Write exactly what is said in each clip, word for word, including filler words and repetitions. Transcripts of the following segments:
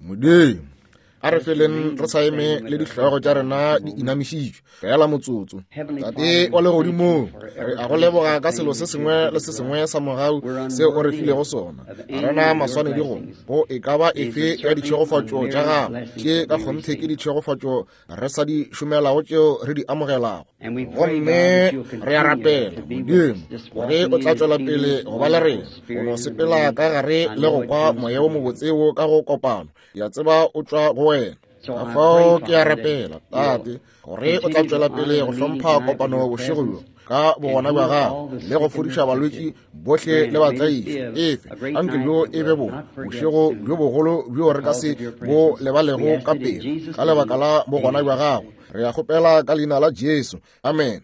Modimo, a re feleng re sa eme le dihlogo tša rena di inamišitšwe fela motsotso. Tate wa legodimong, re a go leboga ka selo se sengwe le se sengwe sa mogau seo o re filego sona. Ga rena maswanedi go go e ka ba efe ya ditšhegofatšo tša gago, tše ka kgonthe ke ditšhegofatšo re sa di šomelago tšeo re di amogelago. Gomme re a rapela Modimo gore o tla tšwela pele go ba le rena, go no sepela ka gare le go kwa moya wo mobotse wo ka go kopano. Ke a tseba o tšwa go wena. Ka fao ke a rapela Tate gore o tla tšwela pele go hlompha kopano bošego bjo ka bogona bja gago le go fodiša balwetši bohle le batlaiši. Efe anke bjo e be bo bošego bjo bogolo bjo re ka se bo lebalego ka pele ka lebaka la bogona bja gago. Re a kgopela ka leina la Jesu, amen.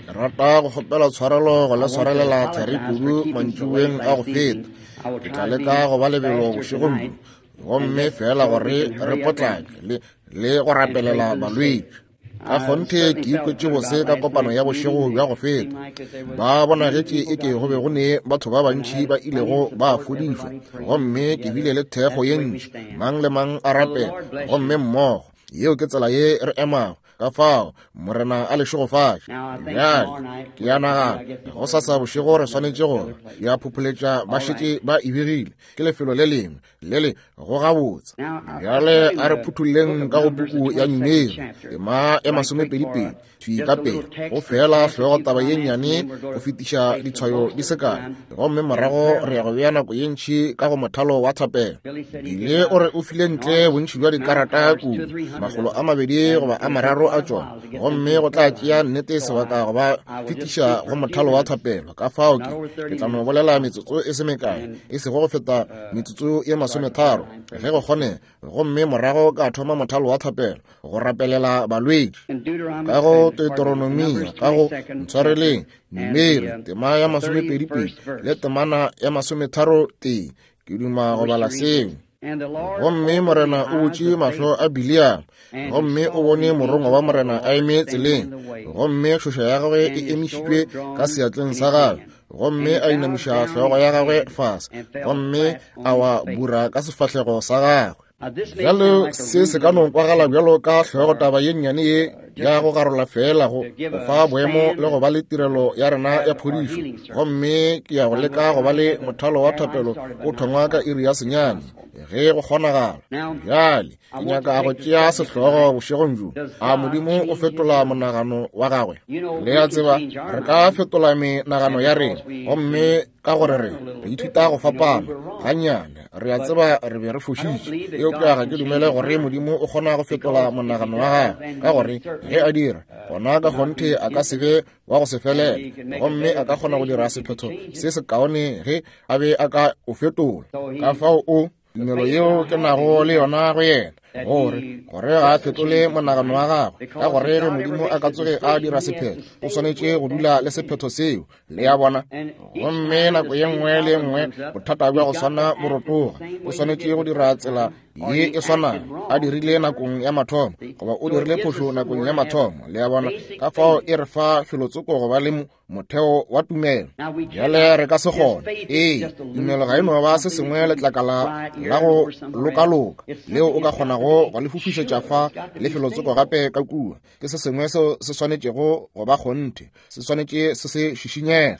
Ke rata go kgopela tshwarelo go le swarelela thari kudu mantšiboeng a go feta. Ke tla leka go ba lebelo bošegong bjo, gomme fela gore re potlake le le go rapelela balwetši. Ka kgonthe ke ikwetše bose ka kopano ya bošego bja go feta. Ba bonagetše e ke go be go ne batho ba bantši ba ilego ba fodišwa, gomme ke bile le thekgo ye ntši, mang le mang a rapela, gomme mmogo. Yeo ke tsela ye re emago. Ka fao Morena a le šegofatše. Bjale ke a nagana go sasa bošego re swanetše gore ya phopholetša ba šetše ba e begile ke lefelo le lengwe le le go gabotse. Bjale a re phuthulleng ka go puku ya Numeri tema ya masomepedipedi thwi ka pele go fela hlogo taba ye nnyane go fetiša ditshwayo di se kae, gomme morago re ya go bea nako ye ntši ka go mothalo wa thapelo. Bile o re o file ntle bontši bja dikarata kudu, makgolo a mabedi goba a mararo a tšona, gomme go tla tšea nnete sebaka go ba fetiša go mothalo wa thapelo. Ka fao ke ke tla no bolela metsotso e se mekae, e sego go feta metsotso ye masometharo ge go kgonega, gomme morago ka thoma mothalo wa thapelo go rapelela balwetši. Ka go Deuteronomia, ka go ntshwareleng Numeri tema ya masomepedipedi le temana ya masometharo tee, ke duma go bala seo. Gomme Morena o butše mahlo a Bileama, gomme o bone morongwa wa Morena a eme tseleng, gomme tšhoša ya gagwe e emišitšwe ka seatleng sa gagwe, gomme a inamiša hlogo ya gagwe fase, gomme a wa bura ka sefahlego sa gagwe. Bjalo se se ka no kwagala bjalo ka hlogo taba ye nnyane ye ya go garola fela go go fa boemo le go ba le tirelo ya rena ya phodišo, gomme ke ya go leka go ba le mothalo wa thapelo o thongwa ka iri ya senyane ge go kgonagala. Bjale ke nyaka go tšea sehlogo bošegong bjo, a Modimo o fetola monagano wa gagwe? Le a tseba re ka fetola menagano ya rena, gomme ka gore re re ithuta go fapana gannyane, re a tseba re be re fošitše, eupša ga ke dumele gore Modimo o kgona go fetola monagano wa gagwe, ka gore ge a dira gona ka kgonthe a ka se be wa go se felele, gomme a ka kgona go dira sephetho se sekaone ge a be a ka o fetola. Ka fao o tumelo yeo ke nago le yona go yena, gore gore ga a fetole monagano wa gagwe, ka gore ge Modimo a ka tsoge a dira sephetho, o swanetše go dula le sephetho seo. Le a bona? Gomme nako ye nngwe le ye nngwe bothata bja go swana bo rotoga, o swanetše go dira tsela ye e swanago a dirile nakong ya mathomo, goba o dirile phošo nakong ya mathomo. Le a bona? Ka fao e re fa felotsoko go ba le motheo wa tumelo. Bjale re ka se kgone. Ee, tumelo ga e no ba se sengwe letlakala la go lokaloka leo o ka kgonago go le fofišetša fa le felotsoko gape ka kua. Ke se sengwe seo se swanetšego go ba kgonthe, se swanetše se se šišinyege.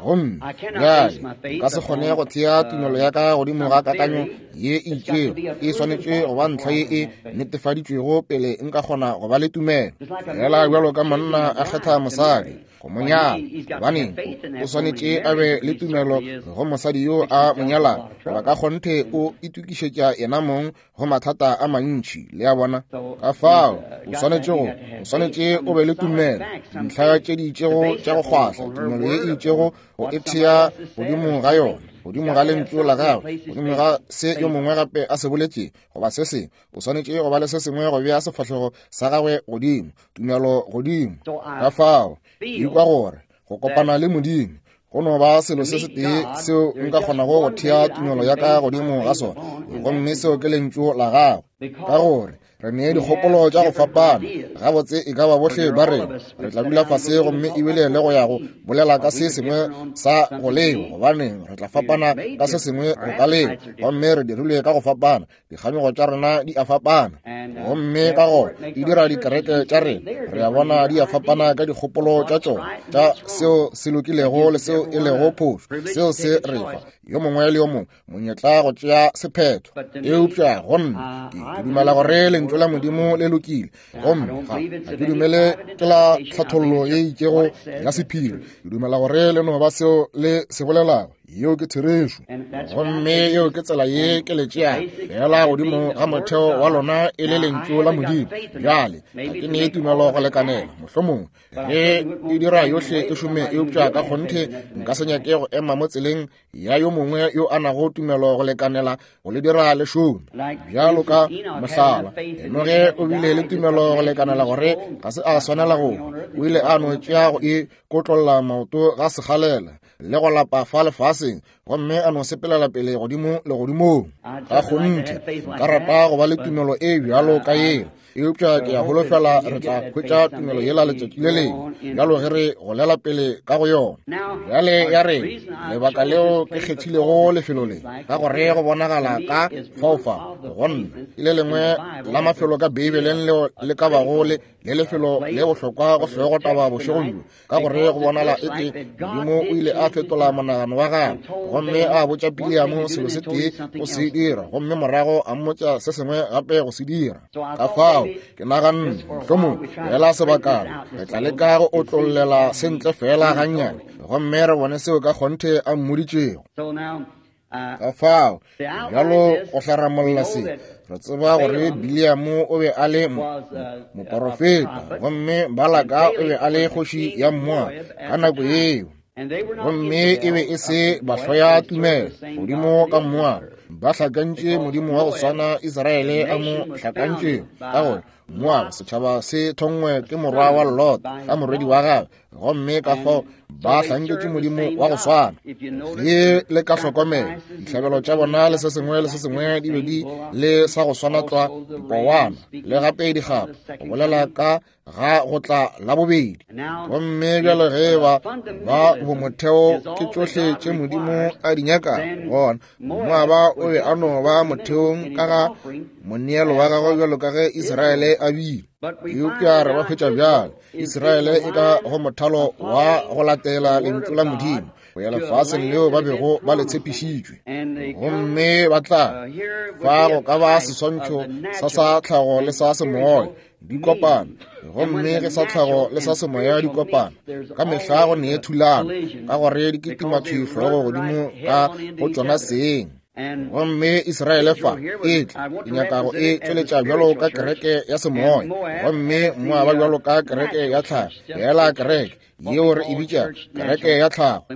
Gomme bjale nka se kgone go thea tumelo ya ka godimo ga kakanyo ye e itšego, e swanetše go ba ntlha ye e netefaditšwego pele nka kgona go ba le tumelo. Fela bjalo ka monna a kgetha mosadi go mo nyala, gobaneng o swanetše a be le tumelo go mosadi yo a mo nyalago, goba ka kgonthe o itokišetša yena mong go mathata a mantši. Le a bona? Ka fao o swanetše go o swanetše o be le tumelo, dintlha tše di itšego tša go kgwahla, tumelo ye e itšego go e thea godimo ga yona, godimo ga lentšu la gagwe, godimo ga se yo mongwe gape a se boletše goba se sengwe. O swanetše go ba le se sengwe go bea sefahlego sa gagwe godimo, tumelo godimo. Ka fao ke ikwa gore go kopana le Modimo go no ba selo se setee seo nka kgonago go thea tumelo ya ka godimo ga sona, gomme seo ke lentšu la gagwe. Ka gore Re ne dikgopolo tša go fapana. Gabotse e ka ba bohle ba rena re tla dula fase gomme ebile le go ya go bolela ka se sengwe sa go leo, gobane re tla fapana ka se sengwe go ka leo, gomme re dirilwe ka go fapana. Dikganyogo tša rena di a fapana, gomme ka gona di dira dikereke tša rena. Re a bona di a fapana ka dikgopolo tša tšona tša seo se lokilego le seo e lego phošo. Seo se re fa yo mongwe le yo mongwe monyetla go tšea sephetho. Eupša go nna ke dumela gore lentšu la Modimo le lokile, gomme ga ga ke dumele ke la tlhathollo ye itšego ya sephiri. Ke dumela gore le no ba seo le se bolelago. Yeo ke therešo, gomme yeo ke tsela ye ke le tšeago fela godimo ga motheo wa lona e le lentšu la Modimo. Bjale ga ke ne tumelo go lekanela, mohlomongwe ge e dira yohle e šome, eupša ka kgonthe nka se nyake go ema mo tseleng ya yo mongwe yo a nago tumelo go lekanela go le dira le šome. Bjalo ka mohlala, Enoge o bile le tumelo go lekanela gore ga se a swanela go hwa. O ile a no tšea go e kotlolla maoto ga segalela le go lapa fa lefaseng, gomme a no sepelela pele godimo legodimong. Ka kgonthe nka rata go ba le tumelo e bjalo ka yeo, eupša ke a holofela re tla hwetša tumelo yela letšatši le lengwe, bjalo ge re golela pele ka go yona. Bjale ya re lebaka leo ke kgethilego lefelo le, ka gore go bonagala ka fao fa go nna ke le lengwe la mafelo ka Beibeleng leo le ka bago le le lefelo le bohlokwa go hlogo taba bošegong bjo, ka gore go bonala eke Modimo o ile a fetola monagano wa gagwe gomme a botša Biliamo selo se tee go se dira, gomme morago a mmotša se sengwe gape go se dira. Ka fao ke naganne mohlomongwe fela sebakana re tla leka go otlollela se ntle fela gannyane, gomme re bone seo ka kgonthe a mmoditšego. Ka fao bjalo go hlaramolla se, re tseba gore Biliamo o be a le moporofeta, gomme Balaka o be a le kgoši ya Moaba ka nako yeo, gomme e be e se bahloya tumelo godimo ka Moaba. Ba hlakantše Modimo wa go swana Israele a mo hlakantšego, ka gore Moaba setšhaba se thongwe ke morwa wa Lot ka morwedi wa gagwe, gomme ka fao ba hlanketše Modimo wa go swana. Ge le ka hlokomela dihlabelo tša bona le se sengwe le se sengwe di be di le sa go swana tlwa, dipowana le gape dikgapa, go bolela ka ga go tla la bobedi. Gomme bjalo ge ba ba bomotheo ke tšohle tše Modimo a di nyakago, gona Moaba o be a no ba motheong ka ga moneelo wa gagwe bjalo ka ge Israele a bile. Eupša re ba hwetša bjale Israele e ka go mothalo wa go latela lentšu la Modimo go ya lefaseng leo ba bego ba le tshepišitšwe, gomme ba tla fa go ka ba seswantšho sa sa tlhago le sa semoya di kopana, gomme ge sa tlhago le sa semoya di kopana ka mehla go nee thulano, ka gore di kitima thwi hlogo godimo ka go tšona seng. Gomme Israele fa e tla ke nyaka go e tšweletša bjalo ka kereke ya semoya, gomme Moaba bjalo ka kereke ya tlhago, fela kereke yeo re e bitša kereke ya tlhago.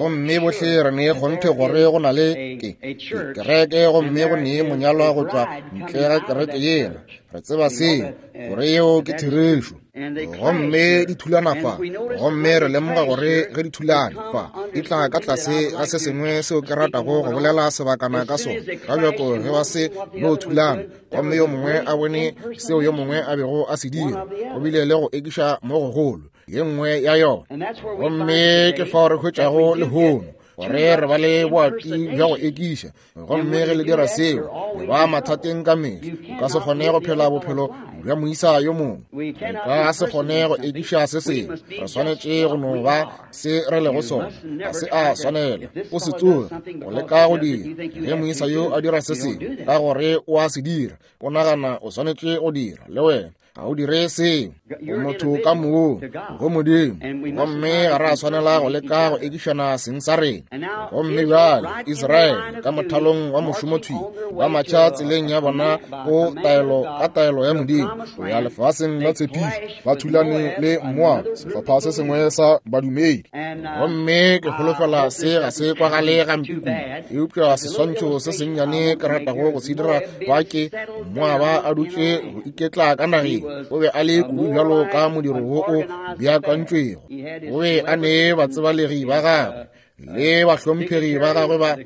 Gomme bohle re ne kgonthe gore go na le ke kereke, gomme go ne monyalwa go tšwa ntle ga kereke yela. Re tseba seo gore yeo ke therešo. Gomme di thulana fa, gomme re lemoga gore ge di thulana fa di tla ka tlase ga se sengwe seo ke ratago go bolela sebakana ka sona. Ka bjako ge ba se no thulana, gomme yo mongwe a bone seo yo mongwe a bego a se dira, go bile le go ekiša mo gogolo ye nngwe ya yona. Gomme ke fao re hwetšago lehono gore re ba le boati bja go ekiša, gomme ge le dira seo le ba mathateng ka mehla. O ka se kgone go phela bophelo bja moisa yo mongwe, re ka se kgone go ekiša se sengwe. Re swanetše go no ba se re lego sona, ga se a swanela o se tsoge go leka go dira. Ge moisa yo a dira se sengwe ka gore o a se dira, o nagana o swanetše go dira le wena, ga o dire seo. O motho ka moo go Modimo, gomme ga re a swanela go leka go ekišana seng sa rena. Gomme bjale Israele ka mothalong wa mošomothwi ba matšha tseleng ya bona go taelo ka taelo ya Modimo go ya lefaseng la tshepišo, ba thulane le Moaba, sehlopha se sengwe sa badumedi. Gomme ke holofela se ga se kwagale gampe kudu, eupša seswantšho se sennyane ke ratago go se dira fa ke Moaba a dutše go iketla ka nageng. O be a le kudu bjalo ka modiro wo o beakantšwego. O be a ne batsebalegi ba gagwe le bahlomphegi ba gagwe ba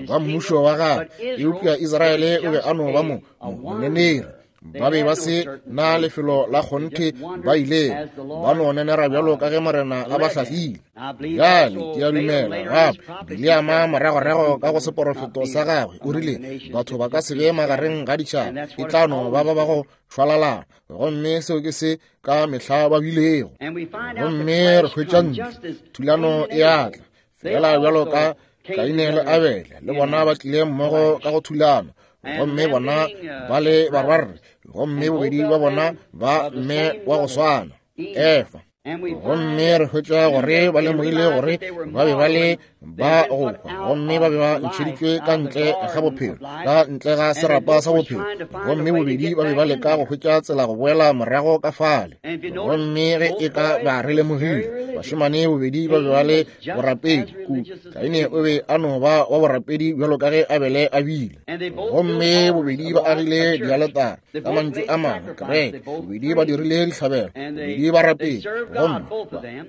ba mmušo wa gagwe, eupša Israele o be a no ba mo moneneri. Ba be ba se na lefelo la kgonthe ba ile ba no nenera bjalo ka ge Morena a ba hlahlile. Bjale ke a dumela gape Bileama moragorago ka go seporofeto sa gagwe o rile batho ba ka se be magareng ga ditšhaba, e tla no ba ba ba go šwalalana, gomme seo ke se ka mehla ba bilego. Gomme re hwetša ntlo thulano e atla fela bjalo ka Kaine le Abele, le bona ba tlile mmogo ka go thulano, gomme bona ba le barwarre, gomme bobedi ba bona ba mme wa go swana, Efa. Gomme re hwetša gore ba lemogile gore ba be ba le ba go hwa, gomme ba be ba ntšheditšwe ka ntle ga bophelo, ka ntle ga serapa sa bophelo, gomme bobedi ba be ba leka go hwetša tsela go boela morago ka fale. Gomme ge e ka ba re lemogile, bašemane bobedi ba be ba le borapedi kudu. Kaine o be a no ba wa borapedi bjalo ka ge Abele a bile, gomme bobedi ba agile dialetare, ka mantšu a mangwe kereke, bobedi ba dirile dihlabelo, bobedi ba rapedi, gomme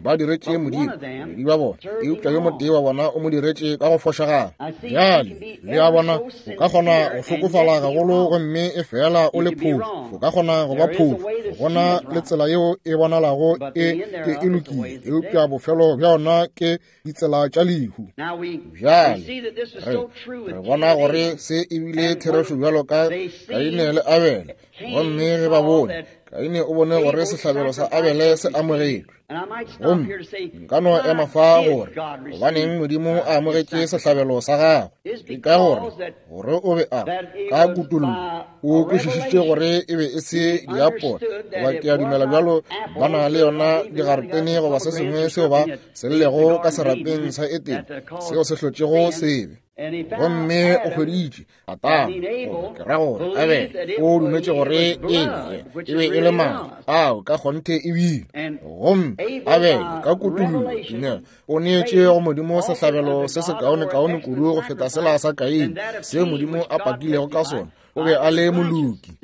ba diretše Modimo, bobedi ba bona, eupša yo motee wa bona o mo diretše ka go fošagala. Bjale le a bona, o ka kgona go hlokofala gagolo gomme e fela o le phošo, o ka kgona go ba phošo. Gona le tsela yeo e bonalago e ke e lokile, eupša bofelo bja yona ke ditsela tša lehu. Bjale re re bona gore se e bile therešo bjalo ka Kaine le Abele, gomme ge ba bone, Kaine o bone gore sehlabelo sa Abele se amogetšwe. Gomme nka no ema fa gore gobaneng Modimo a amogetše sehlabelo sa gagwe, ke ka gore gore o be a ka kutollo o kwešišitše gore e be e se diapole, goba ke a dumela bjalo ba na le yona digaretene goba se sengwe seo ba se llego ka serapeng sa Etene seo se hlotšego sebe. Gomme o hweditše Adama, goba ke ra gore Abele, o dumetše gore e be e be e le madi ao ka kgonthe e bile. Gomme Abele ka kutollo tumelo o neetše go Modimo sehlabelo se sekaonekaone kudu go feta sela sa Kaine seo Modimo a pakilego ka sona. O be a le moloki.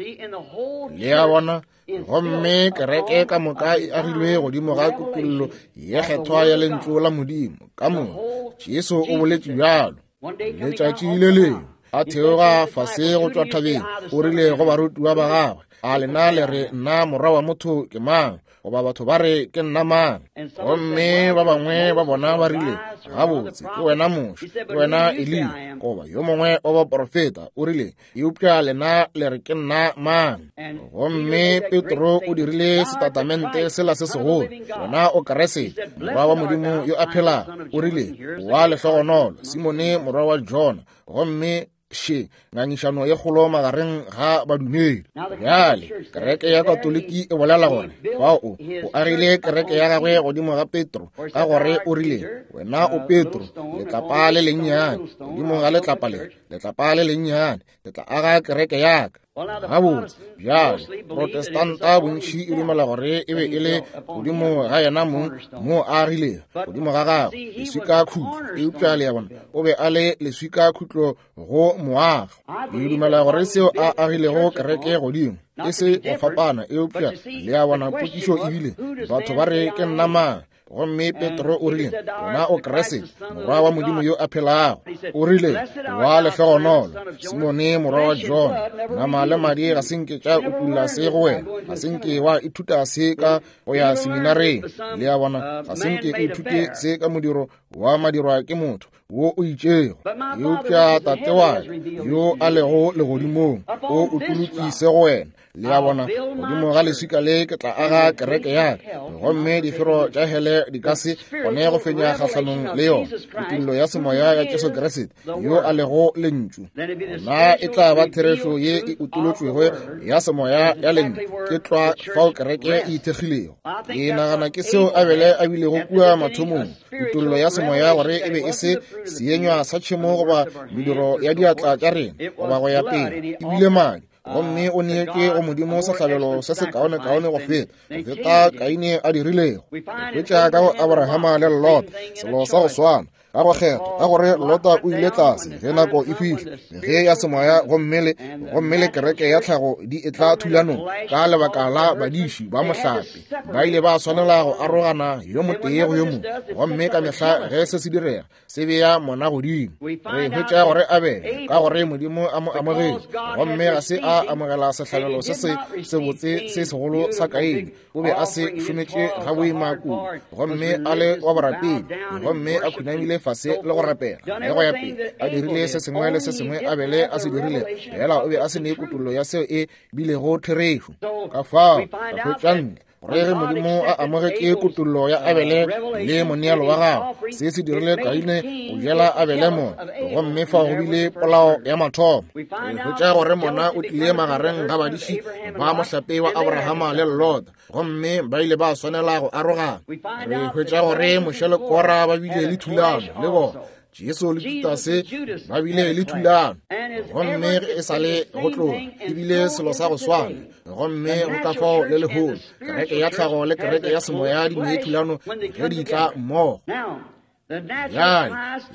Le a bona? Gomme kereke ka moka e agilwe godimo ga kutollo ye kgethwa ya lentšu la Modimo. Ka moka Jesu o boletše bjalo. Letšatši le lengwe a theoga fase go tšwa thabeng, o rile go barutiwa ba gagwe, a lena le re nna morwa wa motho ke mang, goba batho ba re ke nna mang? Gomme ba bangwe ba bona ba rile, gabotse ke wena Moshe, ke wena Eliya, goba yo mongwe wa baprofeta. O rile, eupša lena le re ke nna mang? Gomme Petro o dirile setatamente sela se segolo, wena o Kriste, morwa wa Modimo yo a phelago. O rile, wa lehlogonolo Simone morwa wa Jona. Gomme še ngangišano ye kgolo magareng ga badumedi. Bjale kereke ya Katoliki e bolela gore fao o o agile kereke ya gagwe godimo ga Petro, ka gore o rile, wena o Petro, letlapa le lennyane, godimo ga letlapa le, letlapa le lennyane, ke tla aga kereke ya ka. Gabotse bjale Protestanta bontši e dumela gore e be e le godimo ga yena mong mo a agilego godimo ga gagwe leswika khutlo, eupša le ya bona o be a le leswika khutlo go moago. Ke dumela gore seo a agilego kereke godimo e se go fapana, eupša le ya bona potšišo ebile batho ba re ke nna mang? Gomme Petro o rile, wena o Kriste, morwa wa Modimo yo a phelago. O rile, wa lehlogonolo Simone morwa wa Jona, nama le madi ga se nke tša utulla se go wena, ga se nke wa ithuta se ka go ya seminareng. Le a bona, ga se nke o ithute se ka modiro wa madirwa ke motho wo o itšego, eupša Tate wa yo a lego legodimong o utolotše se go wena. Le a bona, godimo ga leswika le ke tla aga kereke ya ka, gomme difero tša hele di ka se kgone go fenya kgahlanong le yona. Kutollo ya semoya ya Jesu Kriste yo a lego lentšu, na e tla ba therešo ye e utolotšwego ya semoya ya lentšu, ke tlwa fao kereke e ithekgilego. Ke nagana ke seo Abele a bilego kua mathomong, kutollo ya semoya gore e be e se seenywa sa tšhemo goba mediro ya diatla tša rena goba go ya pele, e bile madi. Gomme o neetše go Modimo sehlabelo se sekaonekaone go feta go feta Kaine a dirilego. Re hwetša ka go Abrahama le Lot selo sa go swana. Ka go kgethwa, ka gore Lota o ile tlase ge nako e fihla, ge ya semoya gomme le gomme le kereke ya tlhago di etla thulanong ka lebaka la badiši ba mohlape, ba ile ba swanela go arogana yo motee go yo mongwe. Gomme ka mehla ge se se direga, se bea mona godimo. Re hwetša gore Abele, ka gore Modimo a mo amogetše, gomme ga se a amogela sehlabelo se se sebotse se segolo sa Kaine. O be a se šometše ga boima kudu, gomme a le wa borapedi, gomme a khunamile fase le go rapela le go ya pele, a dirile se sengwe le se sengwe Abele a se dirile, fela o be a se ne kutollo ya seo e bilego therešo. Ka fao re hwetša ntle gore ge Modimo a amogetše kutollo ya Abele le moneelo wa gagwe, se se dirile Kaine go jela Abele mona, gomme fao go bile polao ya mathomo. Re hwetša gore mona o tlile magareng ga badiši ba mohlape wa Abrahama le Lota, gomme ba ile ba swanela go arogana. Re hwetša gore Moshe le Kora ba bile le thulano le bona, Jesu le Judase ba bile le thulano, gomme e sa le go tloga e bile selo sa go swana. Gomme go ka fao le lehono kereke ya tlhago le kereke ya semoya di ne thulano ge di tla mmogo. Bjale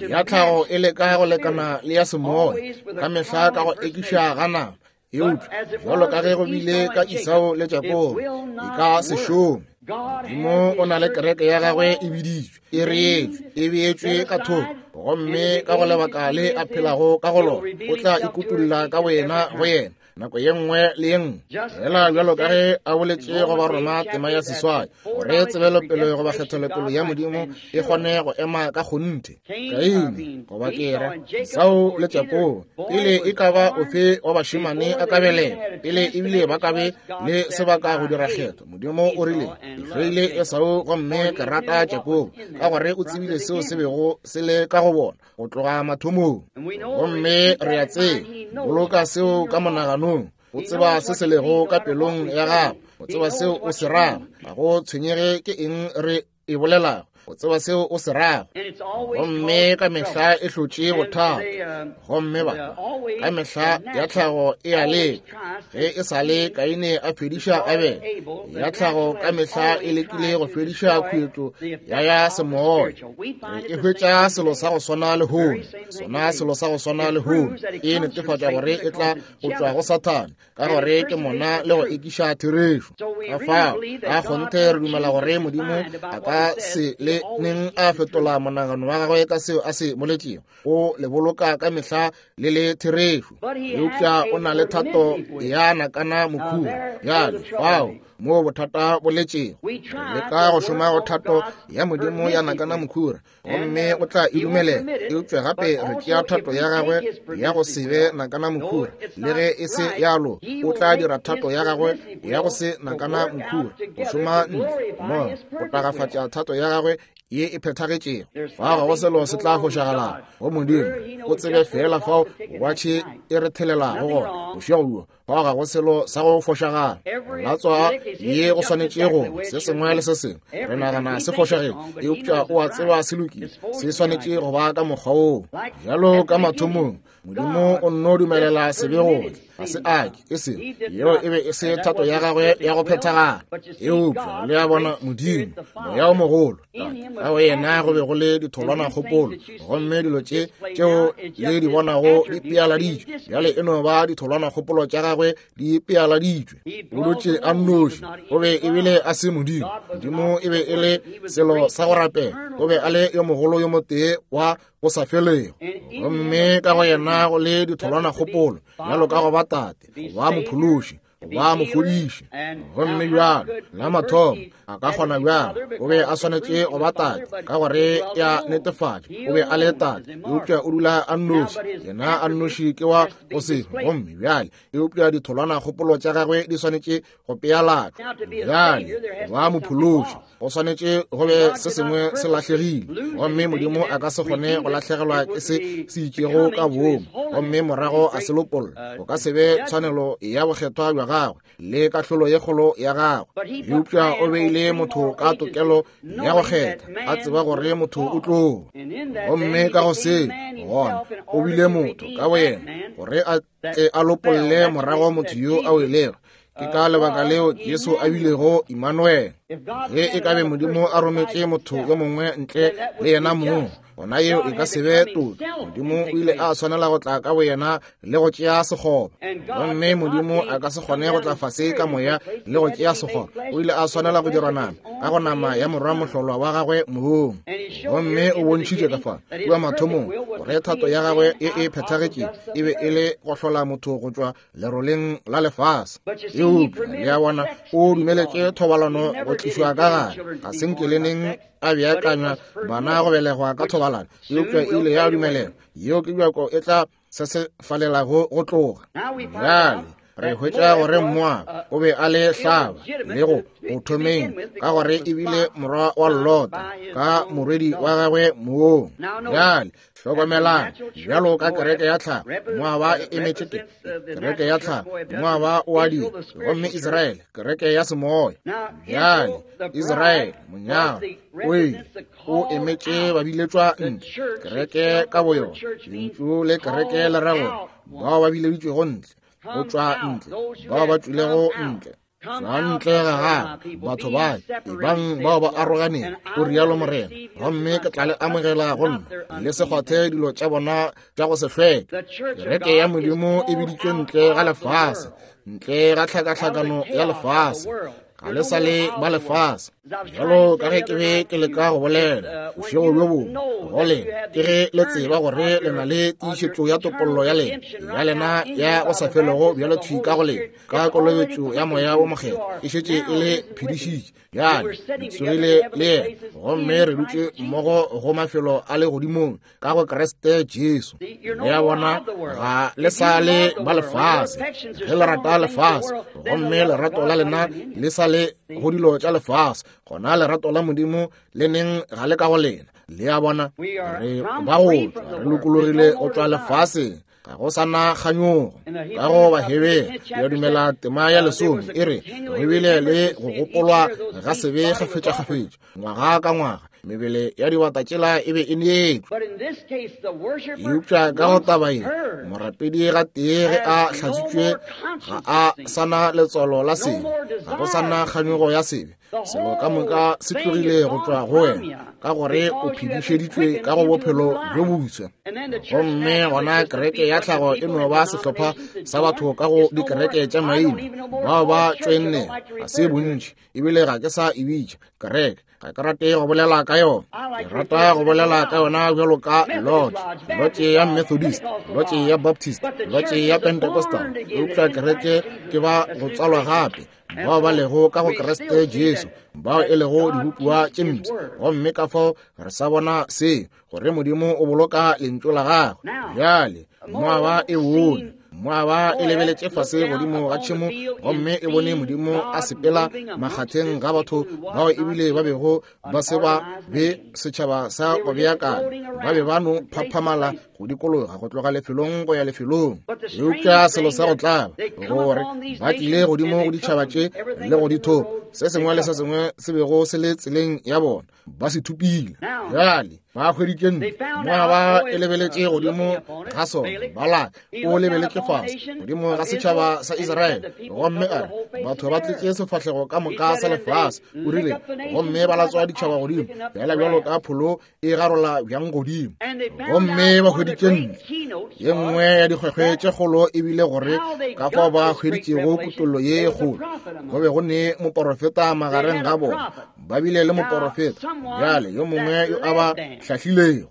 ya tlhago e leka go lekana le ya semoya ka mehla ka go ekiša ga nama, eupša jwalo ka ge go bile ka Esau le Jakobo, e ka se šome. Modimo o na le kereke ya gagwe e biditšwe, e reetšwe, e beetšwe ka thoko, gomme ka go lebaka le a phelago ka go lona, o tla ikutulla ka boyena go yena nako ye nngwe le ye nngwe, fela bjalo ka ge a boletše go Baroma tema ya seswai, gore tsebelopele goba kgethelopele ya Modimo e kgone go ema ka kgonthe. Kaine goba ke ra Esau le Jakobo, pele e ka ba ofe wa bašemane a ka belega, pele ebile ba ka be le sebaka go dira kgetho, Modimo o rile, ke hloile Esau gomme ke rata Jakobo, ka gore o tsebile seo se bego se le ka go bona go tloga mathomong. Gomme re a tseba, boloka seo ka monaganong, o tseba se se lego ka pelong ya gago, o tseba seo o se rago, ga go tshwenyege ke eng re e bolelago, o tseba seo o se rago. Gomme ka mehla e hlotše bothata, gomme ba ka mehla ya tlhago e a leka. Ge e sa le Kaine a fediša Abele, ya tlhago ka mehla e lekile go fediša khuetšo ya ya semoya. Re e hwetša selo sa go swana lehono, sona selo sa go swana lehono, e netefatša gore e tla go tšwa go Sathane, ka gore ke mona le go ekiša therešo. Ka fao ka kgonthe re dumela gore Modimo a ka se le neng a fetola monagano wa gagwe ka seo a se boletšego, o le boloka ka mehla le le therešo. Eupša o na le thato ya nakana mokhura. Bjale fao mo bothata bo letšego, re leka go šoma go thato ya Modimo ya nakana mokhura, gomme o tla e dumelela. Eupša gape re tšea thato ya gagwe ya go se be nakana mokhura, le ge e se yalo, o tla dira thato ya gagwe ya go se nakana mokhura go šoma ntle mo go tagafatša thato ya gagwe ye e phethagetšego. Fao ga go selo se tla fošagalago go Modimo, o tsebe fela fao watšhe e re thelelago gona bošego bjo. Fao ga go selo sa go fošagala, latswa ye go swanetše go se sengwe le se sengwe re nagana se fošagetše, eupša o a tseba se lokile, se swanetše go ba ka mokgwa woo. Bjalo ka mathomong, Modimo o nno dumelela sebe go tla, ga se ake e sego yeo e be e se thato ya gagwe ya go phethagala. Eupša le a bona, Modimo moya o mogolo, Tate, ka go yena go be go le ditholwana kgopolo, gomme dilo tše tšeo le di bonago di pealaditšwe bjale e no ba ditholwana kgopolo tša gagwe di pealaditšwe. O dutše a nnoši, o be ebile a se Modimo. Modimo e be e le selo sa go rapela, o be a le yo mogolo yo motee wa go sa felego, gomme ka go yena go le ditholwana kgopolo bjalo ka go ba Tate, go ba Mophološi, go ba Mofodiši. Gomme bjalo la mathomo a ka kgona bjalo, o be a swanetše go ba Tate ka gore ya netefatša o be a le Tate, eupša o dula a nnoši, yena a nnoši ke wa go se. Gomme bjale eupša ditholwana kgopolo tša gagwe di swanetše go pealatšwa. Bjale go ba Mophološi go swanetše go be se sengwe se lahlegile, gomme Modimo a ka se kgone go lahlegelwa ke se se itšego ka boomo gomme morago a se lopolla. Go ka se be tshwanelo ya bokgethwa bja gagwe le kahlolo ye kgolo ya gagwe. Eupša o beile motho ka tokelo ya go kgetha, a tseba gore motho o tlo, gomme ka go se gona o bile motho ka boyena gore a tle a lopolle morago motho yo a welego. Ke ka lebaka leo Jesu a bilego Immanuel. Ge e ka be Modimo a rometše motho yo mongwe ntle le yena mong, Gona yeo e ka se be toka. Modimo o ile a swanela go tla ka boyena le go tšea sekgoba. Gomme Modimo a ka se kgone go tla fase ka moya le go tšea sekgoba. O ile a swanela go dirwa nama ka go nama ya morwa mohlolwa wa gagwe mong. Gomme o bontšhitše ka fa kua mathomong gore thato ya gagwe e e phethagetše e be e le go hlola motho go tšwa leroleng la lefase. Eupša le a bona, o dumeletše thobalano go tlišwa ka gare. Ga se nke le neng a beakanywa bana go belegwa ka thobalano, eupša e ile ya dumelelwa. Yeo ke bjako e tla se se falelago go tloga. Bjale re hwetša gore Moaba o be a le hlaba le go go thomeng, ka gore e bile morwa wa Lota ka morwedi wa gagwe mong. Bjale hlokomelang, bjalo ka kereke ya tlhago, Moaba e emetše ke kereke ya tlhago, Moaba o a dira, gomme Israele kereke ya semoya. Bjale Israele monyalwa o ile o emetše ba biletšwa ntle, kereke ka boyona. Lentšu le kereke le ra gore bao ba bileditšwego ntle, go tšwa ntle, bao ba tšwilego ntle. Tšwa ntle ga gagwe, batho ba ebang bao ba aroganeng, o rialo Morena, gomme ke tla le amogela go nna, le se kgwathe dilo tša bona tša go se hlweke. Kereke ya Modimo e biditšwe ntle ga lefase, ntle ga tlhakatlhakano ya lefase. Ga le sa le ba lefase. Bjalo ka ge ke be ke leka go bolela bošego bjo bongwe go lena, ke ge le tseba gore le na le tiišetšo ya topollo ya lena, ya lena ya go sa felego bjalo thwi ka go lena, ka kolobetšo ya Moya wo Mokgethwa e šetše e le phedišitše. Bjale le tsogile le yena, gomme re dutše mmogo go mafelo a legodimong ka go Kriste Jesu. Le a bona, ga le sa le ba lefase. Ge le rata lefase, gomme lerato la lena le sa le go dilo tša lefase, gona lerato la Modimo le neng ga le ka go lena. Le a bona, re ba go tšwa, re lokologile go tšwa lefaseng. Ga go sa na kganyogo. Ka go Bahebere ya dumela tema ya lesome e re go bile le go gopolwa ga sebe kgafetšakgafetša ngwaga ka ngwaga, mebele ya dibata tšela e be e neetšwe. Eupša ka go taba ye, morapedi ga tee ge a hlatswitšwe ga a sa na letswalo la sebe, ga go sa na kganyogo ya sebe. Selo ka moka se tlogile go tšwa go wena, ka gore o phedišeditšwe ka go bophelo bjo boswa. Gomme gona kereke ya tlhago e no ba sehlopha sa batho ka go dikereke tša maina bao ba tšoenne, ga se bontši, ebile ga ke sa e bitša kereke. Ga ke rate go bolela ka yona. Ke rata go bolela ka yona bjalo ka lodge, lodge ya Methodist, lodge ya Baptist, lodge ya Pentecostal. Eupša kereke ke ba go tswalwa gape, bao ba lego ka go Kriste Jesu, bao e lego dibopiwa tše mpsha. Gomme ka fao re sa bona se, gore Modimo o boloka lentšu la gagwe. Bjale Moaba e bone, Moaba e lebeletše fase godimo ga tšhemo, gomme e bone Modimo a sepela makgatheng ga batho bao ebile ba bego ba se ba be setšhaba sa go beakanya. Ba be ba no phaphamala go dikologa go tloga lefelong go ya lefelong. Eupša selo sa go tlaba gore ba tlile godimo go ditšhaba tše le go dithopa, se sengwe le se sengwe se bego se le tseleng ya bona, ba se thupile. Bjale ba hweditše ntlo. Moaba e lebeletše godimo ga sona. Balaka o lebeletše fase godimo ga setšhaba sa Israele, gomme a re batho ba tletše sefahlego ka moka sa lefase. O rile, gomme ba latswa ditšhaba godimo bjala bjalo ka pholo e garola bjang godimo. Gomme ba hweditše ntlo. Ye nngwe ya dikgwekgwe tše kgolo e bile gore ka fao ba hweditšego kutollo ye kgolo, go be go ne moporofeta magareng ga bona. Ba bile le moporofeta, bjale yo mongwe yo a ba hlahlilego.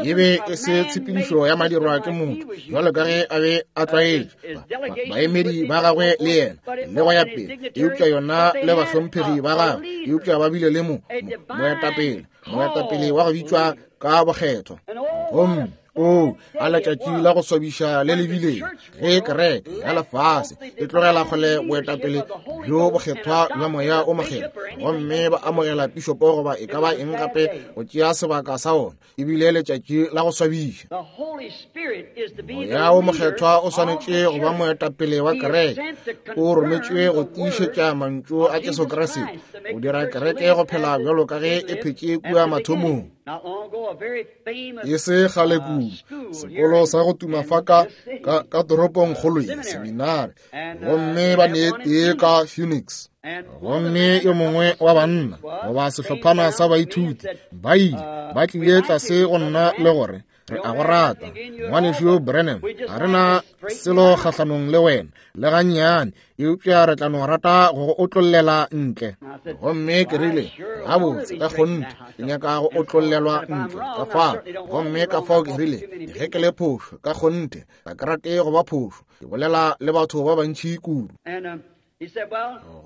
E be e se tshepedišo ya madirwa ke motho, jwalo ka ge a be a tlwaetše baemedi ba gagwe le yena le go ya pele, eupša yona le bahlomphegi ba gagwe, eupša ba bile le mo moetapele, moetapele wa go bitšwa ka bokgethwa. Gomme o a letšatši la go swabiša le le bileng ge kereke ya lefase e tlogela kgole boetapele bjo bokgethwa bja Moya o Mokgethwa, gomme ba amogela pišopo goba e ka ba eng gape go tšea sebaka sa ona. Ebile letšatši la go swabiša. Moya o Mokgethwa o swanetše go ba moetapele wa kereke. O rometšwe go tiišetša mantšu a Jesu Kriste, go dira kereke go phela bjalo ka ge e phetše kua mathomong. E se kgale kudu, sekolo sa go tuma fa ka, ka, ka toropongkgolo ye, seminari, gomme ba ne tee ka Phoenix. Gomme yo mongwe wa banna goba sehlophana sa baithuti ba ile ba tlile tlase go nna le gore re a go rata ngwanešu Branham, ga re na selo kgahlanong le wena le gannyane, eupša re tla no rata go go otlollela ntle. Gomme ke rile, gabotse ka kgonthe ke nyaka go otlollelwa ntle ka fao. Gomme ka fao ke rile, ge ke le phošo ka kgonthe ga ke rate go ba phošo, ke bolela le batho ba bantši kudu.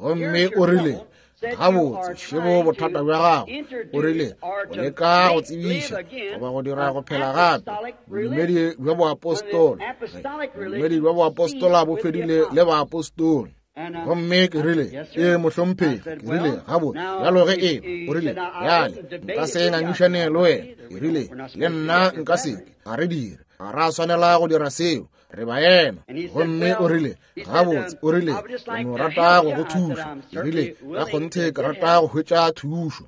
Gomme o rile, gabotse šebo bothata bja gago. O rile, o leka go tsebiša goba go dira go phela gape bodumedi bja boapostola. Bodumedi bja boapostola bo fedile le baapostola. Gomme ke rile, ee mohlomphegi. Ke rile, gabotse bjalo ge e. O rile, bjale nka se ngangišane le wena. Ke rile, le nna nka se ke, ga re dire, ga ra swanela go dira seo, re baena. Gomme o rile, gabotse, o rile, ke no rata go go thuša. Ke rile, ka kgonthe ke rata go hwetša thušo.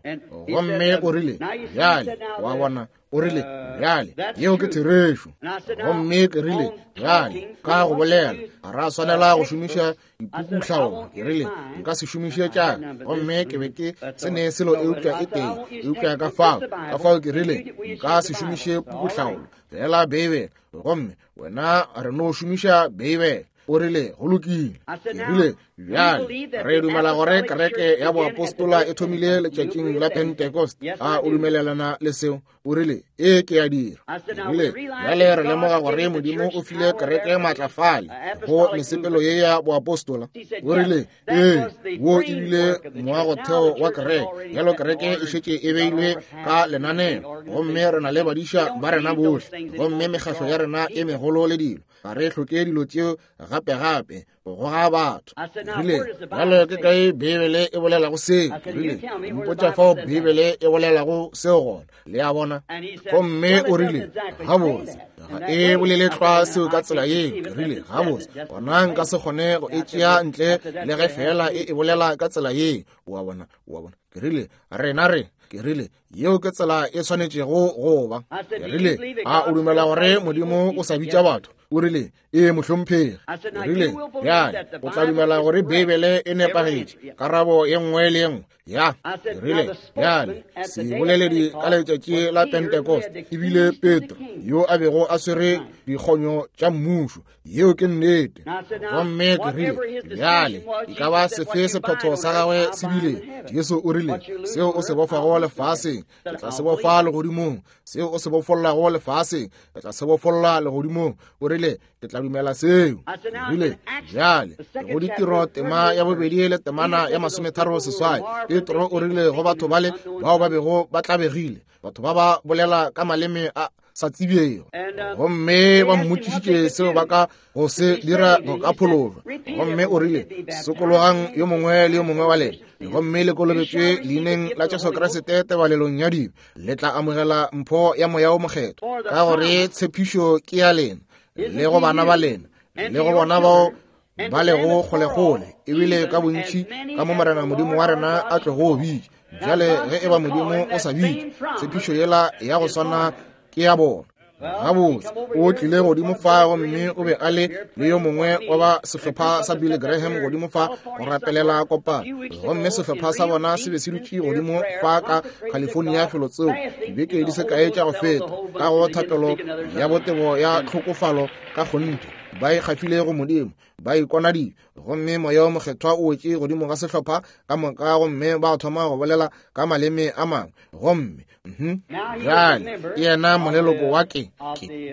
Gomme o rile, bjale wa bona, o rile, bjale yeo ke therešo. Gomme ke rile, bjale ka go bolela ga ra swanela go šomiša dipukutlhaolo. Ke rile, nka se šomiše tša. Gomme ke be ke se ne selo eupša e tee, eupša ka fao, ka fao ke rile, nka se šomiše pukutlhaolo, fela Beibele. Gomme wena re no šomiša Beibele. O rile, go lokile. Ke rile, bjale re dumela gore kereke ya boapostola e thomile letšatšing la Pentecost. A o dumelelana le seo? O rile, ee ke a dira. Ke rile, bjale re lemoga gore Modimo o file kereke maatlafale go mesepelo ye ya boapostola. O rile, ee, wo ebile moagotheo wa kereke. Bjalo kereke e šetše e beilwe ka lenaneo, gomme re na le badiša ba rena bohle, gomme mekgahlo ya rena e megolo le dilo. Ga re hloke dilo tšeo gape-gape go goga batho. Rile, bjalo ke kae Beibele e bolelago seo? Rile, mpotša fao Beibele e bolelago seo gona. Le a bona? Gomme o rile, gabotse ga e bolele tlwa seo ka tsela yeo. Ke rile, gabotse gona nka se kgone go e tšea ntle le ge fela e e bolela ka tsela yeo. Wa bona, wa bona. Ke rile, rena re, ke rile, yeo ke tsela e swanetšego go ba. Ke rile, a o dumela gore Modimo o sa bitša batho? O rile, ee mohlomphegi. Ke rile, bjale o tla dumela gore Beibele e nepagetše karabo ye nngwe le ye nngwe? Ya. Ke rile, bjale seboleledi ka letšatši la Pentecost ebile Petro yo a bego a swere dikgonyo tša mmušo. Yeo ke nnete. Gomme ke rile, bjale e ka ba sefe sephetho sa gagwe se bile? Jesu o rile, seo o se bofago lefaseng ke tla se bofa legodimong, seo o se bofollago lefaseng ke tla se bofolla legodimong. O rile, ke tla dumela seo. Ke rile, bjale go ditiro tema ya bobedi le temana ya masometharo seswai, Petro o rile go batho bale bao ba bego ba tlabegile, batho ba ba bolela ka maleme a sa tsebego, gomme ba mmotšišitše seo ba ka go se dira go ka phološwa. Gomme o rile, sokologang yo mongwe le yo mongwe wa lena, gomme le kolobetšwe leineng la Jesu Kriste tebalelong ya dibe, le tla amogela mpho ya Moya o Mokgethwa, ka gore tshepišo ke ya lena le go bana ba lena le go bona bao ba lego kgolekgole, ebile ka bontši ka mo Morena Modimo wa rena a tlogo bitša. Bjale ge eba Modimo o sa bitše, tshepišo yela ya go swana ke ya bona. Gabotse o tlile godimo fa, gomme o be a le le yo mongwe wa ba sehlopha sa Billy Graham godimo fa go rapelela kopano. Gomme sehlopha sa bona se be se dutše godimo fa ka California felotseo dibeke di se kae tša go feta, ka go thapelo ya botebo ya tlhokofalo ka kgonthe, ba ikgafile go Modimo, ba ikona dibe. Gomme Moya o Mokgethwa o wetše godimo ga sehlopha ka moka, gomme ba thoma go bolela ka maleme a mangwe. Gomme bjale ke yena moleloko wa ke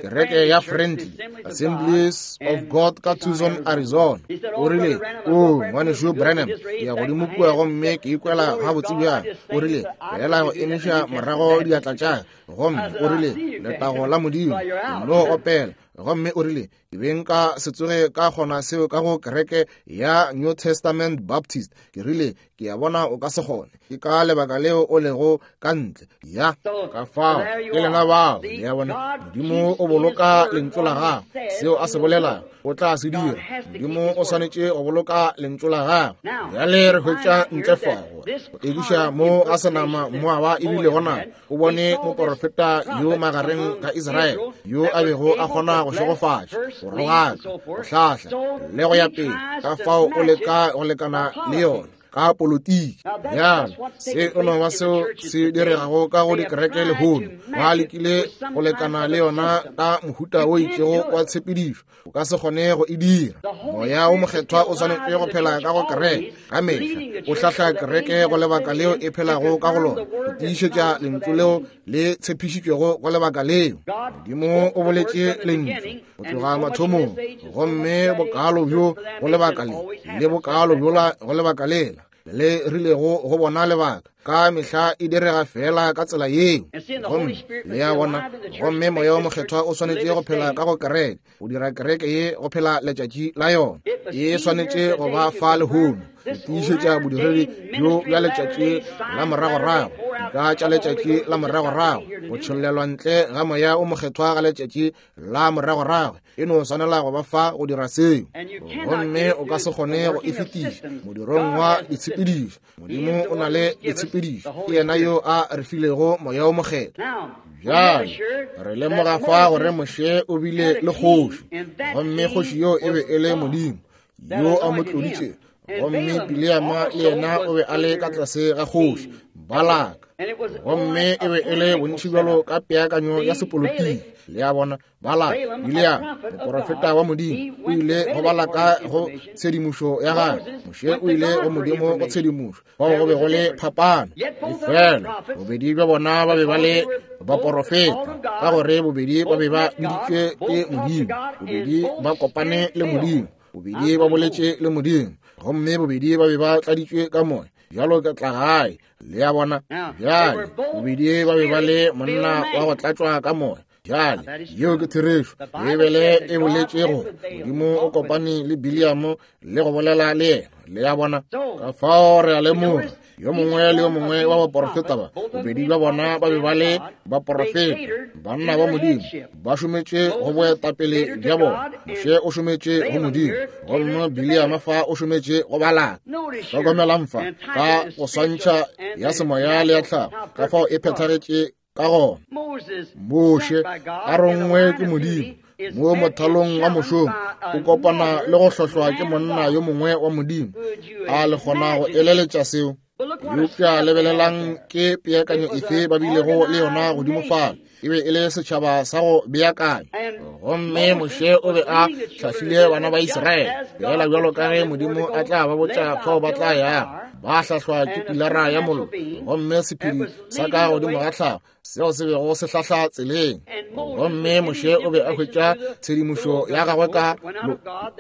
kereke ya Friendly Assemblies of God ka Tucson, Arizona. O rile, o ngwanešu Branham, ke ya godimo kua gomme ke ikwela gabotse bjang. O rile, fela go emiša morago diatla tša, gomme o rile, letago la Modimo, no opela. Gomme o rile, ke be nka se tsoge ka kgona seo ka go kereke ya New Testament Baptist. Ke rile, ke a bona o ka se kgone, ke ka lebaka leo o lego ka ntle. Ya, ka fao ke lena bao. Le a bona, Modimo o boloka lentšu la gagwe, seo a se bolelago. o tla se dira. Modimo o swanetše go boloka lentšu la gagwe. Bjale re hwetša ntle fa gore go ekiša mo ga senama Moaba ebile gona o bone moporofeta yo magareng ga Israele yo a bego a kgona go šegofatša, go rogaka, go hlahla le go ya pele. Ka fao o leka go lekana le yona ka politiki. Bjale se o no ba seo se diregago ka go dikereke lehono. Ba lekile go lekana le yona ka mohuta o itšego wa tshepedišo. O ka se kgone go e dira. Moya o Mokgethwa o swanetše go phela ka go kereke ka mehla, o hlahla kereke go lebaka leo e phelago ka go lona, go tiišetša lentšu leo le tshepišitšwego go lebaka leo. Modimo o boletše lentšu go tloga mathomong, gomme bokalo bjo go lebaka le le bokalo bjola go lebaka lela le rilego go bona lebaka. Ka mehla e direga fela ka tsela yeo. Gomme le a bona, gomme Moya o Mokgethwa o swanetše go phela ka go kereke, go dira kereke ye go phela letšatši la yona. E swanetše go ba fa lehono, go tiišetša bodiredi bjo bja letšatši la moragorago, dika tša letšatši la moragorago, go tšhollelwa ntle ga Moya o Mokgethwa ga letšatši la moragorago. E no swanela go ba fa go dira seo, gomme o ka se kgone go e fetiša modirong wa ditshepedišo. Modimo o na le ditshepedišo, ke yena yo a re filego Moya o Mokgethwa. Bjale re lemoga fa gore Moshe o bile le kgoši, gomme kgoši yo e be e le Modimo yo a mo tloditše, gomme Bileama le yena o be a le ka tlase ga kgoši Balaka, gomme e be e le bontši bjalo ka peakanyo ya sepolotiki. Le a bona, Balaka, Bileama, moporofeta wa Modimo, o ile go Balaka go tshedimošo ya gagwe. Moshe o ile go Modimo go tshedimošo. Bao go be go le phapano. Efela bobedi bja bona ba be ba le baporofeta, ka gore bobedi ba be ba biditšwe ke Modimo, bobedi ba kopane le Modimo, bobedi ba boletše le Modimo, gomme bobedi ba be ba tladitšwe ka moya. Bjalo ka tla gae, le a bona. Bjale bobedi ba be ba le monna wa go tlatšwa ka moya. Bjale yeo ke therešo. Beibele e boletše gore Modimo o kopane le Bileamo le go bolela le yena. Le a bona. Ka fao re a lemoga yo mongwe le yo mongwe wa baporofeta ba, bobedi bja bona ba be ba le baporofeta, banna ba Modimo, ba šometše go boetapele bja bona. Moshe o šometše go Modimo, gomme Bileama fa o šometše go Balaka. Hlokomelang fa ka go swantšha ya semoya le ya tlhago, ka fao e phethagetše ka gona. Moshe a rongwe ke Modimo mo mothalong wa mošomo, o kopana le go hlohlwa ke monna yo mongwe wa Modimo. A le kgona go eleletša seo? Eupša lebelelang ke peakanyo efe ba bilego le yona godimo fale. E be e le setšhaba sa go beakanya, gomme Moshe o be a hlahlile bana ba Israele fela bjalo ka ge Modimo a tla ba botša fao ba tla yago. Ba hlahlwa ke pilara ya mollo, gomme sephedi sa ka godimo ga tlhago seo se bego se hlahla tseleng. Gomme Moshe o be a hwetša tshedimošo ya gagwe ka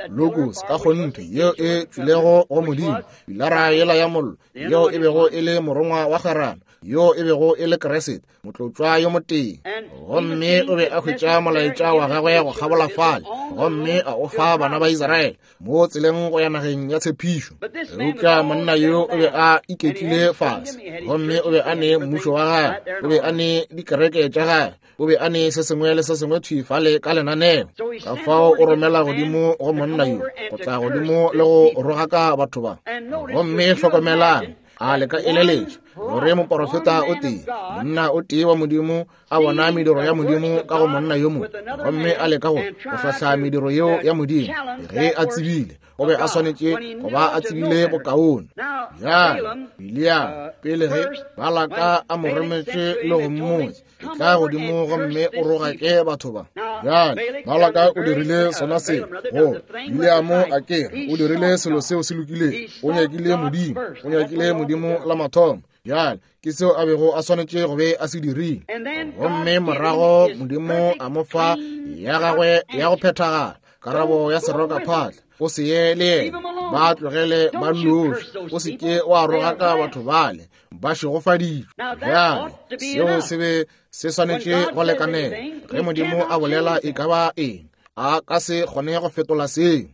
logos, ka kgonthe, yeo e tšwilego go Modimo. Pilara yela ya mollo yeo e bego e le morongwa wa kgwerano, yo e bego e le Kriste, motlotšwa yo motee. Gomme o be a hwetša molaetša wa gagwe go kgabola fale, gomme a o fa bana ba Israele mo tseleng go ya nageng ya tshepišo. Eupša monna yo o be a iketlile fase, gomme o be a ne mmušo wa gagwe, o be a ne dikereke tša gagwe, o be a ne se sengwe le se sengwe thwi fale ka lenaneo. Ka fao o romela godimo go monna yo go tla godimo le go rogaka batho ba. Gomme hlokomelang, a le ka eleletša gore moporofeta o tee, monna o tee wa Modimo, a bona mediro ya Modimo ka go monna yo mongwe, gomme a leka go go hlahla mediro yeo ya Modimo ge a tsebile o be a swanetše go ba a tsebile bokaone. Bjale Bileama pele ge Balaka a mo rometše le go mmotša, etla godimo gomme o rogake batho ba. Bjale Balaka o dirile sona seo go Bileamo, a kere o dirile selo seo se lokilego. O nyakile Modimo, o nyakile Modimo la mathomo. Bjale ke seo a bego a swanetše go be a se dirile, gomme morago Modimo a mo fa ya gagwe ya go phethagala, karabo ya seroka phatla. O se ye le yena, ba tlogele ba nnoši, o se ke wa rogaka batho bale ba šegofaditšwe. Bjale seo se be se swanetše go lekanela. Ge Modimo a bolela e ka ba eng, a ka se kgone go fetola seo.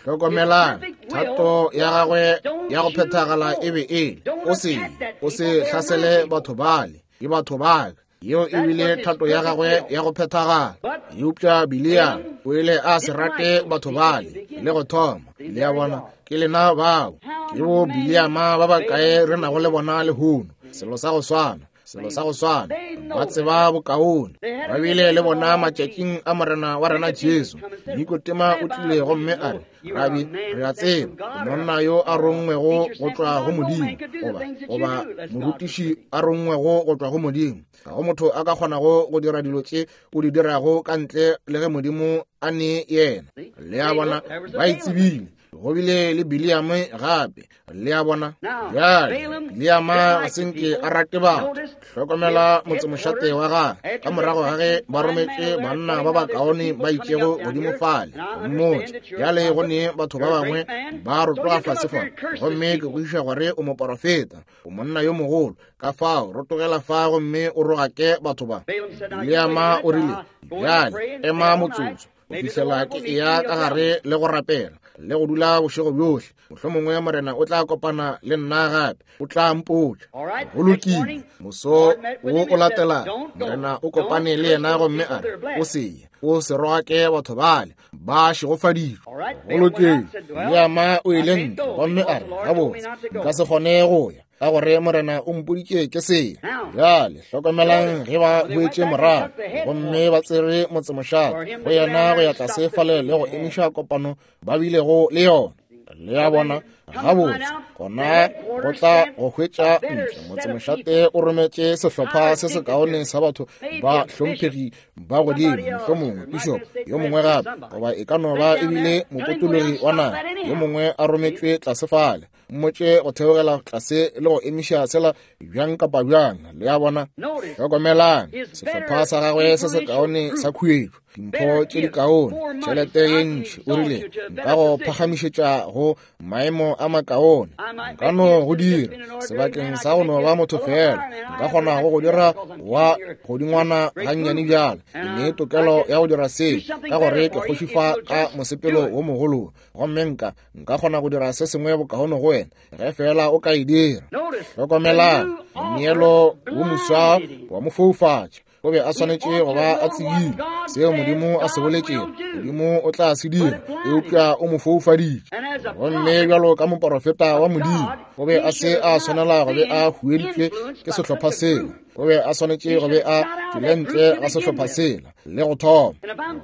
Hlokomelang, thato ya gagwe ya go phethagala e be e le, o se o se hlasele batho bale, ke batho ba ka. Yeo e bile thato ya gagwe ya go phethagala. Eupša Bileama o ile a se rate batho bale le go thoma. Le a bona, ke lena bao. Ke bo Bileama ba bakae re nago le bona lehono. Selo sa go swana, selo sa go swana. Ba tseba bokaone. Ba bile le bona matšatšing a Morena wa rena Jesu. Nikotema o tlile gomme a re, Rabi, re a tseba monna yo a rongwego go tšwa go Modimo, goba goba morutiši a rongwego go tšwa go Modimo. Ga go motho a ka kgonago go dira dilo tše o di dirago ka ntle le ge Modimo a ne yena. Le a bona, ba e tsebile. Go bile le Bileame gape. Le a bona, bjale Bileama ga se nke a rate batho. Hlokomela motsemošate wa gagwe ka morago ga ge ba rometše banna ba bakaone ba itšego godimo fale go mmotša. Bjale go ne batho ba bangwe ba rotoga fase fa, gomme ke kwešiša gore o moporofeta, o monna yo mogolo. Ka fao rotogela fa gomme o rogake batho ba. Bileama o rile, bjale ema motsotso go fihlela ke eya ka gare le go rapela le go dula bošego bjohle. Mohlomongwe Morena o tla kopana le nna gape, o tla mpotša. Go lokile. Moso wo o latela Morena o kopane le yena gomme a re, o se ye, o se rogake batho bale, ba šegofaditšwe. Go lokile. Bileama o ile ntle gomme a re, gabotse, nka se kgone go ya, ka gore Morena o mpoditše ke se. Bjale hlokomelang ge ba boetše morago gomme ba tsere motsemošate go yena go ya tlase fale le go emiša kopano ba bilego le yona. Le a bona, gabotse, gona go tla go hwetša ntle. Motsemošate o rometše sehlopha se sekaone sa batho ba hlomphegi ba godimo, mohlomongwe bishop yo mongwe gape, goba e ka no ba ebile mopotologi wa naga yo mongwe a rometšwe tlase fale. Mmotše go theogela tlase le go emiša sela bjang kapa bjang. Le a bona, hlokomelang sehlopha sa gagwe se sekaone sa khuetšo, dimpho tše dikaone, tšhelete ye ntši. O rile, nka go phagamišetša go maemo a makaone, nka no go dira sebakeng sa go no ba motho fela, nka kgona go go dira wa godingwana gannyane bjale. Ke ne tokelo ya go dira seo ka gore ke kgoši fa ka mosepelo wo mogolo, gomme nka nka kgona go dira se sengwe bokaone go wena ge fela o ka e dira. Hlokomelang, moneelo wo moswa wa mo foufatša. O be a swanetše go ba a tsebile seo Modimo a se boletšego, Modimo o tla se dira, eupša o mo foufaditše. Gomme bjalo ka moporofeta wa Modimo, o be a se a swanela go be a hueditšwe ke sehlopha seo. O be a swanetše go be a tšwele ntle ga sehlopha sela le go thoma.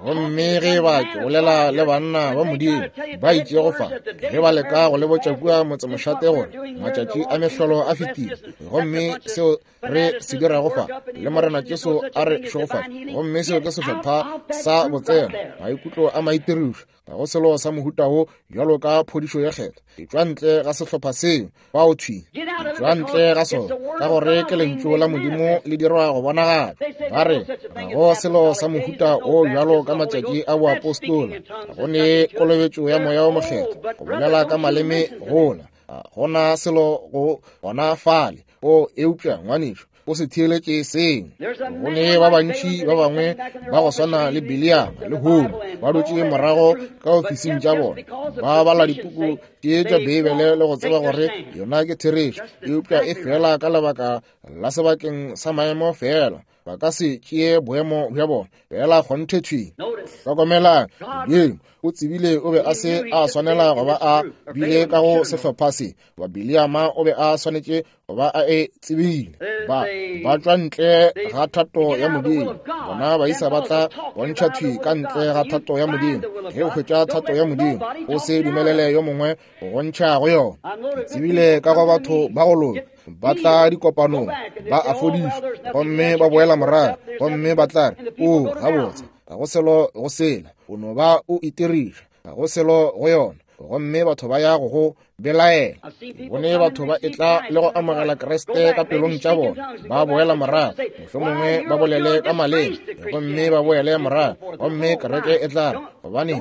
Gomme ge ba ke bolela le banna ba Modimo ba itšego fa, ge ba leka go le botša kua motsemošate gore matšatši a mehlolo a fetile, gomme seo re se dirago fa le Morena Jesu a re šegofatše, gomme seo ke sehlopha sa botseno, maikutlo a maitirišo, ga go selo sa mohuta wo bjalo ka phodišo ya kgetho. Etšwa ntle ga sehlopha seo bao thwi, etšwa ntle ga sona, ka gore ke lentšu la Modimo le dirwa go bonagala. Ba re ga go selo sa mohuta o bjalo ka matšatši a boapostola, ga go ne kolobetšo ya Moya o Mokgethwa, go bolela ka maleme gola, ga gona selo go gona fale. O eupša ngwanešo, o se theeletše seng. Go ne ba bantši ba bangwe ba go swana le Bileama le lehono ba dutše morago ka ofising tša bona, ba bala dipuku tše tša Beibele le go tseba gore yona ke therešo, eupša e fela ka lebaka la sebakeng sa maemo fela, ba ka se tšee boemo bja bona fela kgonthe thwi. Hlokomelang, Modimo o tsebile o be a se a swanela go ba a bile ka go sehlopha se. Ba Bileama o be a swanetše go ba a e tsebile. Ba ba tšwa ntle ga thato ya Modimo. Bona baisa ba tla bontšha thwi ka ntle ga thato ya Modimo. Ge o hwetša thato ya Modimo, o se dumelele yo mongwe go bontšha go yona. Ke tsebile ka go batho ba go loka ba tla dikopanong, ba a fodišwa, gomme ba boela morago, gomme ba tla re, o gabotse, ga go selo go sela, o no ba o itiriša, ga go selo go yona. Gomme batho ba ya go go belaela. Bone batho ba etla le go amogela Kriste ka pelong tša bona, ba boela morago, mohlomongwe ba bolele ka maleme, gomme ba boele morago, gomme kereke e tla re, gobane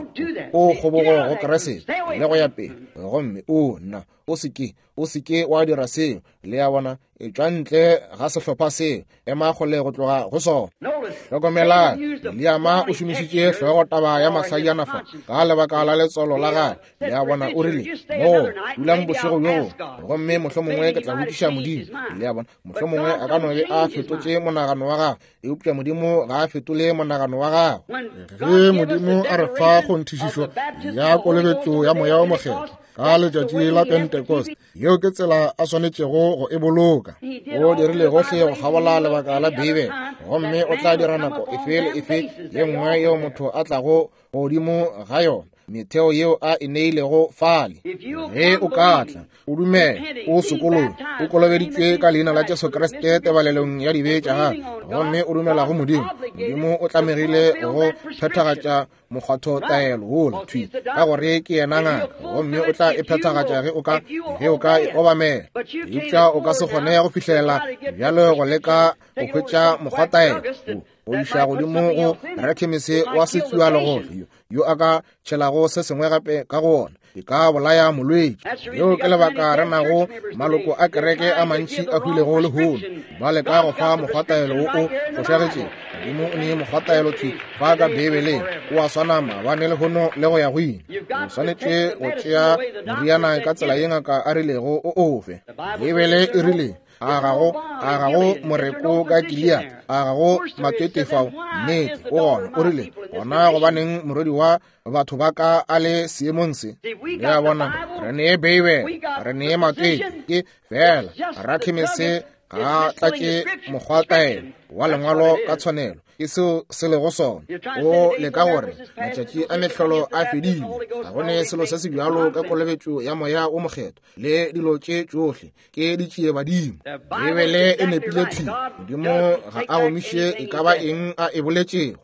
o kgobogo go Kriste le go ya pele. Gomme o nna, o se ke, o se ke wa dira seo. Le a bona, etšwa ntle ga sehlopha seo, ema kgole go tloga go sona. Hlokomelang, Bileama o šomišitše hlogo taba ya mahlajana fa ka lebaka la letswalo la gagwe. Le a bona, o rile, mo Dulang bošego bjo, gomme mohlomongwe ke tla botšiša Modimo. Le a bona, mohlomongwe a ka no be a fetotše monagano wa gagwe, eupša Modimo ga a fetole monagano wa gagwe. Ge Modimo a re fa kgonthišišo ya kolobetšo ya Moya o Mokgethwa ka letšatši la Pentecost, yeo ke tsela a swanetšego go e boloka. O dirile gohle go kgabola lebaka la Beibele, gomme o tla dira nako efe le efe ye nngwe yeo motho a tlago godimo ga yona, metheo yeo a e neilego fale. Ge o ka tla, o dumela, o sokologe, o kolobeditšwe ka leina la Jesu Kriste tebalelong ya dibe tša gago, gomme o dumela go Modimo, Modimo o tlamegile go phethagatša mokgwatho taelo wola thwi, ka gore ke yena ngaka, gomme o tla e phethagatša ge o ka ge o ka e obamela. Eupša o ka se kgone go fihlela bjalo go leka go hwetša mokgwataelo go iša godimo go rakhemese wa setsualegohle yo a ka tšhelago se sengwe gape ka go ona, e ka bolaya molwetši. Yeo ke lebaka re nago maloko a kereke a mantši a hwilego lehono, ba leka go fa mokgwataelo wo o fošagetšego. Modimo o nee mokgwataelo thwi fa ka Beibeleng, o a swana maabane lehono le go ya go ile. O swanetše go tšea moriana ka tsela ye ngaka a rilego o ofe. Beibele e rile, a gago a gago moreko ka Gilead, a gago matete fao, nnete o gona. O rile, gona gobaneng morwedi wa batho ba ka a le seemong se? Le a bona, re nee Beibele, re nee matete, ke fela rakhemese ga tlatše mokgwataelo wa lengwalo ka tshwanelo. Ke seo se lego sona. O leka gore matšatši a mehlolo a fedile, ga go ne selo se se bjalo ka kolobetšo ya Moya o Mokgethwa le dilo tše tšohle ke ditšiebadimo. Beibele e nepile thwi. Modimo ga a gomiše e ka ba eng a e boletšego,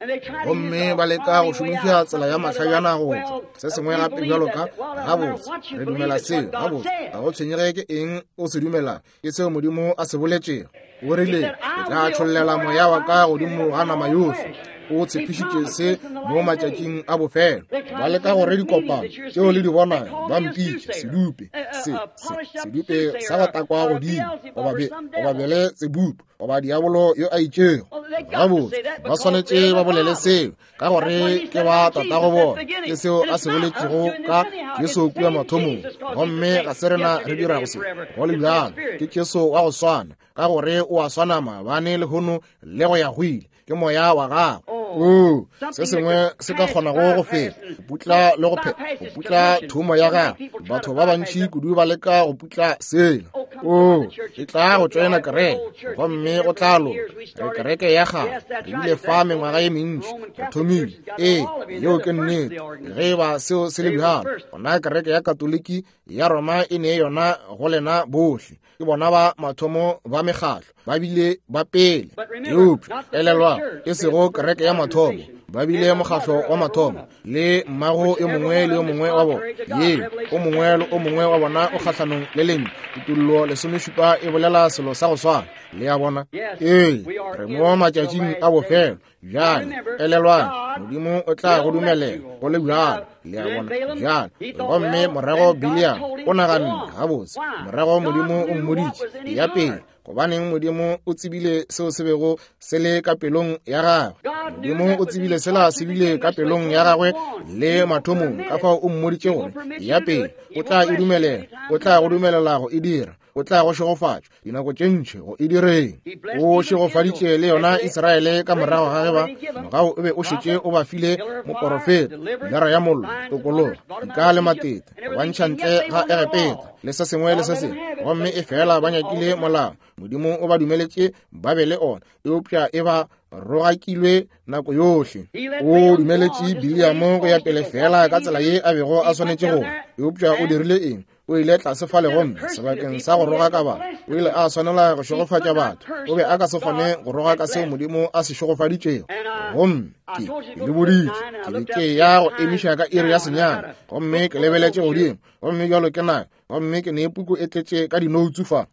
gomme ba leka go šomiša tsela ya mahlajana go tšwa se sengwe gape bjalo ka gabotse re dumela seo, gabotse ga go tshwenyege ke eng o se dumela, ke seo Modimo a se boletšego. O rile, ke tla tšhollela moya wa ka godimo ga nama yohle. O tshepišitše se mo matšatšing a bofelo. Ba leka gore dikopano tšeo le di bonago ba mpitše sedupe, se, se, sedupe sa go takwa godimo, goba be, goba bele tsebupu, goba diabolo yo a itšego. Gabotse ba swanetše ba bolele seo, ka gore ke ba tatago bona. Ke seo a se boletšego ka Jesu kua mathomong, gomme ga se rena re dirago se. Go le bjalo, ke Jesu wa go swana, ka gore o a swana maabane lehono le go ya go ile. Ke moya wa gagwe. O se sengwe se ka kgonago go feta go putla le go phe go putla thomo ya gagwe. Batho ba bantši kudu ba leka go putla sela. O e tla go tšoena kereke, gomme go tla loka. Re kereke ya gagwe re bile fa mengwaga ye mentši, re thomile. Ee, yeo ke nnete. Ge e ba seo se le bjalo, gona kereke ya Katoliki ya Roma e ne yona go lena bohle. Ke bona ba mathomo ba mekgatlo, ba bile ba pele. Eupša elelwa, e sego kereke ya mathomo, ba bile mokgatlo wa mathomo, le mmago yo mongwe le yo mongwe wa bona. Ye o mongwe le o mongwe wa bona o kgahlanong le lentšu. Kutollo lesomešupa e bolela selo sa go swana. Le a bona? Ee, re mo matšatšing a bofelo. Bjale elelwang, Modimo o tla go dumelela go le bjalo. Le a bona? Bjale, gomme morago Biliam o naganne gabotse, morago Modimo o mmoditše ya pele, gobaneng Modimo o tsebile seo se bego se le ka pelong ya gagwe. Modimo o tsebile sela se bile ka pelong ya gagwe le mathomong, ka fao o mmoditše gore ya pele o tla e dumelela, o tla go dumelela go e dira, o tla go šegofatša dinako tše ntši go e direng. O šegofaditše le yona Israele ka morago ga ge ba mogao o be o šetše o ba file moporofeta, pilara ya mollo, tokologo, dika le matete, go ba ntšha ntle ga Egepeta le se sengwe le se sengwe. Gomme e fela ba nyakile molao, Modimo o ba dumeletše ba be le ona, eupša e ba rogakilwe nako yohle. O dumeletše Biliamo go ya pele fela ka tsela ye a bego a swanetše go, eupša o dirile eng? O ile tlase fale gomme sebakeng sa go rogaka batho, o ile a swanela go šegofatša batho. O be a ka se kgone go rogaka seo Modimo a se šegofaditšego. Gomme ke le boditše, ke be ke ya go emiša ka iri ya senyane, gomme ke lebeletše godimo, gomme bjalo ke na, gomme ke ne puku e tletše ka dinoutsu fa.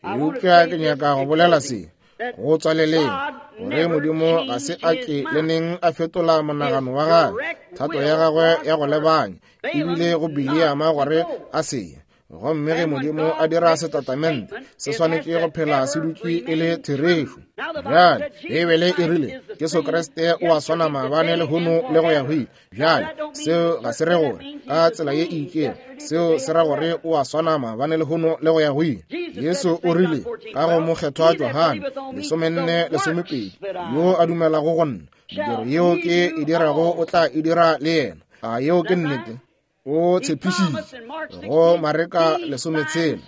Eupša ke nyaka go bolela se go tswaleleng, gore Modimo ga se a ke le neng a fetola monagano wa gagwe, thato ya gagwe ya go lebanya ebile go Biliama gore a se ye. Gomme ge Modimo a dira setatamente, se swanetše go phela se dutše e le therešo. Bjale Beibele e rile Jesu Kriste o a swana maabane lehono le go ya go ile. Bjale seo ga se re gore ka tsela ye e itšego, seo se ra gore o a swana maabane lehono le go ya go ile. Jesu o rile ka go mokgethwa Johane lesomenne lesomepedi, yo a dumelago go nna, mediro yeo ke e dirago o tla e dira le yena. A yeo ke nnete? O tshepišitše go Mareka lesometshela,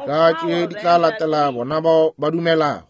ka tše di tla latela bona bao ba dumelago.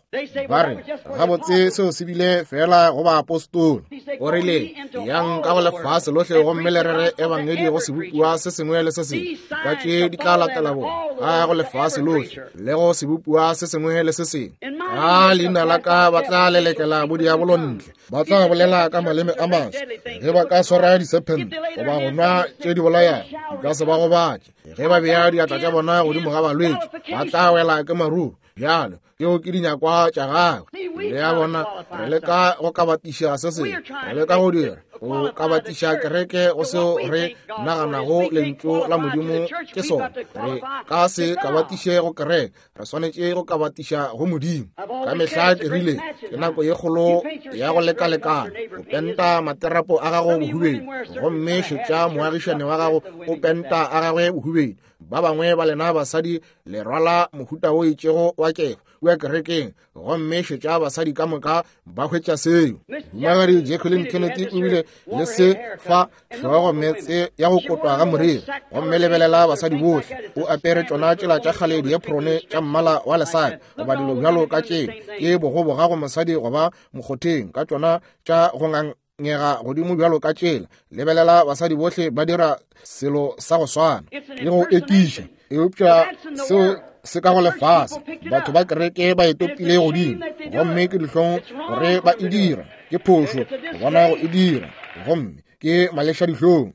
Ba re gabotse seo se bile fela go baapostola. O rile yang ka go lefase lohle gomme le rere ebangedi go sebopiwa se sengwe le se sengwe. Ka tše di tla latela bona ka go lefase lohle le go sebopiwa se sengwe le se sengwe. Ka leina la ka ba tla lelekela bodiabolo ntle, ba tla bolela ka maleme a maswa. Ge ba ka swara disephente goba go nwa tše di bolayago, di ka se ba gobatše. Ge ba bea diatla tša bona godimo ga balwetši, ba tla wela ke maruru. Bjalo tšeo ke dinyakwa tša gagwe. Le a bona, re leka go kabatiša se sengwe, re leka go dira go kabatiša kereke go seo re naganago lentšu la Modimo ke sona. Re ka se kabatiše go kereke, re swanetše go kabatiša go Modimo. Ka mehla ke rile ke nako ye kgolo ya go lekalekana go penta materapo a gago bohubedu, gomme šetša moagišane wa gago o penta a gagwe bohubedu. Ba bangwe ba lena basadi le rwala mohuta o itšego wa kefa kua kerekeng, gomme šetša basadi ka moka ba hwetša seo. Mohumagadi Jacqueline Kennedy o bile le se fa hlogo metse ya go kotwa ga moriri, gomme lebelela basadi bohle o apere tšona tšela tša kgale dieprone tša mmala wa lesaka goba dilo bjalo ka tšeo. Ke bogoboga go mosadi goba mokgotheng ka tšona tša go ngangega godimo bjalo ka tšela. Lebelela basadi bohle ba dira selo sa go swana le go ekiša, eupša seo se ka go lefase. Batho ba kereke ba e topile godimo, gomme ke dihlong gore ba e dira. Ke phošo go bona go e dira, gomme ke maleša dihlong.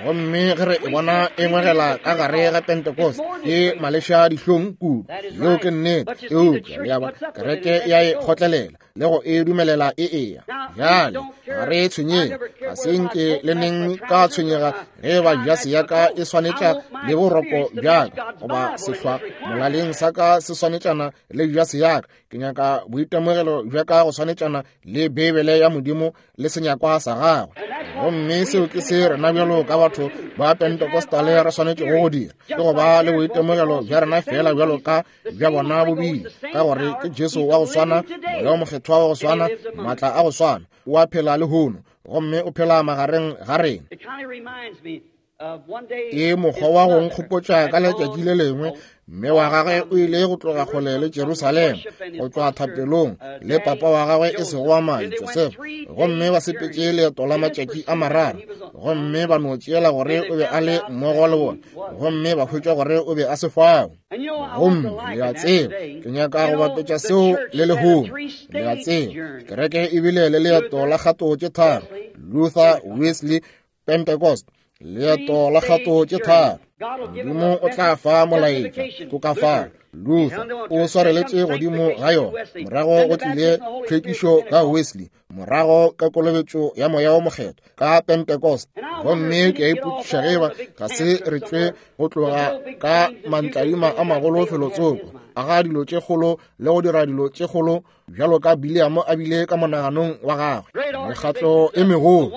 Gomme ge re e bona e ngwegela ka gare ga Pentecost, ke maleša dihlong kudu. Yeo ke nnete. Eupša le a bona, kereke ya e kgotlelela le go e dumelela e eya. Bjale ga re tshwenyege, ga se nke le neng ka tshwenyega ge ba jase ya ka e swanetša le boroko bjaka, goba sehlwa molaleng sa ka se swanetšana le jase ya ka. Ke nyaka boitemogelo bja ka go swanetšana le Beibele ya Modimo le senyakwa sa gagwe. Gomme seo ke se rena bjalo ka batho ba Pentecostale re swanetšego go dira, ke go ba le boitemogelo bja rena fela bjalo ka bja bona bobile, ka gore ke Jesu wa go swana, Moya o Mokgethwa wa go swana, maatla a go swana, o a phela lehono, gomme o phela magareng ga rena. Ke mokgwa wa go nkgopotša ka letšatši le lengwe mme wa gagwe o ile go tloga kgole le Jerusalema go tšwa thapelong le papa wa gagwe e sego wa madi Josefa, gomme ba sepetše leeto la matšatši a mararo, gomme ba no tšeela gore o be a le mmogo le bona, gomme ba hwetša gore o be a se fao. Gomme le a tseba, ke nyaka go bapetša seo le lehono. Le a tseba, kereke e bile le leeto la kgato tše tharo, Luther, Wesley, Pentecost. Leeto la kgato tše tharo. Modimo o tla fa molaetša tokafalo. Luther o swareletše godimo ga yona, morago go tlile tlhwekišo ka Wesley, morago ka kolobetšo ya Moya o Mokgethwa ka Pentecost. Gomme ke a ipotšiša ge eba ga se re tšwe go tloga ka mantladima a magolo felotsoko, a ga dilo tše kgolo le go dira dilo tše kgolo bjalo ka Biliamo a bile ka monaganong wa gagwe. Mekgatlo e megolo,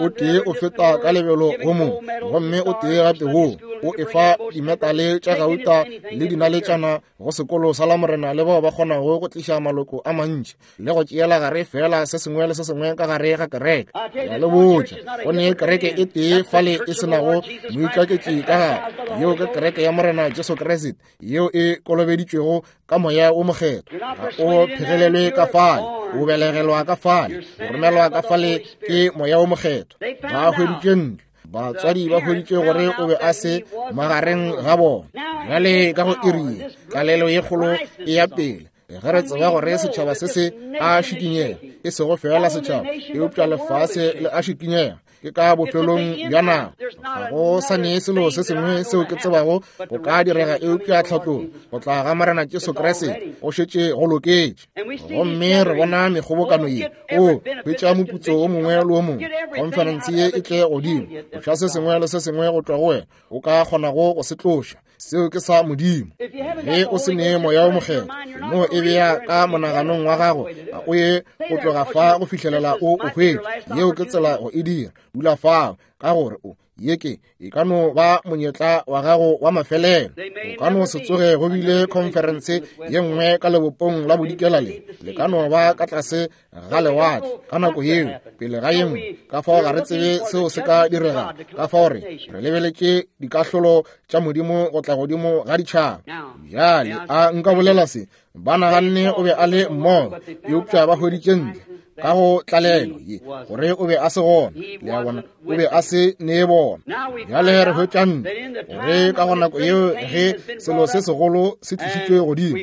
o tee o feta ka lebelo go mongwe, gomme o tee gape wo o efa dimetale tša gauta le dinaletšana go sekolo sa Lamorena le bao ba kgonago go tliša maloko a mantši le go tšeela gare fela se sengwe le se sengwe ka gare ga kereke. Ke a le botša, go ne kereke e tee fale e se nago moikaketši ka gare, yeo ke kereke ya Morena Jesu Kriste, yeo e kolobeditšwego ka Moya o Mokgethwa. Ga o phegelelwe ka fale, o belegelwa ka fale, o romelwa ka fale ke Moya o Mokgethwa. Ba hweditše ntlo, batswadi ba hweditše gore o be a se magareng ga bona. Bjale ka go iri ye, tlalelo ye kgolo e ya pele. Ge re tseba gore setšhaba se se a šikinyega, e sego fela setšhaba, eupša lefase le a šikinyega, ke ka bofelong bja nako. Ga go sa ne selo se sengwe seo ke tsebago go ka direga eupša tlhatlogo go tla ga Morena Jesu Kriste go šetše go loketše. Gomme re bona mekgobokano ye, o hwetša moputso o mongwe le o mongwe, konferense ye e tle godimo, tloša se sengwe le se sengwe go tšwa go wena o ka kgonago go se tloša. Seo ke sa Modimo. Ge o se ne Moya o Mokgethwa, no e bea ka monaganong wa gago, a o ye go tloga fa go fihlelela o o hwetše. Yeo ke tsela go e dira. Dula fao, ka gore o ye ke e ka no ba monyetla wa gago wa mafelelo. O ka no se tsoge go bile khonferense ye nngwe ka lebopong la bodikela le le ka no ba ka tlase ga lewatle ka nako yeo pele ga ye nngwe. Ka fao ga re tsebe seo se ka direga. Ka fao re re lebeletše dikahlolo tša Modimo go tla godimo ga ditšhaba. Bjale a nka bolela se, ba naganne o be a le mmogo, eupša ba hweditše ntle ka go tlalelo ye gore o be a se gona. Le a bona, o be a se ne bona. Bjale re hwetša ntle gore ka go nako yeo ge selo se segolo se tlišitšwe godimo,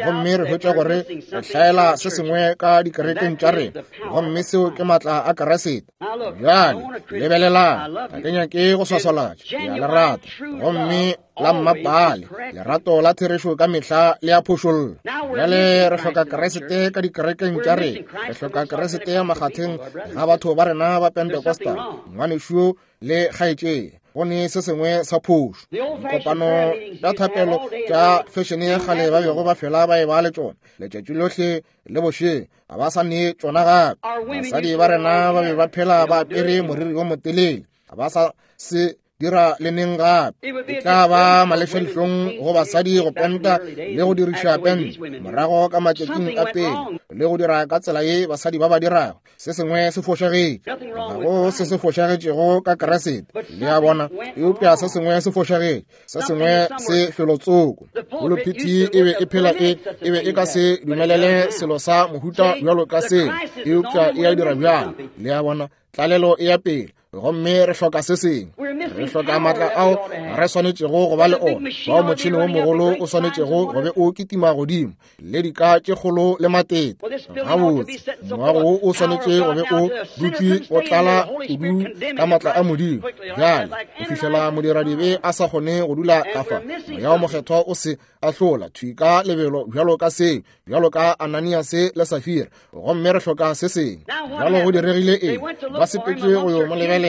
gomme re hwetša gore re hlaela se sengwe ka dikerekeng tša rena, gomme seo ke maatla a Keresete. Bjale lebelelang, ga ke nyake go swaswalatša, ke a le rata, gomme la mmapale lerato la therešo ka mehla le a phošolla. Bjale re hloka Keresete ka dikerekeng tša rena, re hloka Keresete makgatheng ga batho ba rena ba Pentecostal, ngwanešu le kgaetšedi. Go ne se sengwe sa phošo. Dikopano tša thapelo tša fešene ya kgale ba bego ba fela ba e ba le tšona letšatši lohle le bošego, ga ba sa ne tšona gape. Basadi ba rena ba be ba phela ba apere moriri wo motelele, ga ba sa se dira le neng gape. E tla ba malešadihlong go basadi go penta le go diriša pente morago ka matšatšing a pele le go dira ka tsela ye basadi ba ba dirago. Se sengwe se fošagetše. Ga go se se fošagetšego ka Keresete, le a bona, eupša se sengwe se fošagetše, se sengwe se felotsoko. Pulpiti e be e phela e e be e ka se dumelele selo sa mohuta bjalo ka seo, eupša e a dira bjalo. Le a bona, tlalelo e ya pele, gomme re hloka se sengwe. Re hloka maatla ao re swanetšego go ba le ona, bao motšhene wo mogolo o swanetšego go be o kitima godimo, le dika tše kgolo le matete. Gabotse, moago wo o swanetše go be o dutše o tlala kudu ka maatla a Modimo bjale go fihlela modiradibe a sa kgone go dula ka fa. Moya o Mokgethwa o se ahlola thwi ka lebelo bjalo ka seo, bjalo ka Ananiase le Safira, gomme re hloka se sengwe. Bjalo go diregile eng? Ba sepetše go yo mo lebelela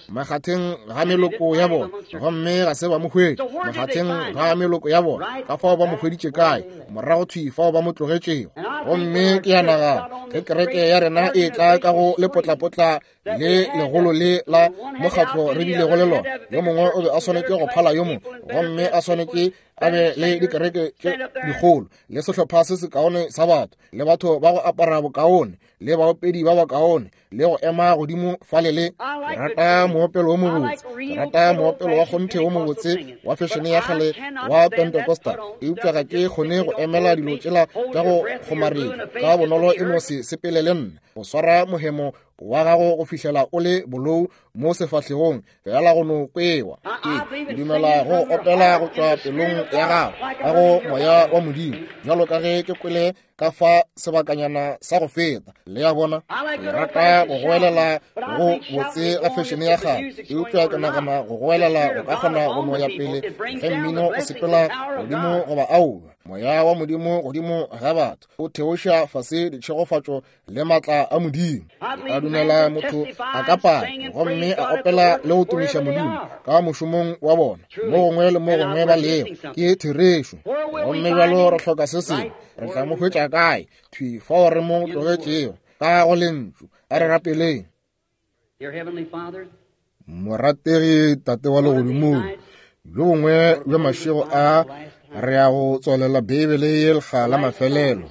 makgatheng ga meloko ya bona, gomme ga se ba mo hwetše makgatheng ga meloko ya bona. Ka fao ba mo hweditše kae? Morago thwi fao ba mo tlogetšego. Gomme ke ya nagana ge kereke ya rena e tla ka go lepotlapotla le legolo le la mokgatlo re bilego le lona, yo mongwe o be a swanetše go phala yo mongwe, gomme a swanetše a be le dikereke tše dikgolo le sehlopha se sekaone sa batho, le batho ba go apara bokaone, le baopedi ba bakaone, le go ema godimo fale le. Ke rata moopelo wo mobotse, ke rata moopelo wa kgonthe wo mobotse wa fešene ya kgale wa Pentecostal, eupša ga ke kgone go emela dilo tšela tša go kgomaretša ka bonolo. E no se sepele le nna go swara mohemo wa gago go fihlela o le bolou mo sefahlegong, fela go no kwewa. Ke dumela go opela go tšwa pelong ya gago ka go moya wa Modimo, bjalo ka ge ke kwele ka fa sebakanyana sa go feta. Le a bona, ke rata go goelela go botse ga fešene ya kgale, eupša ke nagana go goelela go ka kgona go no ya pele ge mmino o sepela godimo goba aowa. Moya wa Modimo godimo ga batho o theoša fase ditšhegofatšo le maatla a Modimo. Ke dumela motho a ka paka gomme a opela le go tumiša Modimo ka mošomong wa bona mo gongwe le mo gongwe ba lego. Ke therešo. Gomme bjalo re hloka se sengwe. Re tla mo hwetša kae? Thwi fao re mo tlogetšego ka go lentšu. A re rapeleng. Morategi Tate wa legodimong, bjo bongwe bja mašego a re ya go tswalela Beibele ye lekga la mafelelo.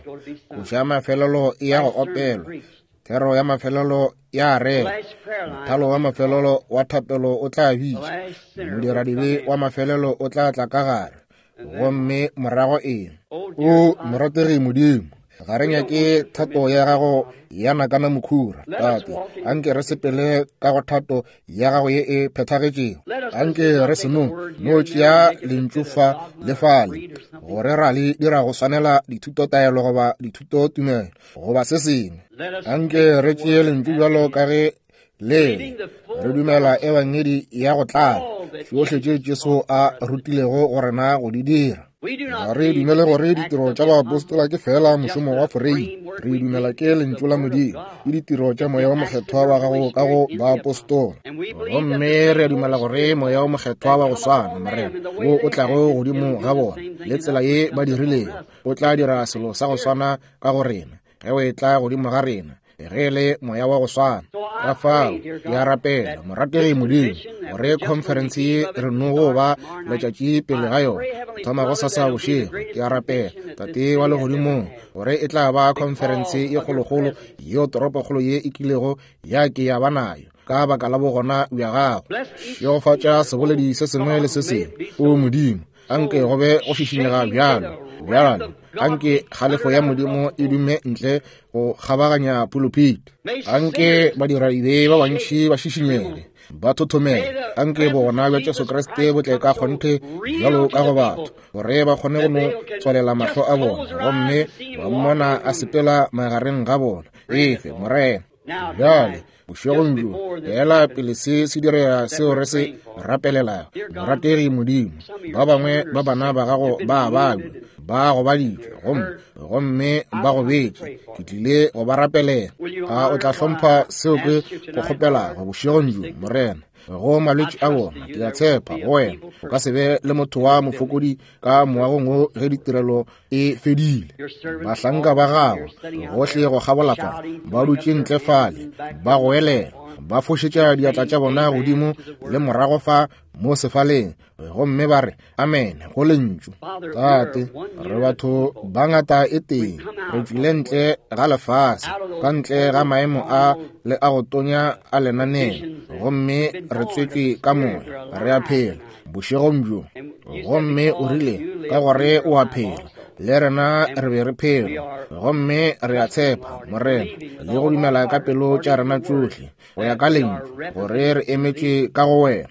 Koša ya mafelelo e ya go opelwa, thero ya mafelelo ya rera, mothalo wa mafelelo wa thapelo o tla bitša, modiradibe wa mafelelo o tla tla ka gare, gomme morago eng? O morategi Modimo, ga re nyake thato ya gago ya nakana mokhura. Tate, anke re sepele ka go thato ya gago ye e phethagetšego. Anke re se no no tšea lentšu fa le fale gore ra le dira go swanela dithutotaelo goba dithutotumelo goba se sengwe. Anke re tšee lentšu bjalo ka ge le re dumela ebangedi ya go tlala, tšohle tše Jesu a rutilego go rena go di dira. Ga re dumele gore ditiro tša baapostola ke fela mošomo wa foreime. Re dumela ke lentšu la Modimo, ke ditiro tša Moya wo Mokgethwa wa gago ka go baapostola. Gomme re a dumela gore Moya wo Mokgethwa wa go swana, Morena, wo o tlago godimo ga bona le tsela ye ba dirilego, o tla dira selo sa go swana ka go rena ge o etla godimo ga rena, ge le moya wa go swana. Ka fao ke a rapela, morategi Modimo, gore khonferense ye re no go ba letšatši pele ga yona, thoma go sasa bošego. Ke a rapela, Tate wa legodimong, gore e tla ba khonferense ye kgolokgolo yeo toropokgolo ye e kilego ya ke ya ba nayo, ka baka la bogona bja gago. Šegofatša seboledi se sengwe le se sengwe, o Modimo. Anke go be go šišinyega bjalo bjalo, anke kgalefo ya Modimo e dume ntle go kgabaganya pulupiti. Anke badiradibe ba bantši ba šišinyege, ba thothomele. Anke bogona bja Jesu Kriste bo tle ka kgonthe bjalo ka go batho, gore ba kgone go no tswalela mahlo a bona gomme ba mmona a sepela magareng ga bona. Efe, Morena. Bjale bošegong bjo, fela pele se se direga seo re se rapelelago, morategi Modimo, ba bangwe ba bana ba gago ba babja, ba gobaditšwe gomme gomme ba gobetše. Ke tlile go ba rapelela. A o tla hlompha seo ke go kgopelago bošegong bjo, Morena, go malwetši a bona? Ke a tshepa go wena o ka se be le motho wa mofokodi ka moagong wo ge ditirelo e fedile. Bahlanka ba gago gohle go kgabola fa ba dutše ntle fale, ba goelela, ba fošetša diatla tša bona godimo le morago fa mo sefaleng, gomme ba re amen go lentšu. Tate, re batho ba ngata e tee, re tšwile ntle ga lefase, ka ntle ga maemo a le a go tonya a lenaneo, gomme re tswetšwe ka moya, re a phela bošegong bjo. Gomme o rile, ka gore o a phela, le rena re be re phela, gomme re a tshepa, Morena, le go dumela ka pelo tša rena tšohle go ya ka lentšu, gore re emetše ka go wena.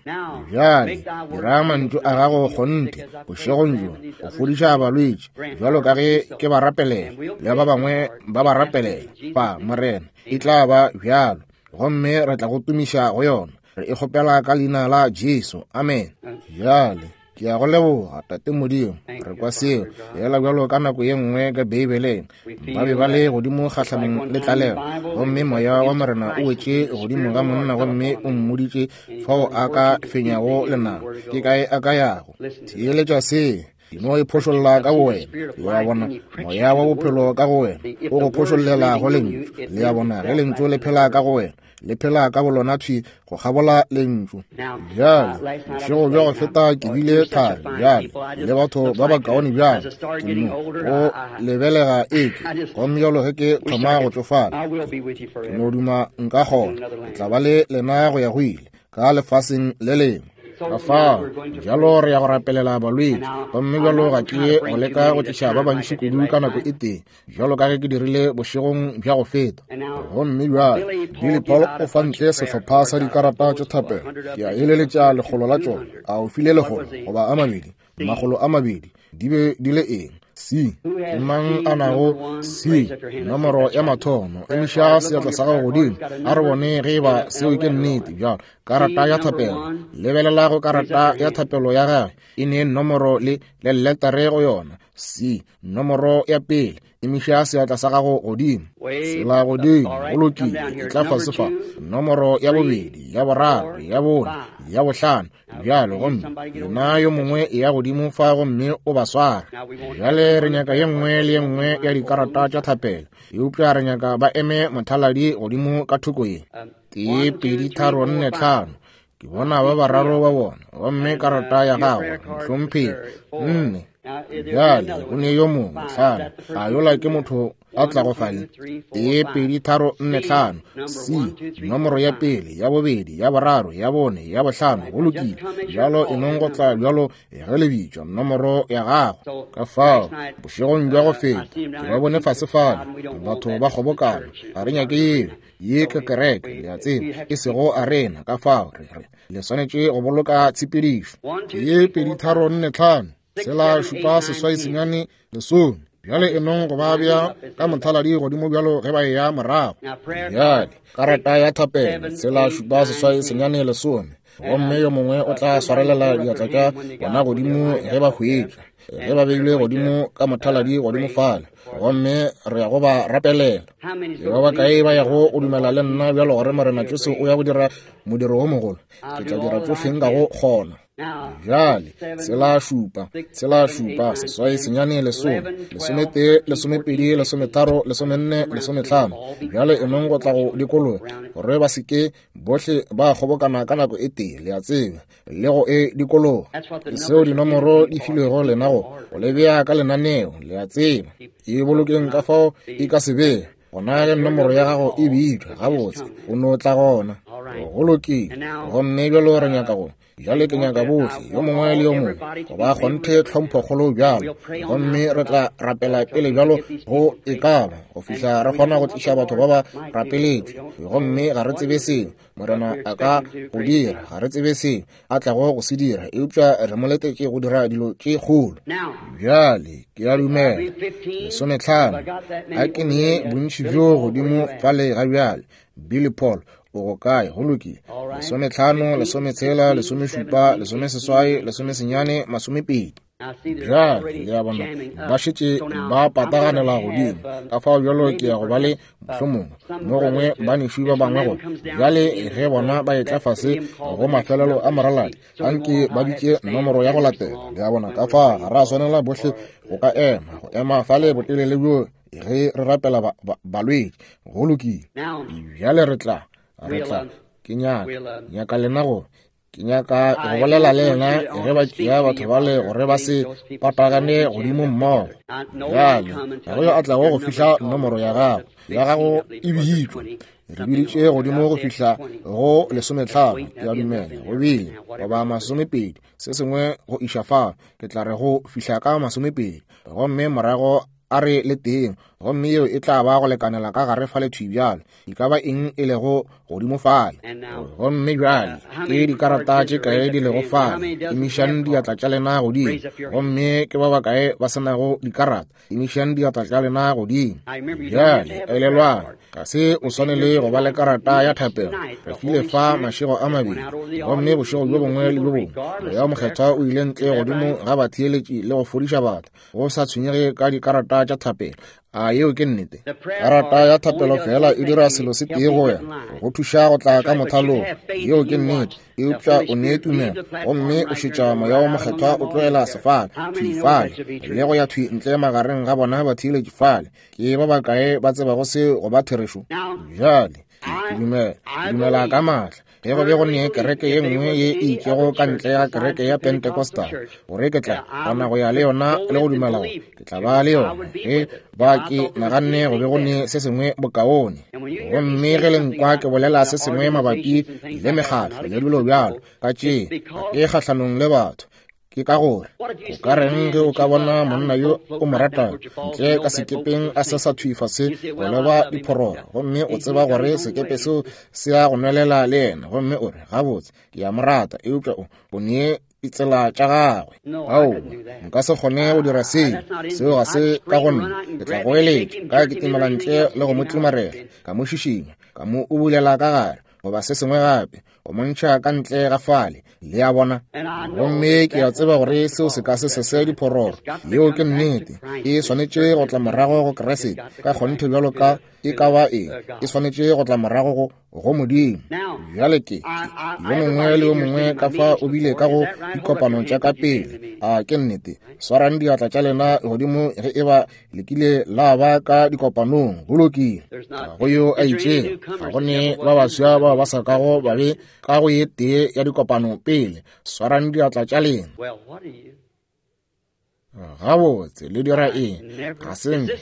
Bjale dira mantšu a gago kgonthe bošegong bjo, go fodiša balwetši bjalo ka ge ke ba rapelela le ba bangwe ba ba rapelela fa, Morena. E tla ba bjalo, gomme re tla go tumiša go yona. Re e kgopela ka leina la Jesu, amen. Bjale ke a go leboga, Tate Modimo. Re kwa seo fela bjalo ka nako ye nngwe ka Beibeleng, ba be ba le godimo kgahlanong le tlalelo, gomme moya wa Morena o wetše godimo ga monna gomme o mmoditše fao a ka fenyago lenaba, ke kae a ka yago. Theeletša se, no e phošolla ka go wena. Le a bona, moya wa bophelo ka go wena o go phošollela go lentšu. Le a bona, ge lentšu le phela ka go wena, le phela ka bolona thwi go kgabola lentšu. Bjale bošego bja go feta ke bile thari bjale le batho ba bakaone bjale, ke no go lebelega eke, gomme bjalo ge ke thoma go tšofala, ke no duma nka kgona ke tla ba le lena go ya go ile ka lefaseng le lengwe. Ka fao bjalo re ya go rapelela balwetši, gomme bjalo ga ke go leka go tliša ba bantši kudu ka nako e tee, bjalo ka ge ke dirile bošegong bja go feta. Gomme bjale Billy Paul o fa ntle sehlopha sa dikarata tša thapelo. Ke a eleletša lekgolo la tšona. A o file lekgolo goba a mabedi? Makgolo a mabedi. Di be di le eng? C. Ke mang a nago C? Nomoro ya mathomo. Emiša seatla sa gago godimo, a re bone ge eba seo ke nnete. Bjalo karata ya thapelo, lebelela go karata ya thapelo ya gagwe, e ne nomoro le le letare go yona. C, nomoro ya pele. Emiša seatla sa gago godimo, sela godimo, go lokile, e tla fase fa. Nomoro ya bobedi, ya boraro, ya bone, ya bohlano, bjalo. Gomme lena yo mongwe e ya godimo fa gomme o ba swara. Bjale re nyaka ye nngwe le ye nngwe ya dikarata tša thapelo, eupša re nyaka ba eme mothaladi godimo ka thoko ye. Tee, pedi, tharo, nne, tlhano. Ke bona ba bararo ba bona, gomme karata ya gagwe, mohlomphegi, nne. Bjale go ne yo mongwe, tlhano. A yola ke motho a tlago fale? Tee, pedi, tharo, nne, tlhano. C, nomoro ya pele, ya bobedi, ya boraro, ya bone, ya bohlano. Go lokile. Bjalo e nong go tla bjalo ge le bitšwa nomoro ya gago. Ka fao bošegong bja go feta ke ba bone fase fale, batho ba kgobokana. Ga re nyake yeo, ye ke kereke, le a tseba, e sego arena. Ka fao re re le swanetše go boloka tshepedišo. Tee, pedi, tharo, nne, tlhano, tshela, šupa, seswai, senyane, lesome. Bjale e nong go ba bja ka mothaladi godimo bjalo ge ba eya morago. Bjale karata ya thapelo, tshela, šupa, seswai, senyane, lesome. Gomme yo mongwe o tla swarelela diatla tša bona godimo ge ba hwetšwa, ge ba beilwe godimo ka mothaladi godimo fale, gomme re ya go ba rapelela. Ke ba bakae ba yago go dumela le nna bjalo gore Morena Jesu o ya go dira modiro wo mogolo? Ke tla dira tšohle nkago kgona. Bjale, tshela šupa, tshela šupa, seswai, senyane, lesome, lesometee, lesomepedi, lesometharo, lesomenne, lesometlhano. Bjale enong go tla go dikologa gore ba seke bohle ba kgobokana ka nako e tee, le a tseba, le go e dikologa. Ke seo dinomoro di filwego lena go go le bea ka lenaneo, le a tseba. E bolokeng ka fao e ka se be. Gona ge nomoro ya gago e bitšwa gabotse, o no tla gona. Go lokile. Gomme bjalo re nyaka go bjale ke nyaka bohle, yo mongwe le yo mongwe, go ba kgonthe tlhomphokgolo bjalo. Gomme re tla rapela pele bjalo go e ka ba go fihla re kgona go tliša batho ba ba rapeletšwe. Gomme ga re tsebe seo Morena a ka go dira, ga re tsebe seo a tlago go se dira, eupša re mo letetše go dira dilo tše kgolo. Bjale ke a dumela lesometlhano a ke nee bontši bjo godimo fale ga bjale. Billy Paul o go kae? Go lokile. Lesometlhano, lesometshela, lesomešupa, lesomeseswai, lesomesenyane, masomepedi. Bjale le a bona ba šetše ba pataganela godimo. Ka fao bjalo ke ya go ba le mohlomongwe mo gongwe banešu ba bangwe gore bjale ge bona ba etla fase go mafelelo a moraladi, anke ba bitše nomoro ya go latela. Le a bona, ka fa ga ra swanela bohle go ka ema go ema fale botelele bjo ge re rapela balwetši. Go lokile. Bjale re tla re tla ke nyaka nyaka lena go ke nyaka go bolela le yena ge ba tšea batho bale gore ba se patagane godimo mmogo. Bjale ga go yo a tlago go fihla nomoro ya gago ya gago e bitšwe. Re biditše godimo go fihla go lesometlhano, ke a dumela go bile goba masomepedi, se sengwe go iša fa. Ke tla re go fihla ka masomepedi, gomme morago a re le teng, gomme yeo e tla ba go lekanela ka gare fale thwi bjale, e ka ba eng e lego godimo fale. Gomme bjale ke dikarata tše kae di lego fale? Emišang diatla tša lena godimo. Gomme ke ba bakae ba se nago dikarata? Emišang diatla tša lena godimo. Bjale elelwang, ga se o swanele go ba le karata ya thapelo. Re file fa mašego a mabedi, gomme bošego bjo bongwe le bjo bongwe Moya wo Mokgethwa o ile ntle godimo ga batheeletši le go fodiša batho, go sa tshwenyege ka dikarata tša thapelo. A yeo ke nnete? Karata ya thapelo fela e dira selo se tee go wena, go thuša go tla ka mothalong. Yeo ke nnete. Eupša o nee tumelo, gomme o šetša Moya wo Mokgethwa o tlogela sefale thwi fale le go ya thwi ntle magareng ga bona batheeletši fale. Ke ba bakae ba tsebago seo go ba therešo? Bjale ke dumela, ke dumela ka maatla ge go be go ne kereke ye nngwe ye e itšego ka ntle ga kereke ya Pentecostal, gore ke tla kgona go ya le yona le go dumela gore ke tla ba le yona. Ge ba ke naganne go be go ne se sengwe bokaone. Gomme ge le nkwa ke bolela se sengwe mabapi le mekgatlo le dilo bjalo ka tše, ga ke kgahlanong le batho. Ke ka gore o ka reng ge o ka bona monna yo o mo ratago ntle ka sekepeng a se sa thwi fase go leba diphororo, gomme o tseba gore sekepe seo se ya go nwelela le yena, gomme o re gabotse ke a mo rata, eupša o o nee ditsela tša gagwe. Aowa, nka se kgone go dira seo. Seo ga se ka go nna. Ke tla go eletša ka kitimela ntle le go mo tlimarela, ka mo šišinya, ka mo ubulela ka gare goba se sengwe gape, go montšha ka ntle ga fale. Le a bona? Gomme ke a tseba gore seo se ka se sese diphororo. Yeo ke nnete. E swanetše go tla morago go Kriste ka kgonthe bjalo ka e ka ba eng. E swanetše go tla morago go go Modimo. Bjale ke yo mongwe le yo mongwe ka fa o bile ka go dikopano tša ka pele. A ke nnete? Swarang diatla tša lena godimo ge e ba le kile la ba ka dikopanong. Go lokile. Ga go yo a itšego, ga go ne ba baswa bao ba sa kago ba be ka go ye tee ya dikopano pele. Swarang diatla tša lena. Gabotse, le dira eng? Ga se nke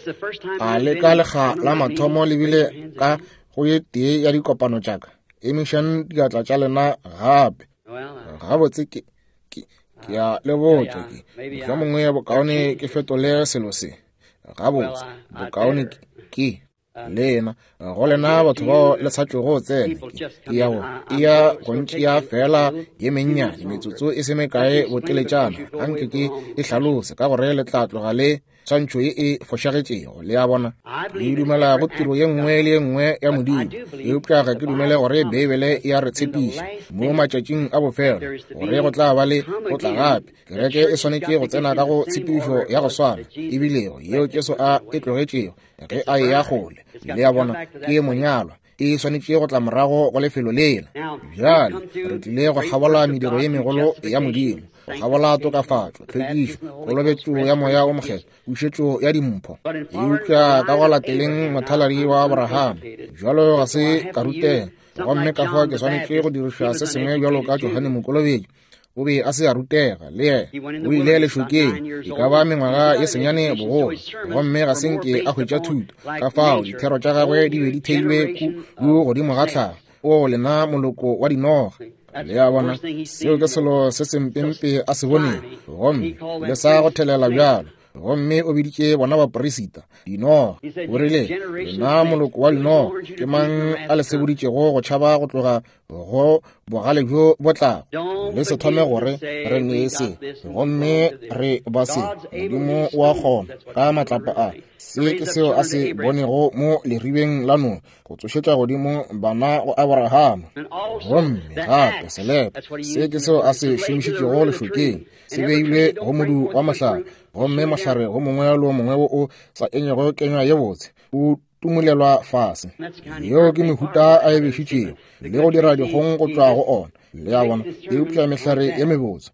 a le ka lekga la mathomo le bile ka go ye tee ya dikopano tša ka. Emišang diatla tša lena gape. Gabotse, ke ke ke a le botša, ke mohlomongwe bokaone ke fetole selo se. Gabotse, bokaone ke Lena go lena batho bao le sa tlogo tsena, ke ya go e ya go ntšea fela ye mennyane metsotso e se mekae boteletšana, anke ke e hlalose ka gore le tla tloga le tshwantšho ye e fošagetšego. Le a bona, ke dumela go tiro ye nngwe le ye nngwe ya Modimo, eupša ga ke dumele gore Beibele e a re tshepiša mo matšatšing a bofelo gore go tla ba le go tla gape. Kereke e swanetše go tsena ka go tshepišo ya go swana ebilego yeo Jesu a e tlogetšego ge a eya kgole. Le a bona, ke monyalwa, e swanetše go tla morago go lefelo lela. Bjale re tlile go kgabola mediro ye megolo ya Modimo, go kgabola tokafatšo, tlhwekišo, kolobetšo ya Moya o Mokgethwa, pušetšo ya dimpho. Eupša ka go lateleng mothaladi wa Abraham, bjalo ga se ka rutega, gomme ka fao ke swanetše go diriša se sengwe bjalo ka Johane Mokolobetši. O be a se a rutega le yena, o ile lešokeng e ka ba mengwaga ye senyane bogolo, gomme ga se nke a hwetša thuto. Ka fao dithero tša gagwe di be di theilwe kudu godimo ga tlhago. O lena moloko wa dinoga. Le a bona, seo ke selo se sempempe a se boneng, gomme le sa go thelela bjalo. Gomme o biditše bona baporisita dinoga. O rile, lena moloko wa dinoga, ke mang a le seboditšego go tšhaba go tloga go bogale bjo bo tlago? Le se thome gore re ne se, gomme re ba se. Modimo wa kgona ka matlapa a. Se ke seo a se bonego mo leribeng la Noa, go tsošetša godimo bana go Abrahama. Gomme gape selepe, se ke seo a se šomišitšego lešokeng, se beilwe go modu wa mohlare, gomme mohlare go mongwe le o mongwe wo o sa enyego kenywa ye botse o tumulelwa fase. Yeo ke mehuta a e bešitšego le go dira dikgong go tšwa go ona. Le a bona, eupša mehlare ye mebotse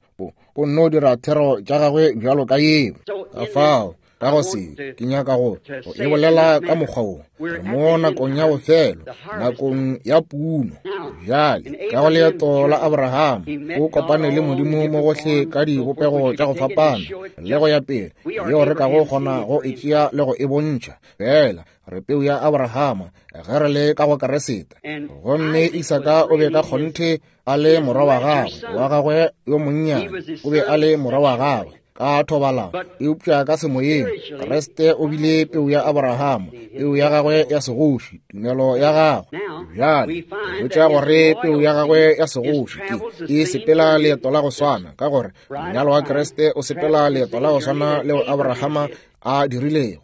o nno dira thero tša gagwe bjalo ka yeo. Ka fao ka go se ke nyaka go go e bolela ka mokgwa wo, re mo nakong ya bofelo, nakong ya puno. Bjale ka go leeto la Abraham, o kopane le Modimo mo gohle ka dibopego tša go fapana le go ya pele, yeo re ka go kgona go e tšea le go e bontšha. Fela re peu ya Abrahama ge re le ka go Keresete. Gomme Isaka o be ka kgonthe a le morwa wa gagwe, wa gagwe yo monnyane, o be a le morwa wa gagwe ka thobalano, eupša ka semoyeng Kriste o bile peu ya Abrahama, peu ya gagwe ya segoši, tumelo ya gagwe. Bjale hwetša gore peu ya gagwe ya segoši ke e sepela leeto la go swana, ka gore monyalo wa Kriste o sepela leeto la go swana leo Abrahama a dirilego.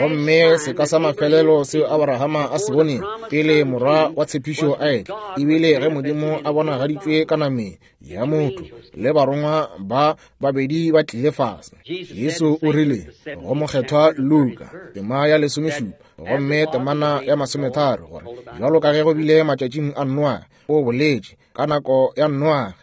Gomme seka sa mafelelo seo Abrahama a se boneng pele morwa wa tshepišo a etla, ebile ge Modimo a bonagaditšwe ka nameng ya motho le barongwa ba babedi ba tlile fase. Jesu o rile go mokgethwa Luka tema ya lesomešupa gomme temana ya masometharo gore bjalo ka ge go bile matšatšing a Noa, o boletše ka nako ya Noa,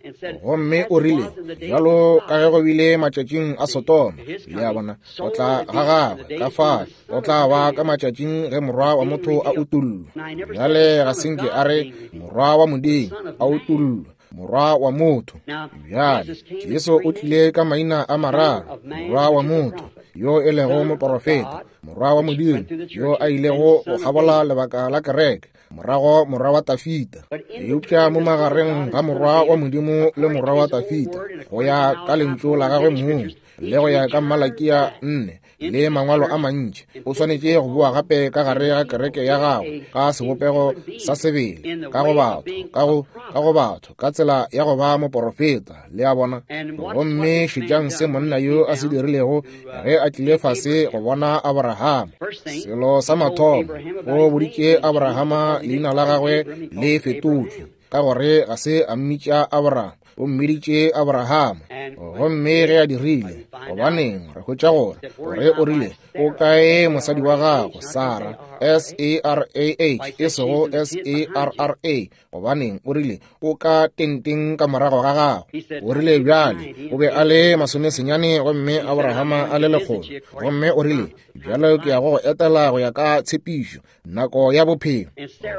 gomme o rile bjalo ka ge go bile matšatšing a Sodoma. Le a bona, go tla ga gagwe ka fa go tla ba ka matšatšing ge morwa wa motho a utullwa. Bjale ga se nke a re morwa wa Modimo a utullwa, morwa wa motho. Bjale Jesu o tlile ka maina a mararo: morwa wa motho yo e lego moporofeta, morwa wa Modimo yo a ilego go kgabola lebaka la kereke, morago morwa wa Tafita. Eupša mo magareng ga morwa wa Modimo le morwa wa Tafita, go ya ka lentšu la gagwe mong le go ya ka Malakia nne le mangwalo a mantši, o swanetše go boa gape ka gare ga kereke ya gagwe ka sebopego sa sebele, ka go batho, ka go ka go batho, ka tsela ya go ba moporofeta. Le a bona. Gomme šetšang se monna yo a se dirilego ge a tlile fase go bona Abrahama. Selo sa mathomo, o boditše Abrahama leina la gagwe le fetotšwe, ka gore ga se a mmitša Abraham, o mmiditše Abrahama. Gomme ge a dirile, gobaneng re hwetša gore gore o rile, o kae mosadi wa gago Sara, S A R A H e sego S A R R A. Gobaneng o rile o ka tenteng ka morago ga gago. O rile bjale o be a le masomesenyane gomme Abrahama a le lekgolo. Gomme o rile bjalo ke ya go go etela go ya ka tshepišo, nako ya bophelo.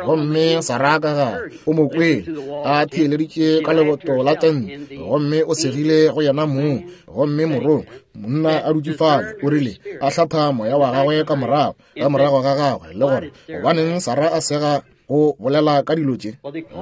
Gomme Sara ka gare o mo kwele a theeleditše ka leboto la tente, gomme o segile go yena mong. Gomme morongwa monna a dutše fale, o rile a hlatha moya wa gagwe ka morago ka morago ga gagwe, le gore gobaneng Sara a sega go bolela ka dilo tše.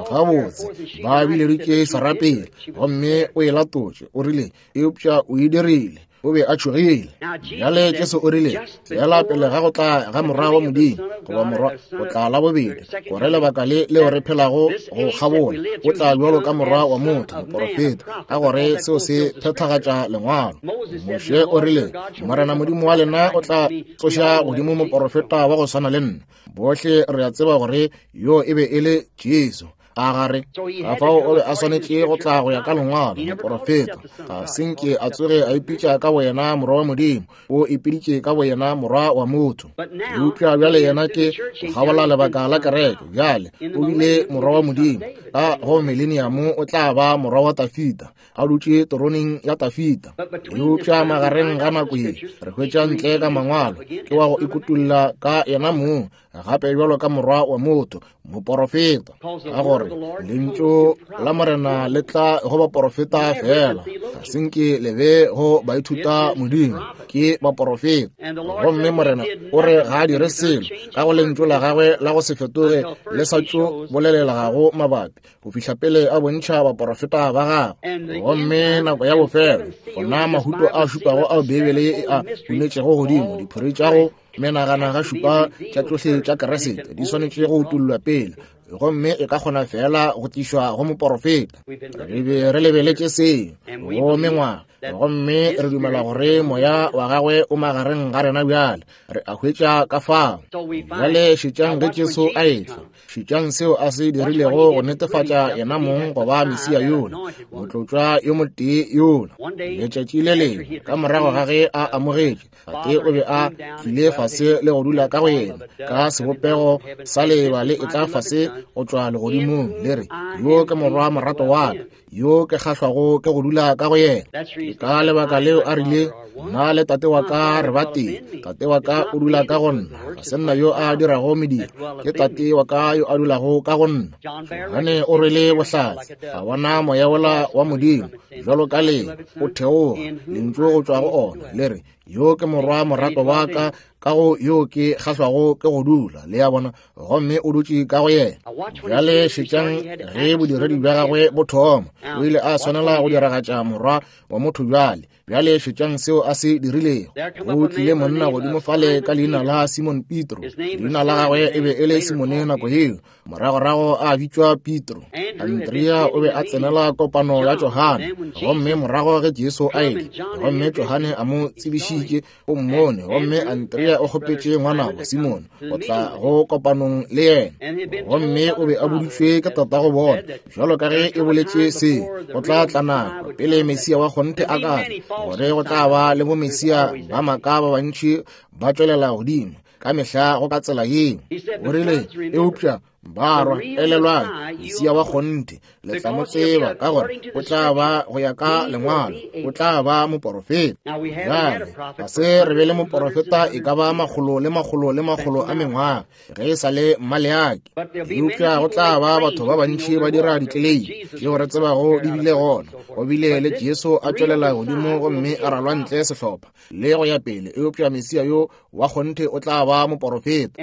Gabotse ba bileditše Sara pele, gomme o e latotše. O rile eupša o e dirile. O be a tšhogile. Bjale Jesu o rile, feela pele ga go tla ga Morwa wa Modimo, goba Morwa go tla la bobedi, gore lebaka le leo re phelago go kgabola, o tla bjalo ka Morwa wa motho, moporofeta, ka gore seo se phethagatša Lengwalo. Moshe o rile, Morena Modimo wa lena o tla tsoša godimo moporofeta wa go swana le nna. Bohle re a tseba gore yo e be e le Jesu. A gare ka fao o be a swanetše go tla go ya ka Lengwalo, moporofeta. Ga se nke a tsoge a ipitša ka boyena Morwa wa Modimo, o ipiditše ka boyena Morwa wa motho. Eupša bjale yena ke go kgabola lebaka la kereke. Bjale o bile Morwa wa Modimo, ka go mileniamo o tla ba Morwa wa Tafita, a dutše teroneng ya Tafita. Eupša magareng ga nako ye re hwetša ntle ka Mangwalo ke wa go ikutulla ka yena mong gape bjalo ka Morwa wa motho, moporofeta, ka gore lentšu la Morena le tla go baporofeta fela, ga se nke le be go baithuta Modimo, ke baporofeta. Gomme Morena o re ga a dire selo ka go lentšu la gagwe la go se fetoge le sa tšo bolelelagago mabapi, go fihla pele a bontšha baporofeta ba gagwe. Gomme nako ya bofelo, gona mahuto a šupago ao Beibele e a hunetšego godimo, diphori tša go menagana ga šupa tša tšohle tša Keresete di swanetše go utollwa pele, gomme e ka kgona fela go tlišwa go moporofeta. Re be re lebeletše seo go mengwaga, gomme re dumela gore moya wa gagwe o magareng ga rena bjale. Re a hwetša ka fao. Bjale šetšang ge Jesu a etla, šetšang seo a se dirilego go netefatša yena mong go ba Mesia yola, motlotšwa yo motee yola. Letšatši le lengwe ka morago ga ge a amogetše, Tate o be a tlile fase le go dula ka go yena ka sebopego sa leeba le etla fase go tšwa legodimong, le re, yo ke Morwa morato wa ka, yo ke kgahlwago ke go dula ka go yena. Ke ka lebaka leo a rile, nna le tate wa ka re ba tee, tate wa ka o dula ka go nna, ga se nna yo a dirago mediro, ke tate wa ka yo a dulago ka go nna. Johane o rwele bohlatse, a bona moya wola wa Modimo bjalo ka le o theoga, lentšu go tšwa go ona le re, yo ke Morwa morato wa ka, ka go yo ke kgahlwago ke go dula. Le a bona, gomme o dutše ka go yena. Bjale šetšang ge bodiredi bja gagwe bo thoma, o ile a swanela go diragatša Morwa wa motho bjale. Bjale šetšang seo a se dirilego. Go tlile monna godimo fale ka leina la Simon Petro. Leina la gagwe e be e le Simone nako yeo, moragorago a bitšwa Petro. Andrea o be a tsenela kopano ya Johane, gomme morago ge Jesu a etla, gomme Johane a mo tsebišitše, o mmone, gomme Andrea o kgopetše ngwanabo Simone go tla go kopanong le yena. Gomme o be a boditšwe ke tatago bona, bjalo ka ge e boletše se, go tla tla nako pele Mesia wa kgonthe a ka tla, gore go tla ba le bomesia ba maaka ba bantši ba tšwelela godimo ka mehla go ka tsela yeo. O rile, eupša barwa, elelwang, Mesia wa kgonthe le tla mo tseba, ka gore o tla ba go ya ka Lengwalo, o tla ba moporofeta. Bjale ga se re be le moporofeta e ka ba makgolo le makgolo le makgolo a mengwaga ge e sa le Maleaki. Eupša go tla ba batho ba bantši ba dira ditleleimi tšeo re tsebago di bile gona. Go bile le Jesu a tšwelela godimo gomme a ralwa ntle sehlopha le go ya pele, eupša Mesia yo wa kgonthe o tla ba moporofeta.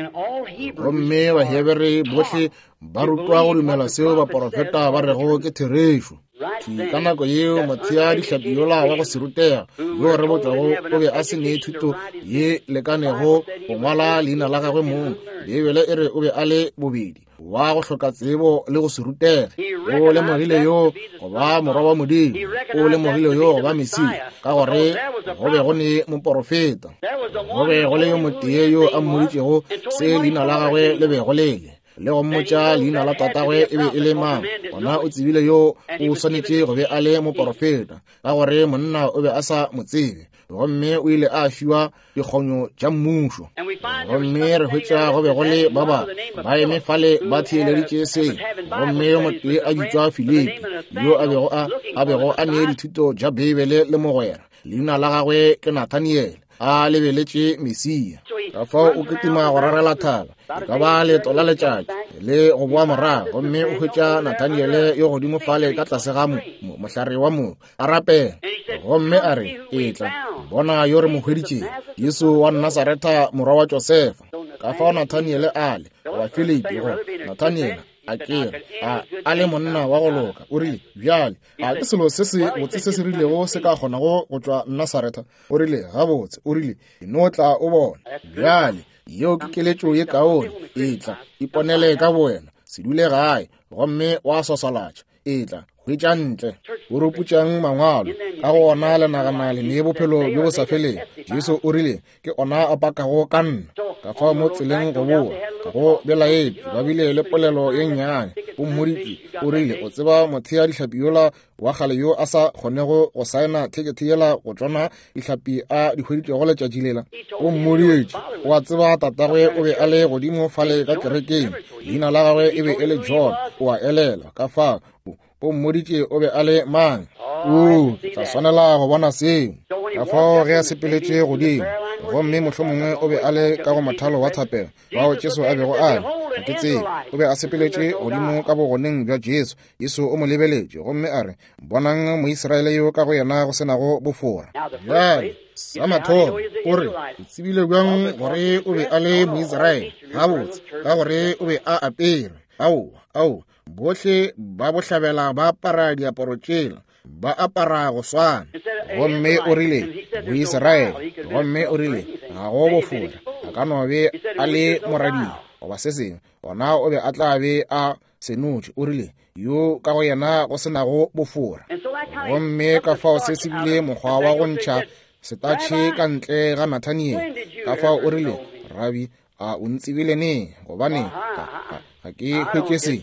Gomme Bahebere bohle ba rutwa go dumela seo baporofeta ba rego ke therešo. Ka nako yeo mothea dihlapi yola wa go se rutega yo re botšwago o be a se ne thuto ye lekanego go ngwala leina la gagwe mong. Beibele e re o be a le bobedi wa go hloka tsebo le go se rutege. O lemogile yo go ba Morwa wa Modimo, o lemogile yo go ba Mesia, ka gore go be go ne moporofeta. Go be go le yo motee yo a mmoditšego se leina la gagwe le bego le le, le go mmotša leina la tatagwe e be e le mang. Gona o tsebile yo o swanetše go be a le moporofeta, ka gore monna o be a sa mo tsebe, gomme o ile a fiwa dikgonyo tša mmušo. Gomme re hwetša go be go le ba ba ba eme fale ba theeleditše se, gomme yo motee a bitšwa Filipi, yo a bego a a bego a nee dithuto tša Beibele le mogwera, leina la gagwe ke Nathaniel, a lebeletše Mesia. Ka fao o kitima go rarela thaba, e ka ba leeto la letšatši le go boa morago, gomme o hwetša Nathaniele yo godimo fale ka tlase ga mohlare wa mo a rapela, gomme a re, etla bona yo re mo hweditšego, Jesu wa Nasaretha morwa wa Josefa. Ka fao Nathaniele a le goba Filipi go Nathaniele A ke re a a le monna wa go loka. O rile, bjale a ke selo se se botse se se rilego se ka kgonago go tšwa Nasaretha? O rile, gabotse, o rile, no tla o bona. Bjale yeo ke keletšo ye kaone. Etla iponele ka bowena, se dule gae gomme wa swaswalatša. Etla hwetša ntle. O ruputšang mangwalo, ka go ona le nagana le ne bophelo bjo bo sa feleng. Jesu o rile, ke ona a pakago ka nna. Ka fao mo tseleng go boa, ga go belaetše, ba bile le polelo ye nnyane. O mmoditše, o rile, o tseba mothea dihlapi yola wa kgale yo a sa kgonego go saena thekethe yela go tšona dihlapi a di hweditšego letšatši lela? O mmoditše, o a tseba tatagwe o be a le godimo fale ka kerekeng, leina la gagwe e be e le John. O a elela ka fao o mmoditše o be a le mang. O tla swanela go bona seo. Ka fao ge a sepeletše godimo, gomme mohlomongwe o be a le ka go mothalo wa thapelo bao Jesu a bego a le, ga ke tsebe. O be a sepeletše godimo ka bogoneng bja Jesu. Jesu o mo lebeletše gomme a re, bonang Moisraele yo ka go yena go senago bofora. Bjale sa mathomo o re, o tsebile bjang gore o be a le Moisraele? Gabotse, ka gore o be a apere. Ao, ao, bohle ba bohlabela ba apara diaparo tšela, ba apara go swana. Gomme o rile, Moisraele. Gomme o rile, ga go bofora, a ka no be a le moradia goba se sengwe, gona o be a tla be a senotše. O rile, yo ka go yena go senago bofora. Gomme ka fao se se bile mokgwa wa go ntšha setatšhe ka ntle ga Nathaniel. Ka fao o rile, Rabi, a o ntsebile neng? Gobane ga ke hwetše se.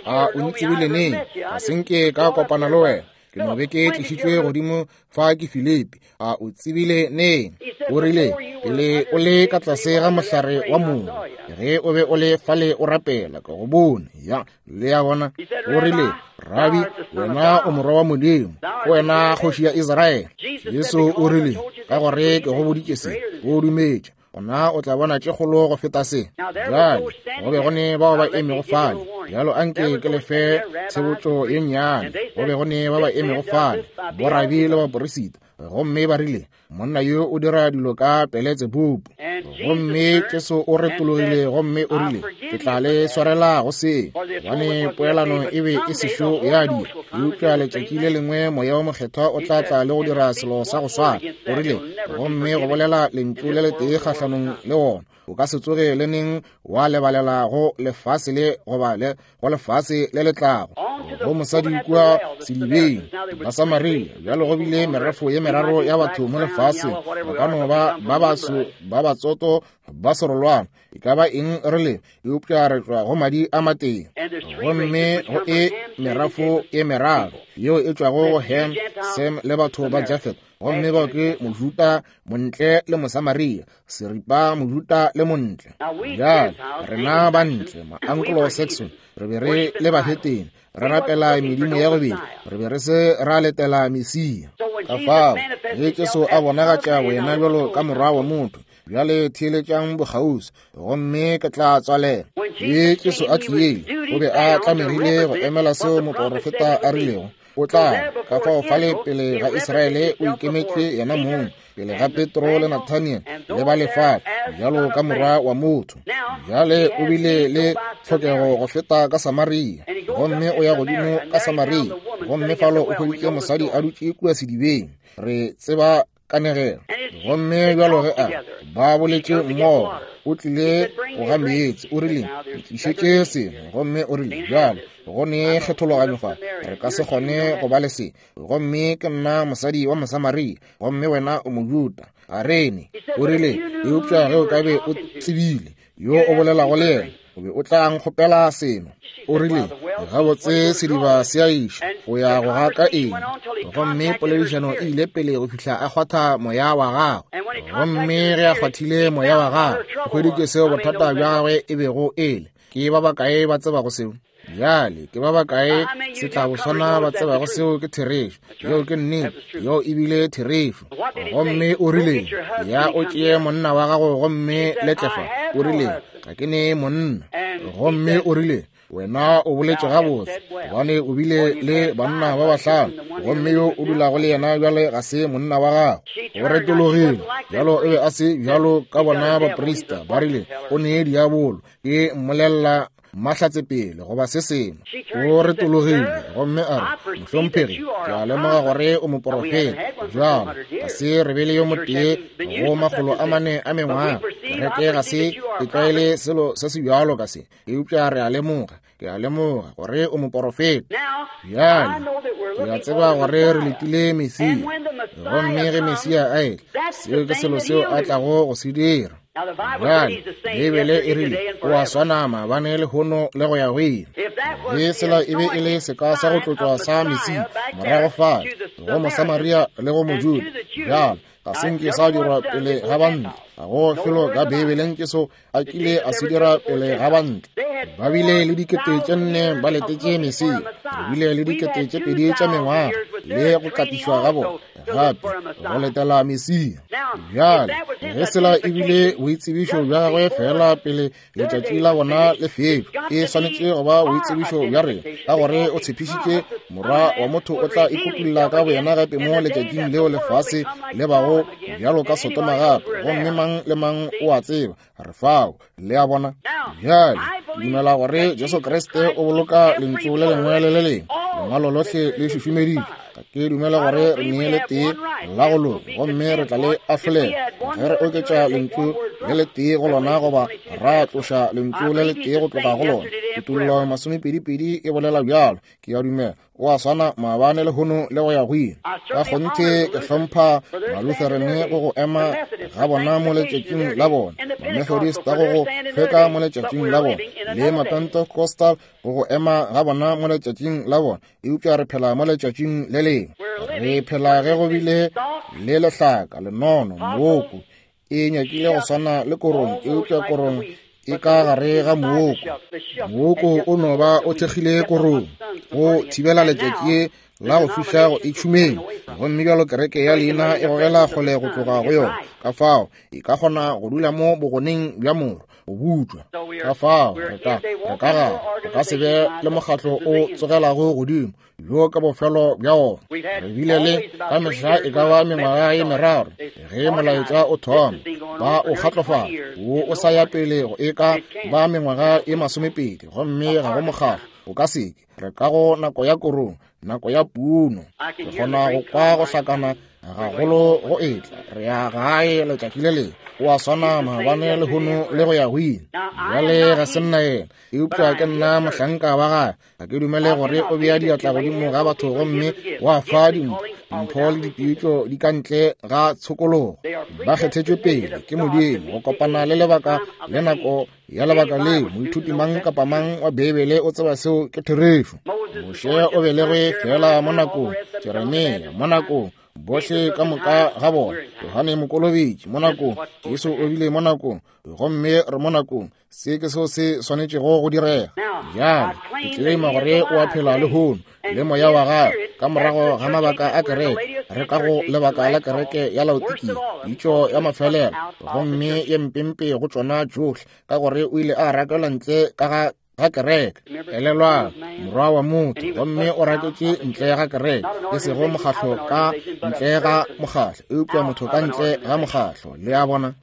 A o ntsebile neng? Ga se nke ka kopana le wena, ke no be ke tlišitšwe godimo fa ke Filipi. A o tsebile neng? O rile, pele o le ka tlase ga mohlare wa mogo, ge o be o le fale o rapela, ka go bone. Ya, le a bona. O rile, Rabi, wena o morwa wa Modimo, wena kgoši ya Israele. Jesu o rile, ka gore ke go boditše se, o dumetše, gona o tla bona tše kgolo go feta se. Bjale go be go ne bao ba emego fale. Bjalo anke ke lefe tshebotšo ye nnyane. Go be go ne ba ba emego fale, borabi le baporisita, gomme ba rile, monna yo o dira dilo ka Peletsebubu. Gomme Jesu o retologile gomme o rile, ke tla le swarela go se, gobane poelano e be e sešo ya dira. Eupša letšatši le lengwe Moya wo Mokgethwa o tla tla le go dira selo sa go swana. O rile, gomme go bolela lentšu le letee kgahlanong le wona, o ka se tsoge le neng wa lebalela go lefase le goba le go lefase le le tlago. Go mosadi kua sedibeng ba Samaria. Bjalo go bile merafo ye meraro ya batho mo lefaseng, ba ka no ba ba baso ba batsoto ba serolwana, e ka ba eng re le, eupša re tšwa go madi a matee. Gomme go e merafo e meraro yeo e tšwago go Ham, Sem le batho ba Jafet. Gomme bao ke Mojuta, Montle le Mosamaria, seripa Mojuta le Montle. Bjale rena ba ntle, ma-Anglo-Saxon, re be re le bahetene, re rapela medimo ya gobedi, re be re se ra letela Mesia. Ka fao ge Jesu a bonagatša boyena bjalo ka morwa wa motho, bjale theeletšang bokgauswi, gomme ke tla tswalela. Ge Jesu a tlile, o be a tlamegile go emela seo moporofeta a rilego o tla. Ka fao fale pele ga Israele o ikemetše yena mong, pele ga Petro le Nathaniel le ba lefale, bjalo ka morwa wa motho. Bjale o bile le tlhokego go feta ka Samaria, gomme o ya godimo ka Samaria, gomme falo o hweditše mosadi a dutše kua sedibeng. Re tseba kanegelo. Gomme bjalo ge a ba boletše mmogo, o tlile go ga meetse. O rile, ntlišetše seno. Gomme o rile, bjalo go ne kgethologanyo fa, re ka se kgone go ba le se. Gomme ke nna mosadi wa Mosamaria, gomme wena o Mojuta. Ga rene. O rile, eupša ge o ka be o tsebile yo o bolelago le yena, o be o tla nkgopela seno. O rile, gabotse sediba se a iša, o ya go gaka eng? Gomme poledišano e ile pele go fihla a kgwatha moya wa gagwe. Gomme ge a kgwathile moya wa gagwe, o hweditše seo bothata bja gagwe e bego e le. Ke ba bakae ba tsebago seo? Bjale ke ba bakae setlaboswana ba tsebago seo ke therešo? Yeo ke nnete, yeo e bile therešo. Gomme o rile, ya o tšee monna wa gago gomme le tle fa. O rile, ga ke ne monna. Gomme o rile, wena o boletše gabotse, gobane o bile le banna ba bahlano, gomme yo o dulago le yena bjale ga se monna wa gago. O retologile. Bjalo e be a se bjalo ka bona baprista. Ba rile, o ne diabolo, ke mmolella mahlatsepele goba se sengwe. O retologile gomme a re, mohlomphegi, ke a lemoga gore o moporofeta. Bjalo ga se re be le yo motee go makgolo a mane a mengwaga. Kereke ga se e tlwaele selo se se bjalo ka se, eupša re a lemoga, ke a lemoga gore o moporofeta. Bjale ke a tseba gore re letile Mesia, gomme ge Mesia a etla, seo ke selo seo a tlago go se dira. Bjale Beibele e rile o a swana maabane lehono le go ya go ile. Ge sela e be e le seka sa go tlotlwa sa Mesia morago fale go Mosamaria le go Mojuda, bjale ga se nke sa dirwa pele ga bantle. Ga go felo ka Beibeleng ke so a kile a se dira pele ga bantle. Ba bile le dikete tše nne ba letetše Mesia. Re bile le dikete tše pedi tša mengwaga le go katišwa ga bona gape go letela Mesia. Bjale ge sela e bile boitsebišo bja gagwe fela pele letšatši la bona le fetšwa, e swanetše go ba boitsebišo bja rena, ka gore o tshepišitše Morwa wa motho o tla ikutulla ka boyena gape mo letšatšing leo lefase le bago bjalo ka Sodoma gape, gomme mang le mang o a tseba re fao. Le a bona? Bjale ke dumela gore Jesu Kriste o boloka lentšu le lengwe le le lengwe, lengwalo lohle le šušumeditšwe. Ga ke dumela gore re nee le tee la go loka, gomme re tla le ahlolela ge re oketša lentšu le le tee go lona goba ra tloša lentšu le le tee go tloga go lona. Kutollo masomepedipedi e bolela bjalo. Ke a dumela o a swana maabane lehono le go ya go ile. Ka kgonthe ke hlompha Malutherane go go ema ga bona mo letšatšing la bona, Mamethodist go go hlweka mo letšatšing la bona, le Mapentecostal go go ema ga bona mo letšatšing la bona, eupša re phela mo letšatšing le lengwe. Re phela ge go bile le lehlaka, lenono, mooko. E nyakile go swana le korong, eupša korong e ka gare ga mooko. Mooko o no ba o thekgile korong go thibela letšatši la go fiša go e tšhumeng, gomme bjalo kereke ya leina e gogela kgole go tloga go yona. Ka fao e ka kgona go dula mo bogoneng bja moro go butšwa. Ka fao re ka re ka gare re ka se be le mokgatlo o tsogelago godimo bjo ka bofelo bja ona. Re bile le ka mehla e ka ba mengwaga ye meraro ge molaetša o thoma ba o kgatlofala, wo o sa ya pele go e ka ba mengwaga ye masomepedi, gomme ga go mokgatlo o ka seke. Re ka go nako ya korong, nako ya puno. Re kgona go kwa go hlakana gagolo go etla. Re ya gae letšatši le lengwe. O a swana maabane lehono le go ya go ile. Bjale ga se nna yena, eupša ke nna mohlanka wa gagwe. Ga ke dumele gore o bea diatla godimo ga batho gomme wa fa dimpho. Dimpho le dipitšo di ka ntle ga tshokologo. Ba kgethetšwe pele ke Modimo go kopana le lebaka le nako ya lebaka leo. Moithuti mang kapa mang wa Beibele o tseba seo ke therešo. Moshe o belegwe fela mo nakong, Jeremia mo nakong, bohle ka moka ga bona, Johane Mokolobetši mo nakong, Jesu o bile mo nakong, gomme re mo nakong. Se ke seo se swanetšego go direga. Bjale ke tleleima gore o a phela lehono le moya wa gagwe ka morago ga mabaka a kereke. Re ka go lebaka la kereke ya Laodikia, pitšo ya mafelelo, gomme ye mpempe go tšona tšohle, ka gore o ile a rakelwa ntle ka ga ga kereke. Elelwang, morwa wa motho, gomme o raketše ntle ga kereke, e sego mokgatlo ka ntle ga mokgatlo, eupša motho ka ntle ga mokgatlo. Le a bona?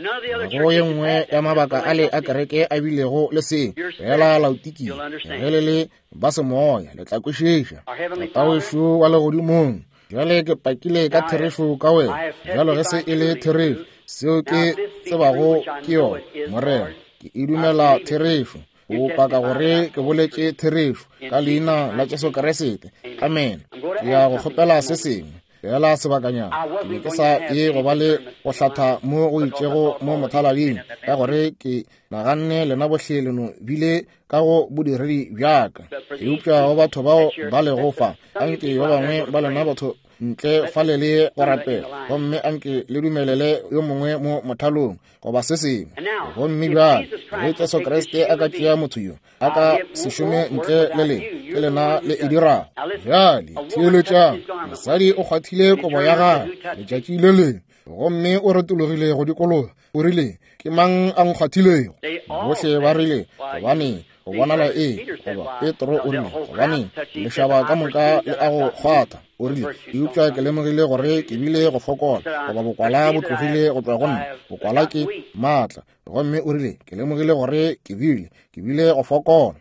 Go ye nngwe ya mabaka ale a kereke a bilego le seo fela Laodikia, ge le le ba semoya le tla kwešiša. Tatawešo wa legodimong, bjale ke pakile ka therešo ka wena. Bjalo ge se e le therešo, seo ke tsebago ke yona, Morena, ke e dumela therešo. O paka gore ke boletše therešo ka leina la Jesu Kriste. Amen. Ke ya go kgopela se sengwe fela sebakanyana. Ke be ke sa ye go ba le go hlatha mo go itšego mo mothalading, ka gore ke naganne lena bohle leno bile ka go bodiredi bjaka. Eupša go batho bao ba lego fa, anke ba bangwe ba lena batho ntle fale le go rapela, gomme anke le dumelele yo mongwe mo mothalong goba se sengwe. Gomme bjale ge Jesu Kriste a ka tšea motho yo, a ka se šome ntle le lena, ke lena le e dirago. Bjale theeletšang, mosadi o kgwathile kobo ya gagwe letšatši le lengwe, gomme o retologile go dikologa. O rile, ke mang a nkgwathilego? Bohle ba rile, gobane Go bonala ee, goba Petro o rile, gobaneng lešaba ka moka le a go kgwatha. O rile, eupša ke lemogile gore ke bile go fokola, goba bokwala bo tlogile go tšwa go nna. Bokwala ke maatla. Gomme o rile, ke lemogile gore ke bile, ke bile go fokola.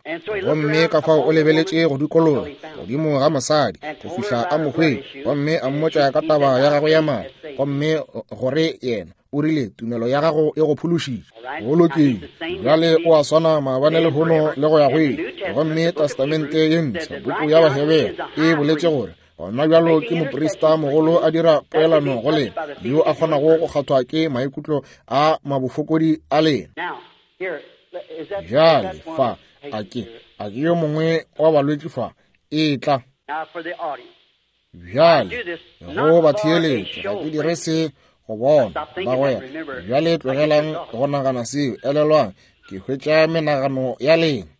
Gomme ka fao o lebeletše go dikologa godimo ga mosadi go fihla a mo hwetša, gomme a mmotša ka taba ya gagwe ya madi, gomme gore yena o rile, tumelo ya gago e go phološitše. Go lokile. Bjale o a swana maabane lehono le go ya go ile. Gomme Testamente ye mpsha, buku ya Bahebere, e boletše gore gona bjalo ke moprista mogolo a dira poelano go lena, yo a kgonago go kgathwa ke maikutlo a mabofokodi a lena. Bjale fa, a ke, a ke yo mongwe wa balwetši fa, e tla. Bjale, go ba theeletše, ga ke dire se go bona, bagwera. Bjale tlogelang go nagana seo, elelwang, ke hwetša menagano ya lena.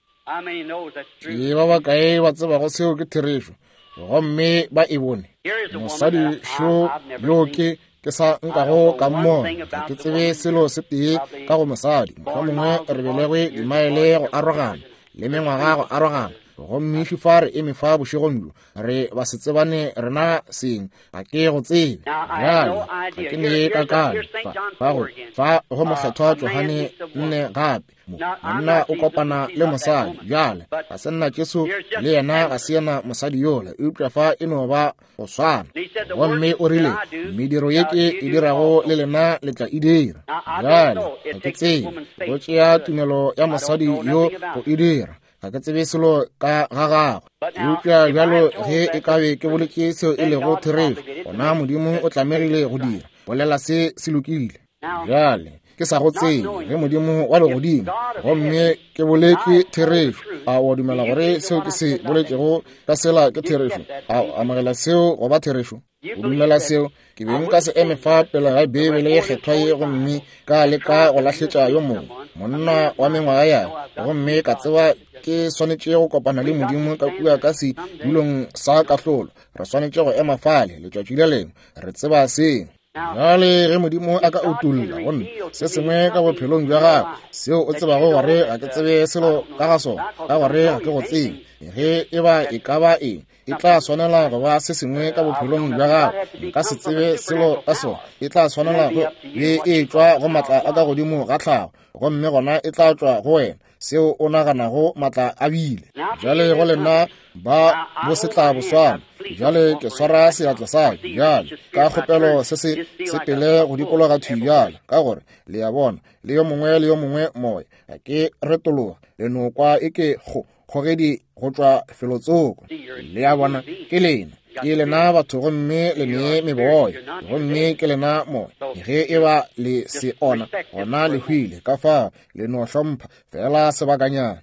Ke ba bakae ba tsebago seo ke therešo, gomme ba e bone? Mosadi šo yo ke ke sa nkago ka mmona, ga ke tsebe selo se tee ka go mosadi. Mohlomongwe re belegwe dimaele go arogana le mengwaga go arogana, gomme šifa re eme fa bošegong bjo, re ba se tsebane rena seng, ga ke go tsebe. Bjale ga ke ne kakanyo fa, fa go fa go mokgethwa Johane nne gape. Monna o kopana le mosadi. Bjale ga se nna Jesu, le yena ga se yena mosadi yola, eupša fa e no ba go swana. Gomme o rile, mediro ye ke e dirago le lena le tla e dira. Bjale ga ke tsebe, go tšea tumelo ya mosadi yo go e dira, ga ke tsebe selo ka ga gagwe. Eupša bjalo ge e ka be ke boletše seo e lego therešo, gona Modimo o tlamegile go dira, bolela se se lokile. Bjale ke sa go tsebe ge Modimo wa legodimo, gomme ke boletše therešo. A o dumela gore seo ke se boletšego ka sela ke therešo? A o amogela seo go ba therešo? O dumela seo? Ke be nka se eme fa pele ga Beibele ye kgethwa ye gomme ka leka go lahletša yo mongwe monna wa mengwaga ya, gomme ka tseba ke swanetše go kopana le Modimo ka kua ka sedulong sa kahlolo. Re swanetše go ema fale letšatši le lengwe, re tseba seo. Bjale ge Modimo a ka utolla go nna se sengwe ka bophelong bja gago seo o tsebago gore ga ke tsebe selo ka ga sona, ka gore ga ke go tsebe, ge e ba e ka ba eng, e tla swanela go ba se sengwe ka bophelong bja gago, nka se tsebe selo ka sona, e tla swanela go be e tšwa go matla a ka godimo ga tlhago, gomme gona e tla tšwa go wena seo o naganago matla a bile. Bjale go lena ba bo se tla boswana. Bjale ke swara seatla sa ka bjale ka kgopelo se se sepele go dikologa thwi bjale, ka gore le a bona le yo mongwe le yo mongwe moya ga ke retologa, le no kwa e ke kgo kgogedi go tšwa felotsoko. Le a bona, ke lena, ke lena batho, gomme le ne meboya, gomme ke lena moya. Ge e ba le se ona, gona le hwile. Ka fao le no hlompha fela sebakanyana.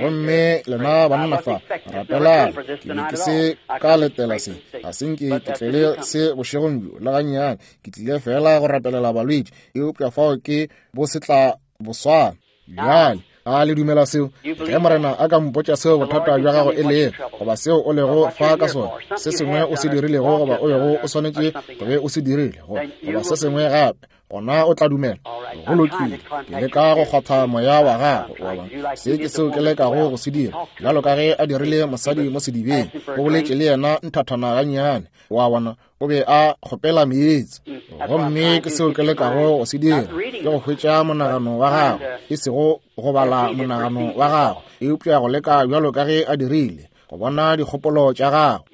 Gomme lena banna fa, rapelang. Ke be ke se ka letela se, ga se nke ke tlele se bošegong bjo le gannyane. Ke tlile fela go rapelela balwetši, eupša fao ke bo se tla boswana. Bjale a le dumela seo? Ge Morena a ka mpotša seo bothata bja gago e lego, goba seo o lego fa ka sona, se sengwe o se dirilego goba o bego o swanetše go be o se dirile, goba se sengwe gape, gona o tla dumela. Go lokile. Ke leka go kgwatha moya wa gago, wa bona. Se ke seo ke lekago go se dira, bjalo ka ge a dirile mosadi mo sedibeng, o boletše le yena nthathana gannyane, wa bona, o be a kgopela meetse. Gomme ke seo ke lekago go se dira, ke go hwetša monagano wa gago, e sego go bala monagano wa gago, eupša go leka bjalo ka ge a dirile, go bona dikgopolo tša gago.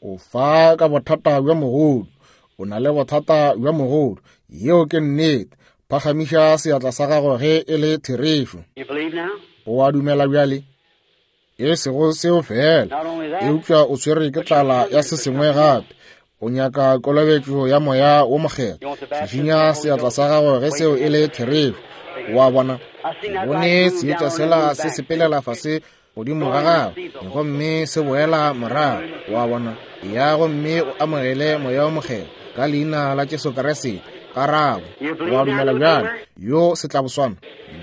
O fa ka bothata bja mogodu, o na le bothata bja mogodu, yeo ke nnete. Phagamiša seatla sa gago ge e le therešo. O a dumela bjale? E sego seo fela, eupša o swere ke tlala ya se sengwe gape. O nyaka kolobetšo ya moya wo mokgethwa. Šišinya seatla sa gago ge seo e le therešo. O a bona? Bone seetša sela se sepelela fase godimo ga gago, gomme se boela morago. O a bona? Ya, gomme o amogele moya wo mokgethwa ka leina la Jesu Kriste. Karabo. O a dumela bjale? Yo se tla boswana.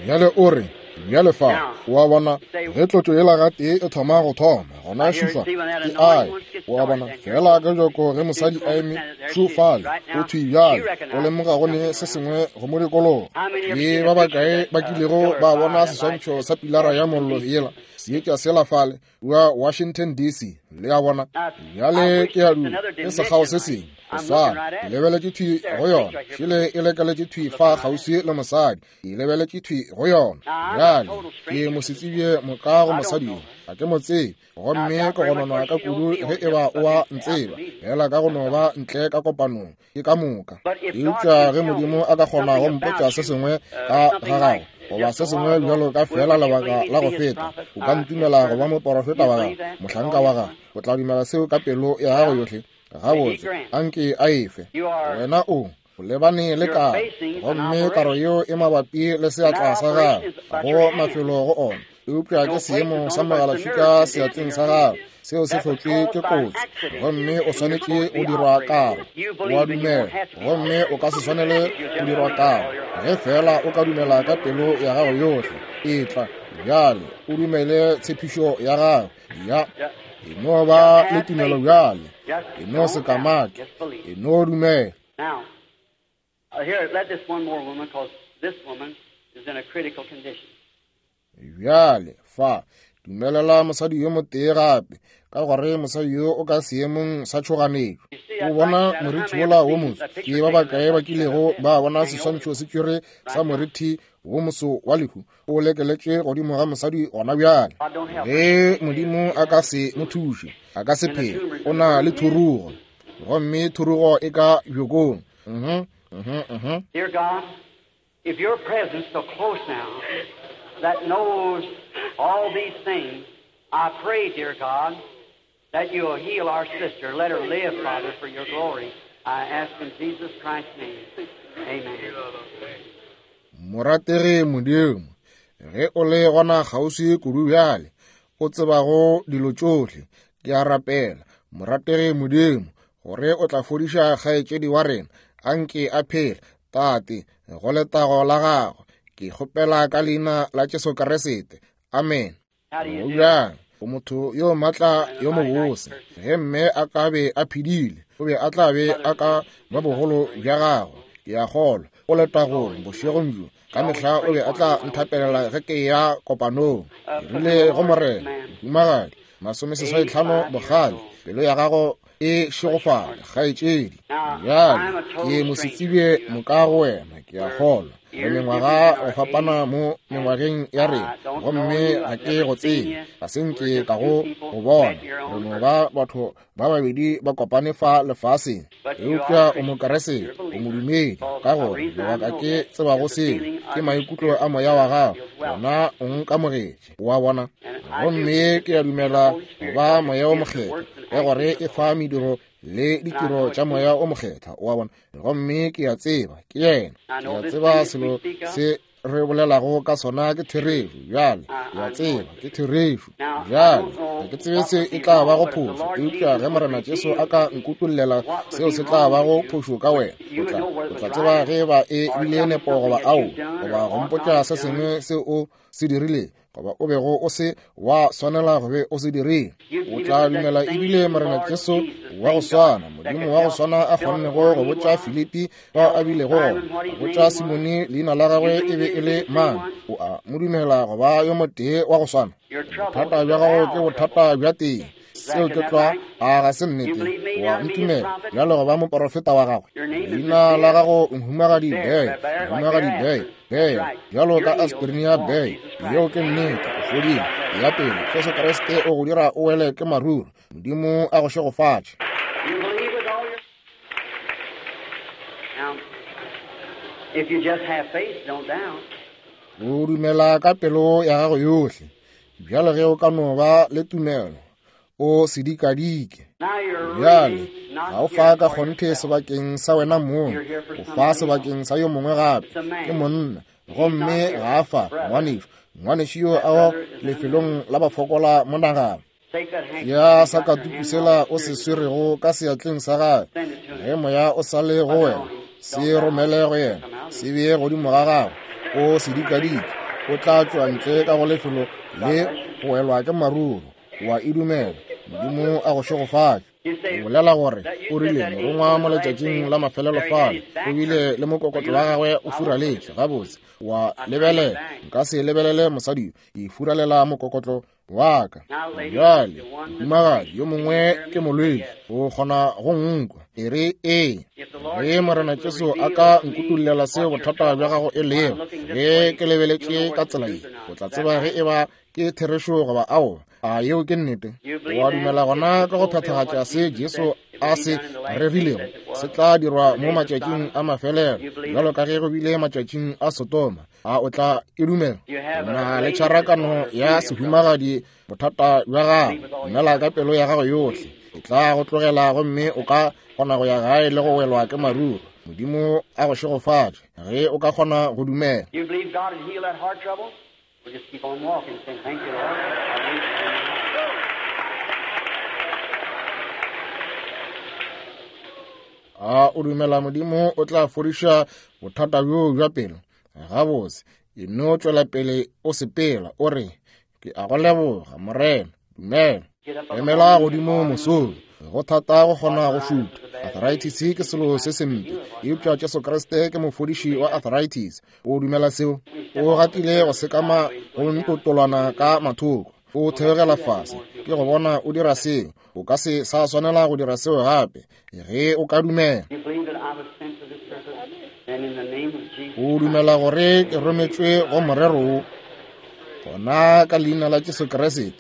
Bjale o re, Bjale fa, o a bona, ge tlotšo yela gatee e thoma go thoma, gona šufa ke ae. O a bona, fela ka bjako ge mosadi a eme šo fale, o thwi bjale, o lemoga go ne se sengwe go mo dikologa. Ke ba bakae ba kilego ba bona seswantšho sa pilara ya mollo yela, seetša sela fale kua Washington D C? Le a bona? Bjale ke a dula, ke sekgao se sengwe go swana. Ke lebeletše thwi go yona, šele e lekeletše thwi fa kgauswi le mosadi, ke lebeletše thwi go yona. Bjale ke mosetsebje moka go mosadi yo, ga ke mo tsebe, gomme ke gononwa ka kudu ge eba o a ntseba, fela ka go no ba ntle ka kopanong, ke ka moka. Eupša ge Modimo a ka kgona go mpotša se sengwe ka ga gago, goba se sengwe bjalo ka fela lebaka la go feta, o ka ntumela go ba moporofeta wa gago, mohlanka wa gago, o tla dumela seo ka pelo ya gago yohle? Gabotse, anke a efe. Wena o o lebane le karo, gomme karo yeo e mabapi le seatla sa gago, go mafelo go ona, eupša ke seemo sa mogalašika seatleng sa gago, seo se hlotšwe ke kotsi, gomme o swanetše go dirwa karo. O a dumela, gomme o ka se swanele go dirwa karo, ge fela o ka dumela ka pelo ya gago yohle. Etla bjale, o dumele tshepišo ya gago. Ya e no ba le tumelo bjale, e no se kamake, e no dumela. Now, here, let this one more woman, because this woman is in a critical condition. Bjale fa, dumelela mosadi yo motee gape, ka gore mosadi yo o ka seemong sa tšhoganetšo. O bona morithi wola wo moso? Ke ba bakae ba kilego ba bona seswantšho se tšwere sa morithi wo moso wa lehu o lekeletše godimo ga mosadi gona bjale? Ge Modimo a ka se mo thuše, a ka se phele. O na le thurugo, gomme thurugo e ka bjokong. Mhm, mhm, mhm. Dear God, if your presence so close now that knows all these things, I pray, dear God, that you will heal our sister. Let her live, Father, for your glory. I ask in Jesus Christ's name. Amen. Morategi Modimo, ge o le gona kgauswi kudu bjale, o tsebago dilo tšohle, ke a rapela, morategi Modimo, gore o tla fodiša kgaetšedi wa rena, anke a phele, Tate, go letago la gago. Ke kgopela ka leina la Jesu Kriste. Amen. Go bjang, o motho yo matla yo mobose. Ge mme a ka be a phedile, o be a tla be a ka ba bogolo bja gagwe. Ke a kgolwa o letagong bošegong bjo. Ka mehla o be a tla nthapelela ge ke ya kopanong. Ke rile go Morena, mohumagadi, masomeseswai tlhano bogale, pelo ya gago e šegofale, kgaetšedi. Bjale ke mosetsebje moka go wena, ke a kgolwa. Re mengwaga go fapana mo mengwageng ya rena, gomme ga ke go tsebe, ga se nke ka go go bona. Re no ba batho ba babedi ba kopane fa lefaseng, eupša o Mokeresete, o modumedi, ka gore lebaka ke tsebago seo ke maikutlo a moya wa gago, wena o nkamogetše, wa bona. Gomme ke a dumela go ba Moya o Mokgethwa, ka gore e fa mediro le ditiro tša Moya o Mokgethwa, wa bona. Gomme ke a tseba ke yena, ke a tseba selo se re bolelago ka sona ke therešo. Bjale ke a tseba ke therešo. Bjale ga ke tsebe se e tla bago phošo, eupša ge Morena Jesu a ka nkutollela seo se tla bago phošo ka wena, o tla o tla tseba ge ba e bile nepo goba ao, goba go mpotša se sengwe se o se dirile, goba o bego o se wa swanela go be o se dirile. O tla dumela ebile Morena Jesu wa go swana, Modimo wa go swana a kgonnego go botša Filipi bao a bilego gona, go botša Simone leina la gagwe e be e le mang, o a mo dumela go ba yo motee wa go swana? Bothata bja gago ke bothata bja teng. Seo ke tlwa, a ga se nnete? Wa ntumela bjalo go ba moporofeta wa gagwe? Leina la gago mohumagadi Bey, mohumagadi Bey, Bey, bjalo ka aspirin ya Bey. Yeo ke nnete, o fodile. Ya pele, Jesu Kriste o go dira o wele ke maruru. Modimo a go šegofatše. You believe with all your... Now, if you just have faith, don't doubt. O dumela ka pelo ya gago yohle. Bjalo ge o ka no ba le tumelo, o se dikadike. Now you're Bjale really not ga o here fa ka for kgonthe yourself. sebakeng sa wena mong, o fa sebakeng sa yo mongwe gape. Ke monna, gomme ga a fa ngwanešu. Ngwanešu yo a lefelong la bafokola monagano. Take that handkerchief Ya you sa got in your katuku hand sela while o the se Spirit is swerego ka seatleng sa gagwe, Send it to him. ge moya o sa le go wena, se romele go yena, se bee godimo ga gagwe, o se dikadike. O tla tšwa ntle ka go lefelo le go welwa ke maruru. Wa e dumela. Modimo a go šegofatše. O bolela gore o rile morongwa mo letšatšing la mafelelo fale o bile le mokokotlo wa gagwe o furaletše. Gabotse, wa lebelela. Nka se lebelele mosadi yo, ke furalela mokokotlo wa ka. Bjale, mohumagadi yo mongwe ke molwetši, o kgona go nkwa. E re ee. Ge Morena Jesu a ka nkutullela seo bothata bja gago e lego, ge ke lebeletše ka tsela ye, o tla tseba ge e ba ke therešo goba aowa. A yeo ke nnete? Wa dumela gona ka go phethagatša se Jesu a se rerilego se tla dirwa mo matšatšing a mafelelo, bjalo ka ge go bile matšatšing a Sodoma. A o tla e dumela? O na le tšharakano ya sehumagadi bothata bja gago. Dumela ka pelo ya gago yohle, e tla go tlogela gomme o ka kgona go ya gae le go welwa ke maruru. Modimo a go šegofatše ge o ka kgona go dumela. You believe God will heal that heart trouble? We'll just keep on walking, saying, thank you, Lord. I believe you. A o dumela Modimo o tla fodiša bothata bjo bja pelo? Gabotse, e no tšwela pele o sepela, o re, ke a go leboga, Morena. Dumela. Emela godimo mosong. Go thata go kgona go šutha. Arthritis ke selo se sempe, eupša Jesu Kriste ke mofodiši wa arthritis. O dumela seo? O gatile go sekama go ntotolwana ka mathoko, o theogela fase. Ke go bona o dira seo. O ka se sa swanela go dira seo gape ge o ka dumela. You believe that I was sent for this purpose? Then in the name of Jesus O dumela gore ke rometšwe go morero wo? Gona ka leina la Jesu Kriste,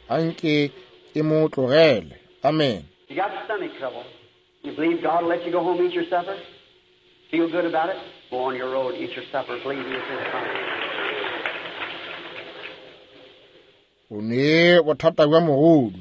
anke e mo tlogele. Amen. You got stomach trouble. You believe God will let you go home and eat your supper? Feel good about it? Go on your road, eat your supper, believe it's His promise. O ne bothata bja mogodu.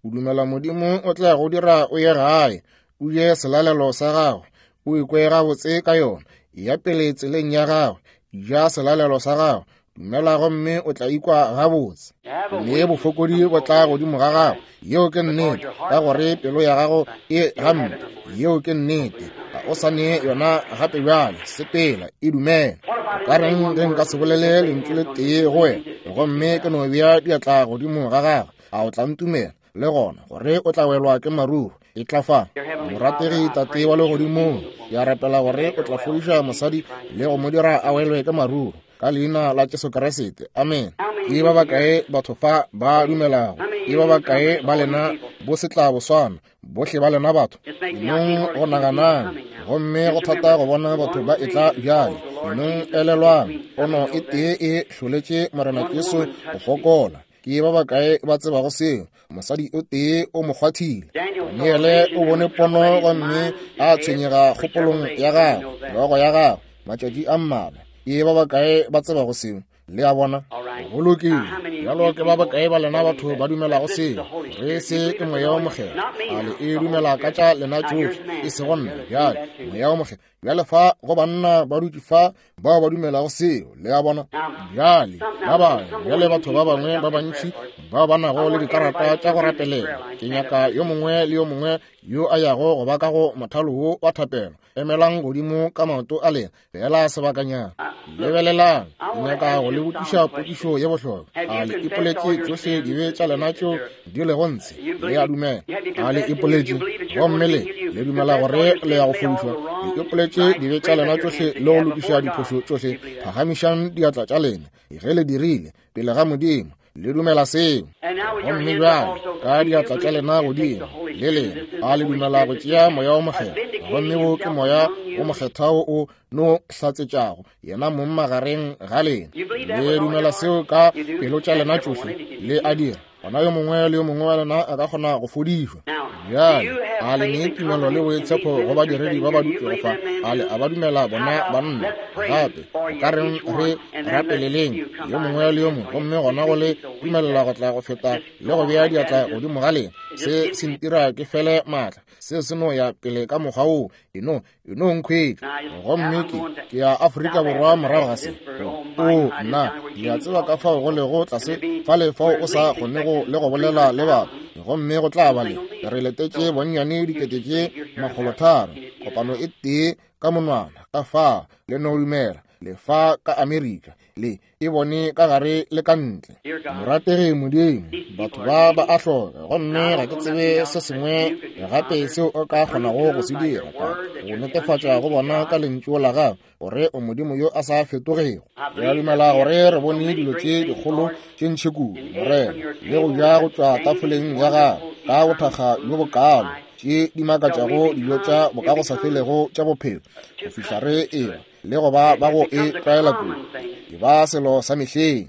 O dumela Modimo o tla go dira o ye gae, o je selalelo sa gagwe, o ikwe gabotse ka yona. Ya pele tseleng ya gagwe, ja selalelo sa gagwe, dumela gomme o tla ikwa gabotse. Mme bofokodi bo tla godimo ga gago. Yeo ke nnete, ka gore pelo ya gago e gampe. Yeo ke nnete. Ga o sa ne yona gape bjale. Sepela, e dumela. O ka reng ge nka se bolele lentšu le tee go wena, gomme ke no bea diatla godimo ga gagwe? A o tla ntumela le gona gore o tla welwa ke maruru? E tla fa. Morategi Tate wa legodimong, ke a rapela gore o tla fodiša mosadi le go mo dira a welwe ke maruru, ka leina la Jesu Kriste. Amen. Ke ba bakae batho fa ba dumelago? Ke ba bakae ba lena bo se tla boswana? Bohle ba lena batho. Enong go naganang, gomme go thata go bona batho ba etla bjale. Enong elelwang, pono e tee e hloletše Morena Jesu go fokola. Ke ba bakae ba tsebago seo? Mosadi o tee o mo kgwathile. Daniele o bone pono gomme a tshwenyega kgopolong ya gagwe, hlogo ya gagwe, matšatši a mmalwa. Ke ba bakae ba tsebago seo? Le a bona? Go lokile. Bjalo ke ba bakae ba lena batho ba dumelago seo? Re se ke Moya wo Mokgethwa. A le e dumela ka tša lena tšohle, e sego nna. Bjale Moya wo Mokgethwa. Bjale fa go banna ba dutše fa bao ba dumelago seo. Le a bona? Bjale ba bangwe, bjale batho ba bangwe ba bantši bao ba nago le dikarata tša go rapelela. Ke nyaka yo mongwe le yo mongwe yo a yago go ba ka go mothalo wo wa thapelo. Emelang godimo ka maoto a lena fela sebakanyana. Lebelelang, ke nyaka go le botšiša potšišo ye bohlokwa. A le ipoletše tšohle dibe tša lena tšeo di lego ntshe? Le a dumela? A le ipoletše gomme le le dumela gore le ya go fodišwa? Le ipoletše dibe tša lena tšohle le go lokiša diphošo tšohle? Phagamišang diatla tša lena ge le dirile pele ga Modimo. Le dumela seo? Gomme bjale ka diatla tša lena godimo le lena, a le dumela go tšea Moya wo Mokgethwa? Gomme wo ke Moya wo Mokgethwa wo o no hlatsetšago yena mong magareng ga lena. Le dumela seo ka pelo tša lena tšohle? Le a dira? Gona yo mongwe le yo mongwe wa lena a ka kgona go fodišwa. Bjale a le ne tumelo le boitshepo go badiredi ba ba dutšego fa? A le a ba dumela bona banna? Gape o ka reng re rapeleleng yo mongwe le yo mongwe, gomme gona go le dumelela go tla go feta le go bea diatla godimo ga lena. Se se ntira ke fele maatla. Se se no ya pele ka mokgwa woo. E no e no nkhwetša. Gomme ke ke ya Afrika Borwa morago ga se. O nna, le a tseba ka fao go lego tlase fale fao o sa kgonego le go bolela le batho. Gomme go tla ba le re letetše bonnyane dikete tše makgolotharo, kopano e tee ka monwana ka fa le no dumela le fa ka Amerika. Le e bone ka gare le ka ntle. Morategi Modimo, batho ba ba a hloka, gomme ga ke tsebe se sengwe gape seo o ka kgonago go se dira ka go netefatša go bona ka lentšu la gago gore o Modimo yo a sa fetogego. Re a dumela gore re bone dilo tše dikgolo tše ntši kudu, Morena, le go ja go tšwa tafoleng ya gago ka bothakga bjo bokaalo, tše di makatšago dijo tša bokagosafelego tša bophelo, go fihla re eba le go ba ba go e tlwaela kudu, e ba selo sa mehleng.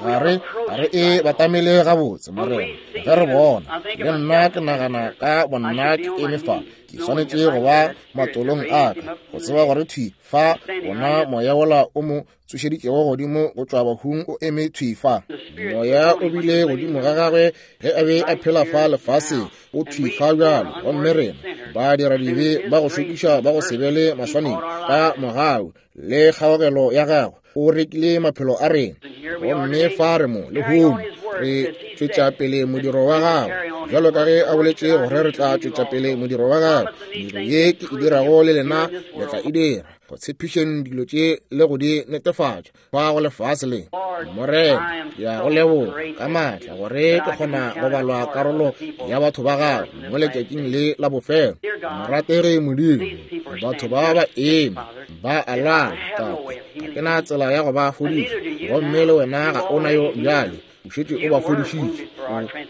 Ga re ga re e batamele gabotse, Morena, ge re bona. Le nna ke nagana ka bonna ke eme fa, ke swanetše go ba matolong a ka, go tseba gore thwi fa bona moya wola o mo tsošeditšego godimo go tšwa bahung o eme thwi fa. Moya o bile godimo ga gagwe ge a be a phela fa lefaseng, o thwi fa bjalo. Gomme rena ba dira dibe ba go šokiša ba go se be le maswanedi, ka mogau le kgaogelo ya gagwe o rekile maphelo a rena. Gomme fa re mo lehono re tšwetša pele modiro wa gagwe, bjalo ka ge a boletše gore re tla tšwetša pele modiro wa gagwe. Mediro ye ke e dirago le lena le tla e dira, go tshepišeng dilo tše le go di netefatša fa go lefase le. Morena, ke a go leboga ka maatla gore ke kgona go balwa karolo ya batho ba gago mo letšatšing le la bofelo. Morategi Modimo, batho ba ba eme ba a lwala, Tate, ga ke na tsela ya go ba fodiša, gomme le wena ga o na yo bjale. O šetše o ba fodišitše,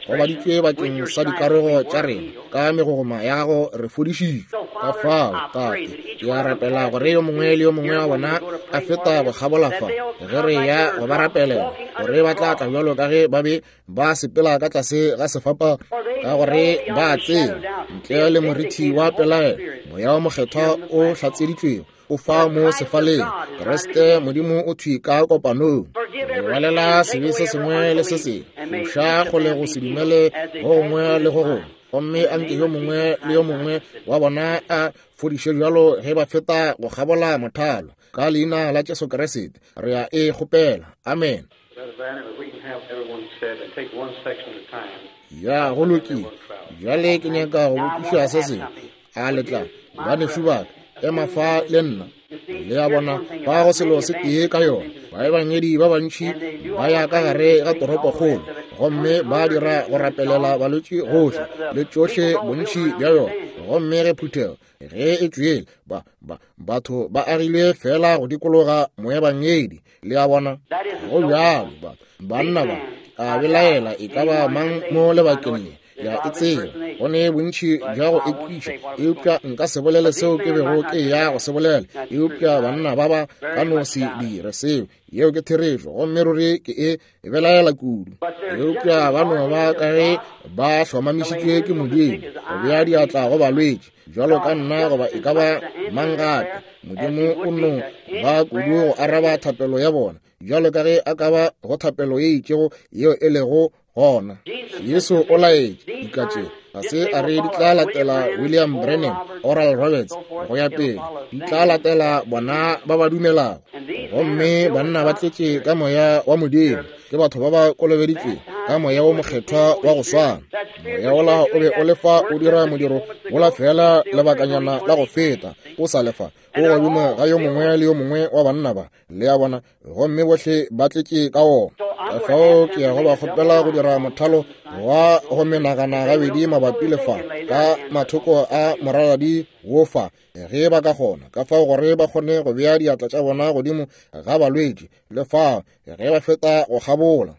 o gobaditšwe bakeng sa dikarogo tša rena, ka megogoma ya gago re fodišitšwe. Ka fao, Tate, ke a rapela gore yo mongwe le yo mongwe wa bona a feta go kgabola fa ge re ya go ba rapelela, gore ba tla tla bjalo ka ge ba be ba sepela ka tlase ga sefapano, ka gore ba tseba ntle le morithi wa pelaelo moya wa mokgethwa o hlatseditšwego o fa mo sefaleng. Kriste Modimo o thwi ka kopanong. Lebalela sebe se sengwe le se sengwe, moša kgole go se dumele go gongwe le go gongwe, gomme anke yo mongwe le yo mongwe wa bona a fodiše bjalo ge ba feta go kgabola mothalo. Ka leina la Jesu Kriste re a e kgopela, amen. Ya go lokile. Bjale ke nyaka go botšiša se sengwe. A le tla, banešu ba ka, ema fa le nna. Le a bona, ba go selo se tee ka yona. Baebangedi ba bantši ba ya ka gare ga toropokgolo, gomme ba dira go rapelela balwetši gohle le tšohle bontši bja yona. Gomme ge phuthego ge e tšwele, ba ba batho ba agile fela go dikologa moebangedi. Le a bona, go bjalo. Ba banna ba a belaela e ka ba mang mo lebakeng le. Ya e tseba go ne bontši bja go ekiša, eupša nka se bolele seo ke bego ke ya go se bolela. Eupša banna ba ba ka no se dire seo, yeo ke therešo, gomme ruri ke e belaela kudu. Eupša ba no ba ka ge ba hlomamišitšwe ke Modimo go bea diatla go balwetši bjalo ka nna goba e ka ba mang gape. Modimo o no ba kudu go araba thapelo ya bona bjalo ka ge a ka ba go thapelo ye itšego yeo e lego gona. Jesu o laetše dika tše, ga se a re di tla latela William Branham, Oral Roberts, go ya pele, di tla latela bona ba ba dumelago. Gomme banna ba tletše ka moya wa Modimo, ke batho ba ba kolobeditšwego ka moya wo mokgethwa wa go swana. Moya wola o be o le fa o dira modiro wola fela lebakanyana la go feta, o sa lefa o godimo ga yo mongwe le yo mongwe wa banna ba, le a bona, gomme bohle ba tletše ka wona. Ka fao ke ya go ba kgopela go dira mothalo wa go menagana gabedi mabapi le fa ka mathoko a moraladi wo fa, ge ba ka kgona, ka fao gore ba kgone go bea diatla tša bona godimo ga balwetši le fao ge ba feta go kgabola.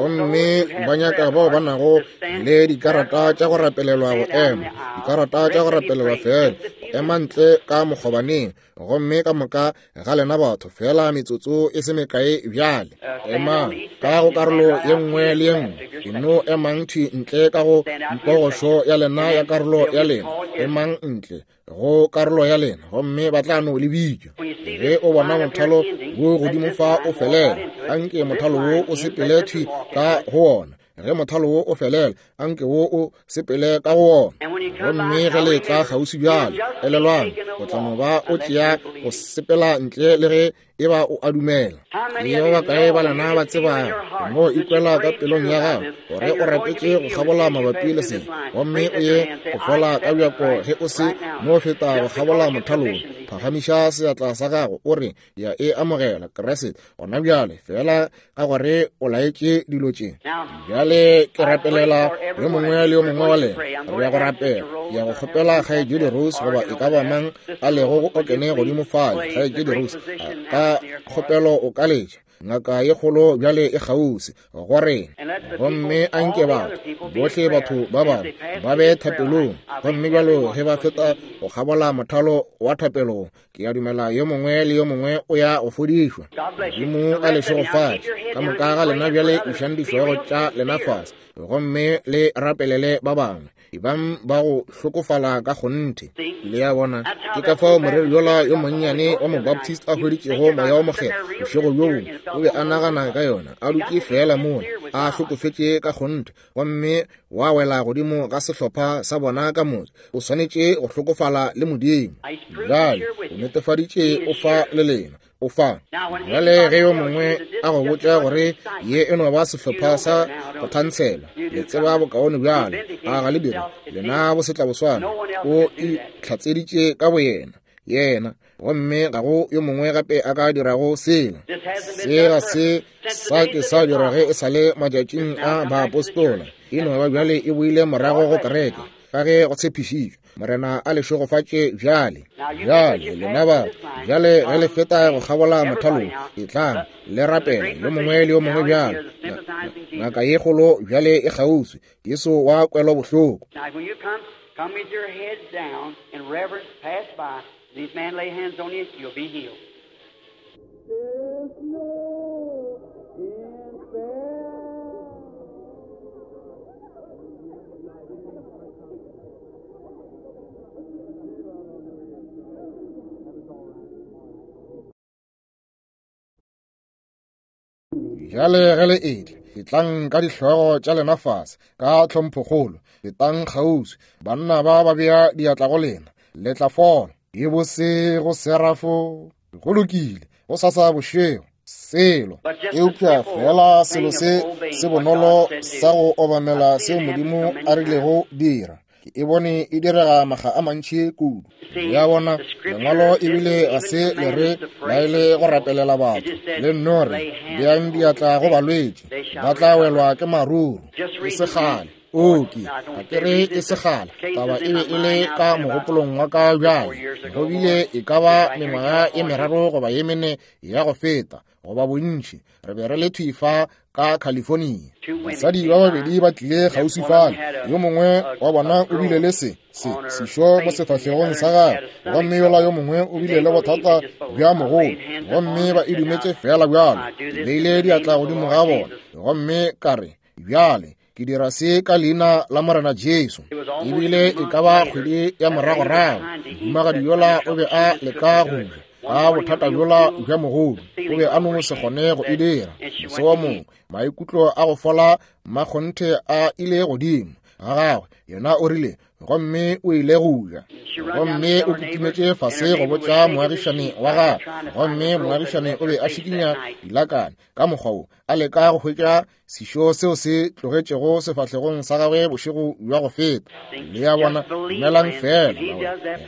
Gomme ba nyaka bao ba nago le dikarata tša go rapelelwa go ema, dikarata tša go rapelelwa fela, go ema ntle ka mokgobaneng. Gomme ka moka ga lena batho fela metsotso e se mekae bjale, emang ka go karolo ye nngwe le ye nngwe. E no emang thwi ntle ka go mpogošo ya lena ya karolo ya lena, emang ntle go karolo ya lena, gomme ba tla no le bitša. Ge o bona mothalo wo godimo fa o felela, anke mothalo wo o sepele thwi ka go wona. Ge mothalo wo o felela, anke wo o sepele ka go wona. Gomme ge le tla kgauswi bjalo, elelwang, o tla no ba o tšea go sepela ntle le ge E ba o a dumela. Ke ba bakae ba lena ba tsebago mo ikwela ka pelong ya gago gore o rapetše go kgabola mabapi le se, gomme o ye go fola ka bjako ge o se no feta go kgabola mothalong? Phagamiša seatla sa gago o re, ya e amogela Kriste gona bjale, fela ka gore o laetše dilo tše. Bjale ke rapelela yo mongwe le yo mongwe wa lena. Re ya go rapela, ya go kgopela Kgaetšedi Rose goba e ka ba mang a lego go okene godimo fale. Kgaetšedi Rose, ka kgopelo o ka letša ngaka ye kgolo bjale e kgauswi go rena, gomme a nke batho bohle batho ba bangwe ba be thapelong. Gomme bjalo ge ba feta go kgabola mothalo wa thapelong, ke a dumela yo mongwe le yo mongwe o ya go fodišwa. Modimo a le šegofatše ka moka ga lena. Bjale išang dihlogo tša lena fase gomme le rapelele ba bangwe. Ebang ba go hlokofala ka kgonthe. Le a bona, ke ka fao moreri yola yo monnyane wa Mobaptist a hweditšego Moya wo Mokgethwa bošego bjo bongwe. O be a nagana ka yona, a dutše fela mola a hlokofetše ka kgonthe, gomme wa wela godimo ga sehlopha sa bona ka motse. O swanetše go hlokofala le Modimo. Bjale o netefaditše o fa le lena, o fa. Bjale ge yo mongwe a go botša gore ye e no ba sehlopha sa go thansela, le tseba bokaone bjale, a ga le dire lena bosetlaboswana. O itlhatseditše ka boyena yena, gomme ga go yo mongwe gape a ka dirago sela. Se ga se sa ke sa dira ge e sa le matšatšing a baapostola. E no ba bjale e boile morago go kereke ka ge go tshepišitšwe. Morena a le šegofatše bjale. Bjale lena batho, bjale ge le feta go kgabola mothalong, etlang le rapele yo mongwe le yo mongwe bjale. Ngaka ye kgolo bjale e kgauswi, Jesu wa kwelobohloko. Come with your heads down in reverence, pass by. These men lay hands on you, you'll be healed. Bjale ge le etla, etlang ka dihlogo tša lena fase ka tlhomphokgolo, fetang kgauswi. Banna ba ba bea diatla go lena, le tla fola. E bose go serafo, go lokile, go sasa bošego selo. Eupša fela selo se se bonolo sa go obamela seo Modimo a rilego dira, ke e bone e direga makga a mantši kudu. Ya bona, lengwalo ebile ga se le re laele go rapelela batho, le nno re beang diatla go balwetši, ba tla welwa ke maruru. E se kgale, oke, ga ke re e se kgale, taba e be e le ka mogopolong wa ka bjale. Go bile e ka ba mengwaga e meraro goba ye mene ya go feta, goba bontši, re be re le thwi fa ka California. Basadi ba babedi ba tlile kgauswi fale. Yo mongwe wa bona o bile le se se sešo mo sefahlegong sa gagwe, gomme yola yo mongwe o bile le bothata bja mogolo, gomme ba e dumetše fela bjalo. Ke beile diatla godimo ga bona, gomme ka re, bjale ke dira se ka leina la Morena Jesu. Ebile e ka ba kgwedi ya moragorago, mohumagadi yola o be a leka go ja ka bothata bjola bja mogolo, o be a no se kgone go e dira. Moso wo mongwe maikutlo a go fola makgonthe a ile godimo ga gagwe, yena o rile, gomme o ile go ja. Gomme o kitimetše fase go botša moagišane wa gagwe, gomme moagišane o be a šikinya dilakane ka mokgwa wo, a leka go hwetša sešo seo se tlogetšego sefahlegong sa gagwe bošego bja go feta. Le a bona, dumelang fela,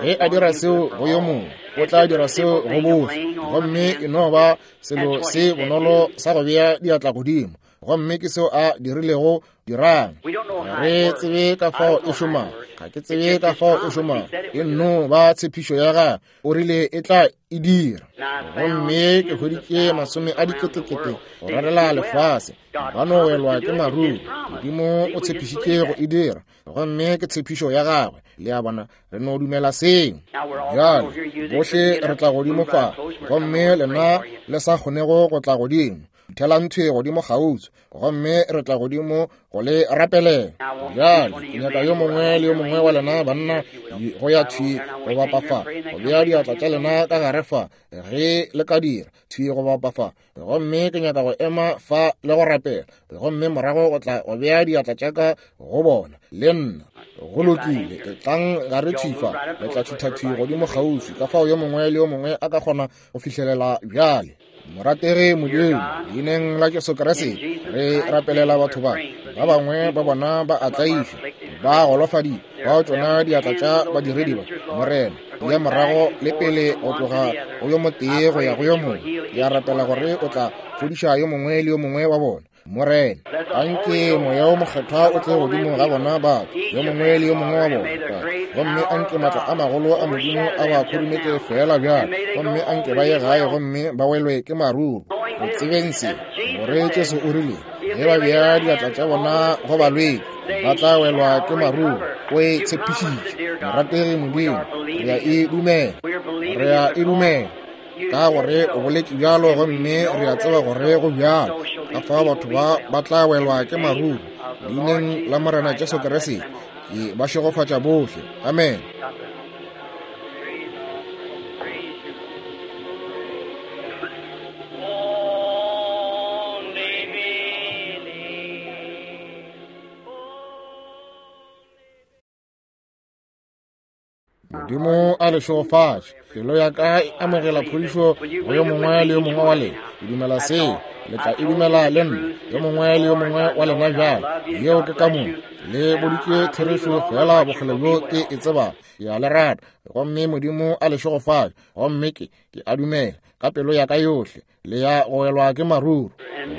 ge a dira seo go yo mongwe, o tla dira seo go bohle. Gomme e no ba selo se bonolo sa go bea diatla godimo, gomme ke seo a dirilego. Dirang, ga re tsebe ka fao e šomago, ga ke tsebe ka fao e šomago, e nno ba tshepišo ya gagwe, o rile e tla e dira. Gomme ke hweditše masome a diketekete go rarela lefase, ba no welwa ke maruru. Modimo o tshepišitše go e dira, gomme ke tshepišo ya gagwe. Le a bona, re no dumela seo. Bjale bohle re tla godimo fa, gomme lena le sa kgonego go tla godimo, thelang thwe godimo kgauswi, gomme re tla godimo go le rapelela. Bjale ke nyaka yo mongwe le yo mongwe wa lena banna go ya thwi go bapa fa, go bea diatla tša lena ka gare fa, ge le ka dira thwi go bapa fa. Gomme ke nyaka go ema fa le go rapela, gomme morago go tla go bea diatla tša ka go bona le nna. Go lokile, etlang gare thwi fa, le tla thutha thwi godimo kgauswi, ka fao yo mongwe le yo mongwe a ka kgona go fihlelela bjale. Morategi Modimo, leineng la Jesu Kriste, re rapelela batho ba. Ba bangwe ba bona ba a tlaišwa, ba golofadile, bao tšona diatla tša badiredi ba, Morena, ya morago le pele go tloga go yo motee go ya go yo mongwe. Ke a rapela gore o tla fodiša yo mongwe le yo mongwe wa bona. Morena, anke Moya wo Mokgethwa o tle godimo ga bona batho, yo mongwe le yo mongwe wa bona, Tate. Gomme anke maatla a magolo a Modimo a ba khurumetse feela bjalo, gomme anke ba ye gae gomme ba welwe ke maruru. Go tsebeng se, gore Jesu o rile, ge ba bea diatla tša bona go balwetši, ba tla welwa ke maruru. O e tshepišitše. Morategi Modimo, re a e dumela, re a e dumela, ka gore o boletše bjalo, gomme re a tseba gore go bjalo. Ka fao batho ba ba tla welwa ke maruru. Leineng la Morena Jesu Kriste, ke ba šegofatša bohle. Amen. Only believe. Modimo a le šegofatše. Pelo ya ka e amogela phodišo go yo mongwe le yo mongwe wa lena. Ke dumela seo, le tla e dumela le nna, yo mongwe le yo mongwe wa lena bjalo. Yeo ke ka moka. Le boditše therešo feela bokgole bjo ke e tsebago. Ke a le rata, gomme Modimo a le šegofatše. Gomme ke, ke a dumela ka pelo ya ka yohle, le ya go welwa ke maruru.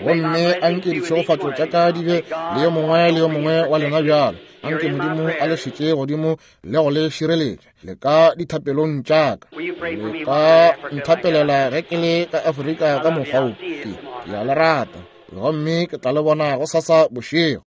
Gomme anke ditšhegofatšo tša ka di be le yo mongwe le yo mongwe wa lena bjalo. Anke Modimo a le šetše godimo le go le šireletša le ka dithapelong tša ka. Le ka nthapelela ge ke le ka Afrika ka mokgwa wo. Ke, ke a le rata, gomme ke tla le bona gosasa bošego.